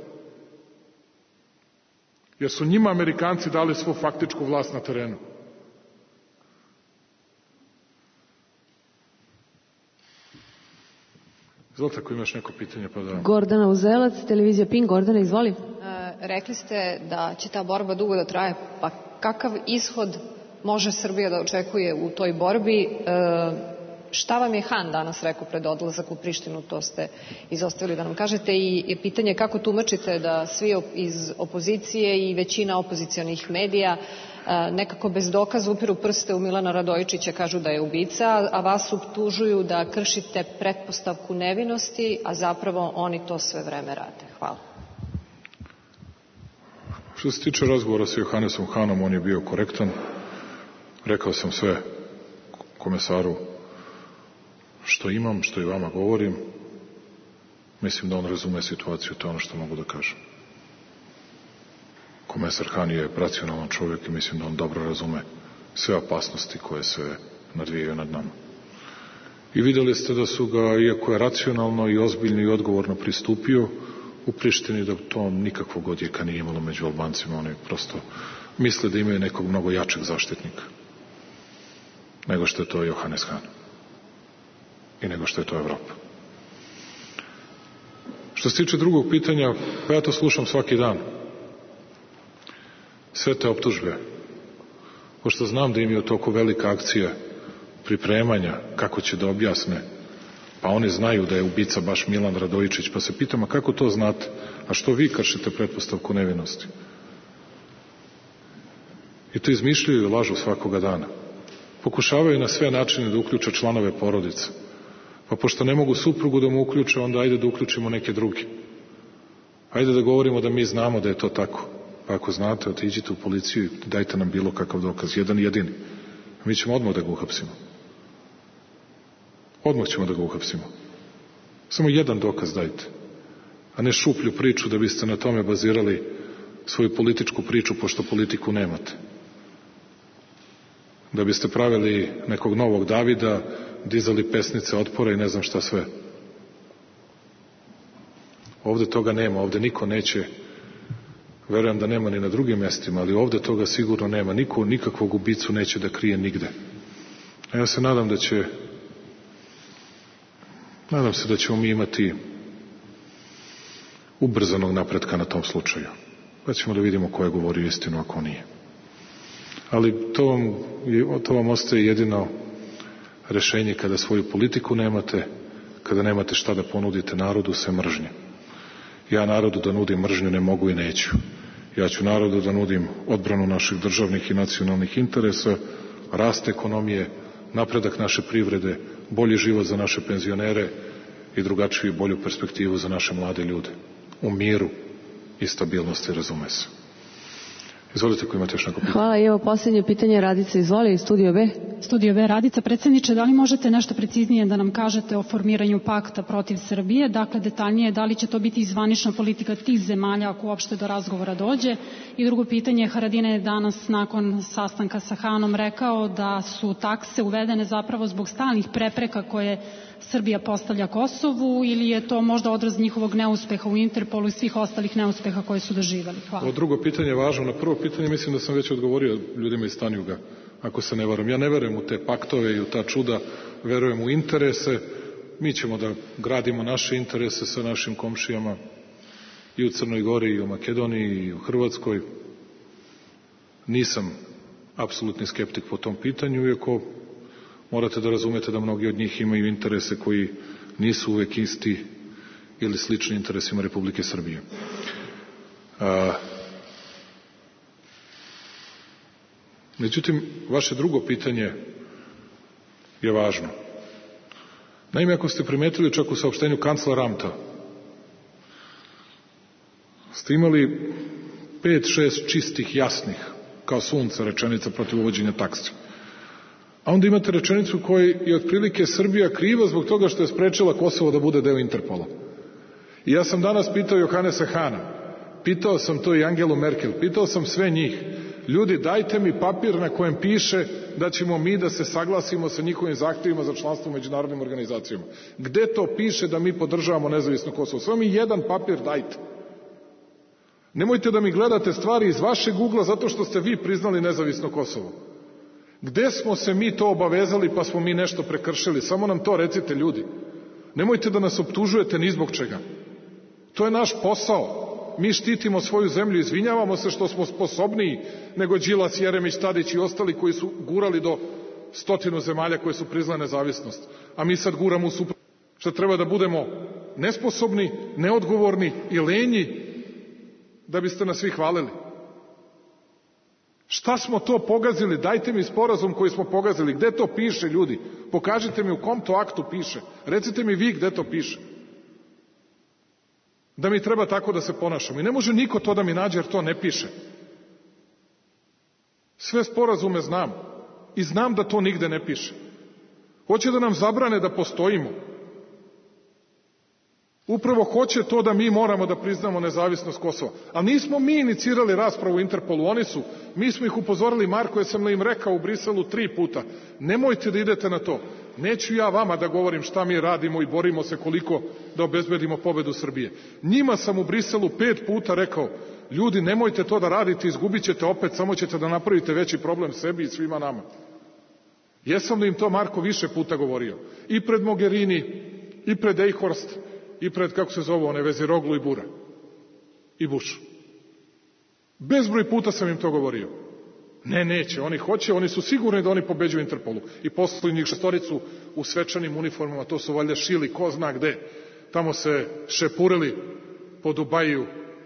Jer su njima Amerikanci dali svu faktičku vlast na terenu. Izvolite, ako imaš neko pitanje, pa da... Gordana Uzelac, televizija Pink. Gordana, izvoli. E, rekli ste da će ta borba dugo da traje, pa kakav ishod može Srbija da očekuje u toj borbi? E, šta vam je Han danas rekao pred odlazak u Prištinu, to ste izostavili da nam kažete, i, i pitanje kako tumačite da svi iz opozicije i većina opozicionih medija nekako bez dokaza upiru prste u Milana Radojičića, kažu da je ubica, a vas optužuju da kršite pretpostavku nevinosti, a zapravo oni to sve vreme rade. Hvala. Što se tiče razgovora sa Johannesom Hanom, on je bio korektan. Rekao sam sve komesaru što imam, što i vama govorim. Mislim da on razume situaciju, to je ono što mogu da kažem. Komesar Han je racionalan čovjek i mislim da on dobro razume sve opasnosti koje se nadvijaju nad nama. I vidjeli ste da su ga, iako je racionalno i ozbiljno i odgovorno pristupio u Prištini, da to nikakvog odjeka nije imalo među Albancima. Oni prosto misle da imaju nekog mnogo jačeg zaštitnika nego što je to Johannes Han i nego što je to Evropa. Što se tiče drugog pitanja, pa ja to slušam svaki dan. Sve te optužbe, pošto znam da im je u toku velika akcija pripremanja kako će da objasne, pa oni znaju da je ubica baš Milan Radojičić, pa se pitam, a kako to znate? A što vi kršite pretpostavku nevinosti? I to izmišljaju i lažu svakoga dana. Pokušavaju na sve načine da uključe članove porodice. Pa pošto ne mogu suprugu da mu uključe, onda ajde da uključimo neke druge. Ajde da govorimo da mi znamo da je to tako. Pa ako znate, otiđite u policiju i dajte nam bilo kakav dokaz, jedan jedini. Mi ćemo odmah da ga uhapsimo. Odmah ćemo da ga uhapsimo. Samo jedan dokaz dajte. A ne šuplju priču da biste na tome bazirali svoju političku priču, pošto politiku nemate. Da biste pravili nekog novog Davida, dizali pesnice otpora i ne znam šta sve. Ovde toga nema, ovde niko neće, verujem da nema ni na drugim mjestima, ali ovde toga sigurno nema. Niko nikakvog ubicu neće da krije nigde. A ja se nadam da će nadam se da ćemo mi imati ubrzanog napretka na tom slučaju. Pa ćemo da vidimo ko je govorio istinu, a ko nije. Ali to vam, to vam ostaje jedino rešenje kada svoju politiku nemate, kada nemate šta da ponudite narodu, sve mržnje. Ja narodu da nudim mržnju ne mogu i neću. Ja ću narodu da nudim odbranu naših državnih i nacionalnih interesa, rast ekonomije, napredak naše privrede, bolji život za naše penzionere i drugačiju i bolju perspektivu za naše mlade ljude. U miru i stabilnosti, razume se. Izvolite ko imate još neko pitanje. Hvala i evo posljednje pitanje Radica, izvoli, Studio B. Studio B, Radica. Predsjedniče, da li možete nešto preciznije da nam kažete o formiranju pakta protiv Srbije? Dakle, detaljnije, da li će to biti zvanična politika tih zemalja ako uopšte do razgovora dođe? I drugo pitanje, Haradinaj je danas nakon sastanka sa Hanom rekao da su takse uvedene zapravo zbog stalnih prepreka koje Srbija postavlja Kosovu, ili je to možda odraz njihovog neuspeha u Interpolu i svih ostalih neuspeha koje su doživjeli? Hvala. Ovo drugo pitanje je važno. Na prvo pitanje mislim da sam već odgovorio ljudima iz Tanjuga, ako se ne varam. Ja ne verujem u te paktove i u ta čuda, verujem u interese. Mi ćemo da gradimo naše interese sa našim komšijama i u Crnoj Gori, i u Makedoniji, i u Hrvatskoj. Nisam apsolutni skeptik po tom pitanju, iako morate da razumete da mnogi od njih imaju interese koji nisu uvek isti ili slični interesima Republike Srbije. A, međutim, vaše drugo pitanje je važno. Naime, ako ste primetili čak u saopštenju kanclera Ramta, ste imali pet, šest čistih, jasnih, kao sunce rečenica protiv uvođenja taksi. A onda imate rečenicu u kojoj je otprilike Srbija kriva zbog toga što je sprečila Kosovo da bude deo Interpola. I ja sam danas pitao Johanesa Hana, pitao sam to i Angelu Merkel, pitao sam sve njih, ljudi, dajte mi papir na kojem piše da ćemo mi da se saglasimo sa njihovim zahtjevima za članstvo u međunarodnim organizacijama. Gde to piše da mi podržavamo nezavisno Kosovo? Samo mi jedan papir dajte. Nemojte da mi gledate stvari iz vašeg ugla zato što ste vi priznali nezavisno Kosovo. Gde smo se mi to obavezali pa smo mi nešto prekršili? Samo nam to recite, ljudi. Nemojte da nas optužujete ni zbog čega. To je naš posao. Mi štitimo svoju zemlju, izvinjavamo se što smo sposobniji nego Đilas, Jeremić, Tadić i ostali koji su gurali do stotinu zemalja koje su priznale nezavisnost. A mi sad guramo u suprotno. Što treba da budemo nesposobni, neodgovorni i lenji da biste nas svi hvalili. Šta smo to pogazili? Dajte mi sporazum koji smo pogazili. Gde to piše, ljudi? Pokažite mi u kom to aktu piše. Recite mi vi gde to piše. Da mi treba tako da se ponašamo. I ne može niko to da mi nađe jer to ne piše. Sve sporazume znam. I znam da to nigde ne piše. Hoće da nam zabrane da postojimo. Upravo hoće to da mi moramo da priznamo nezavisnost Kosova. A nismo mi inicirali raspravu u Interpolu, oni su. Mi smo ih upozorili, Marko, ja sam im rekao u Briselu tri puta. Nemojte da idete na to. Neću ja vama da govorim šta mi radimo i borimo se koliko da obezbedimo pobedu Srbije. Njima sam u Briselu pet puta rekao, ljudi, nemojte to da radite, izgubit ćete opet, samo ćete da napravite veći problem sebi i svima nama. Jesam li im to, Marko, više puta govorio? I pred Mogherini, i pred Eichhorst, i pred, kako se zove, one Veziroglu i Bura. I Bush. Bezbroj puta sam im to govorio. Ne, neće, oni hoće, oni su sigurni da oni pobeđuju Interpolu. I poslali njih šestoricu u svečanim uniformama, to su valjda šili, ko zna gde. Tamo se šepurili po Dubaju,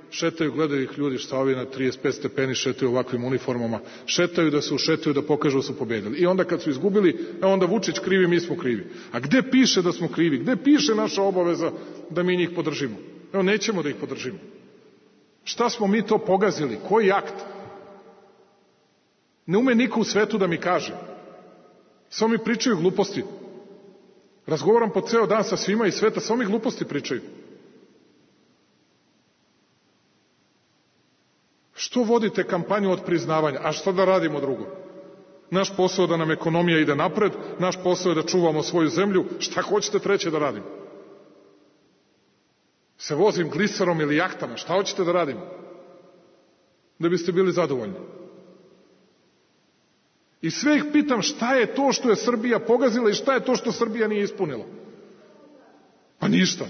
šetaju, gledaju ih ljudi, šta ovi na trideset pet stepeni šetaju u ovakvim uniformama, šetaju da se ušetaju, da pokažu da su pobedili. I onda kad su izgubili, a onda Vučić krivi, mi smo krivi. A gde piše da smo krivi? Gde piše naša obaveza da mi njih podržimo? Evo, nećemo da ih podržimo. Šta smo mi to pogazili? Koji akt? Ne ume niko u svetu da mi kaže. Samo mi pričaju gluposti. Razgovaram po ceo dan sa svima iz sveta, samo mi gluposti pričaju. Što vodite kampanju od priznavanja? A šta da radimo drugo? Naš posao je da nam ekonomija ide napred, naš posao je da čuvamo svoju zemlju, šta hoćete treće da radimo? Se vozim gliserom ili jahtama, šta hoćete da radimo? Da biste bili zadovoljni. I sve ih pitam šta je to što je Srbija pogazila i šta je to što Srbija nije ispunila. Pa ništa.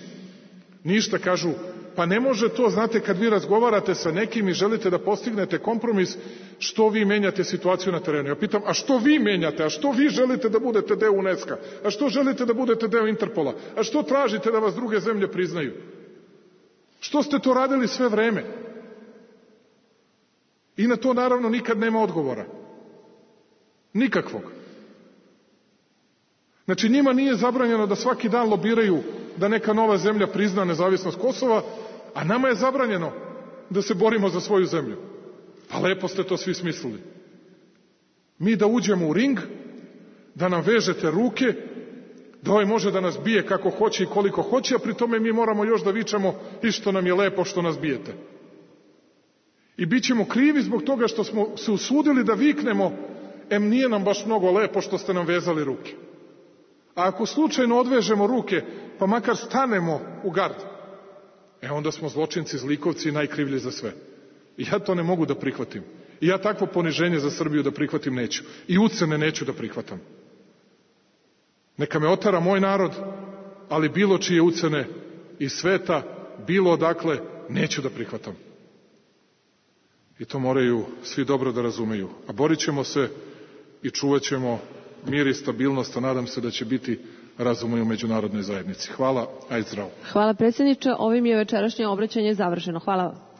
Ništa, kažu. Pa ne može to, znate, kad vi razgovarate sa nekim i želite da postignete kompromis, što vi menjate situaciju na terenu. Ja pitam, a što vi menjate? A što vi želite da budete deo UNESCO? A što želite da budete deo Interpola? A što tražite da vas druge zemlje priznaju? Što ste to radili sve vreme? I na to naravno nikad nema odgovora. Nikakvog. Znači njima nije zabranjeno da svaki dan lobiraju da neka nova zemlja prizna nezavisnost Kosova, a nama je zabranjeno da se borimo za svoju zemlju. A lepo ste to svi smislili. Mi da uđemo u ring, da nam vežete ruke, da ovaj može da nas bije kako hoće i koliko hoće, a pri tome mi moramo još da vičamo i što nam je lepo što nas bijete. I bit ćemo krivi zbog toga što smo se usudili da viknemo, em nije nam baš mnogo lepo što ste nam vezali ruke. A ako slučajno odvežemo ruke, pa makar stanemo u gard, e onda smo zločinci, zlikovci i najkrivlji za sve. I ja to ne mogu da prihvatim. I ja takvo poniženje za Srbiju da prihvatim neću. I ucene neću da prihvatam. Neka me otara moj narod, ali bilo čije ucene iz sveta, bilo odakle, neću da prihvatam. I to moraju svi dobro da razumeju. A borit ćemo se i čuvat ćemo mir i stabilnost, a nadam se da će biti razuma i u međunarodnoj zajednici. Hvala, ajde zdravo. Hvala predsjedniče, ovim je večerašnje obraćanje završeno. Hvala vam.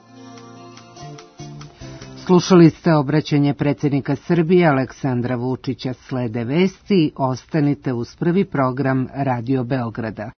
Slušali ste obraćanje predsjednika Srbije Aleksandra Vučića. Slede vesti, ostanite uz prvi program Radio Beograda.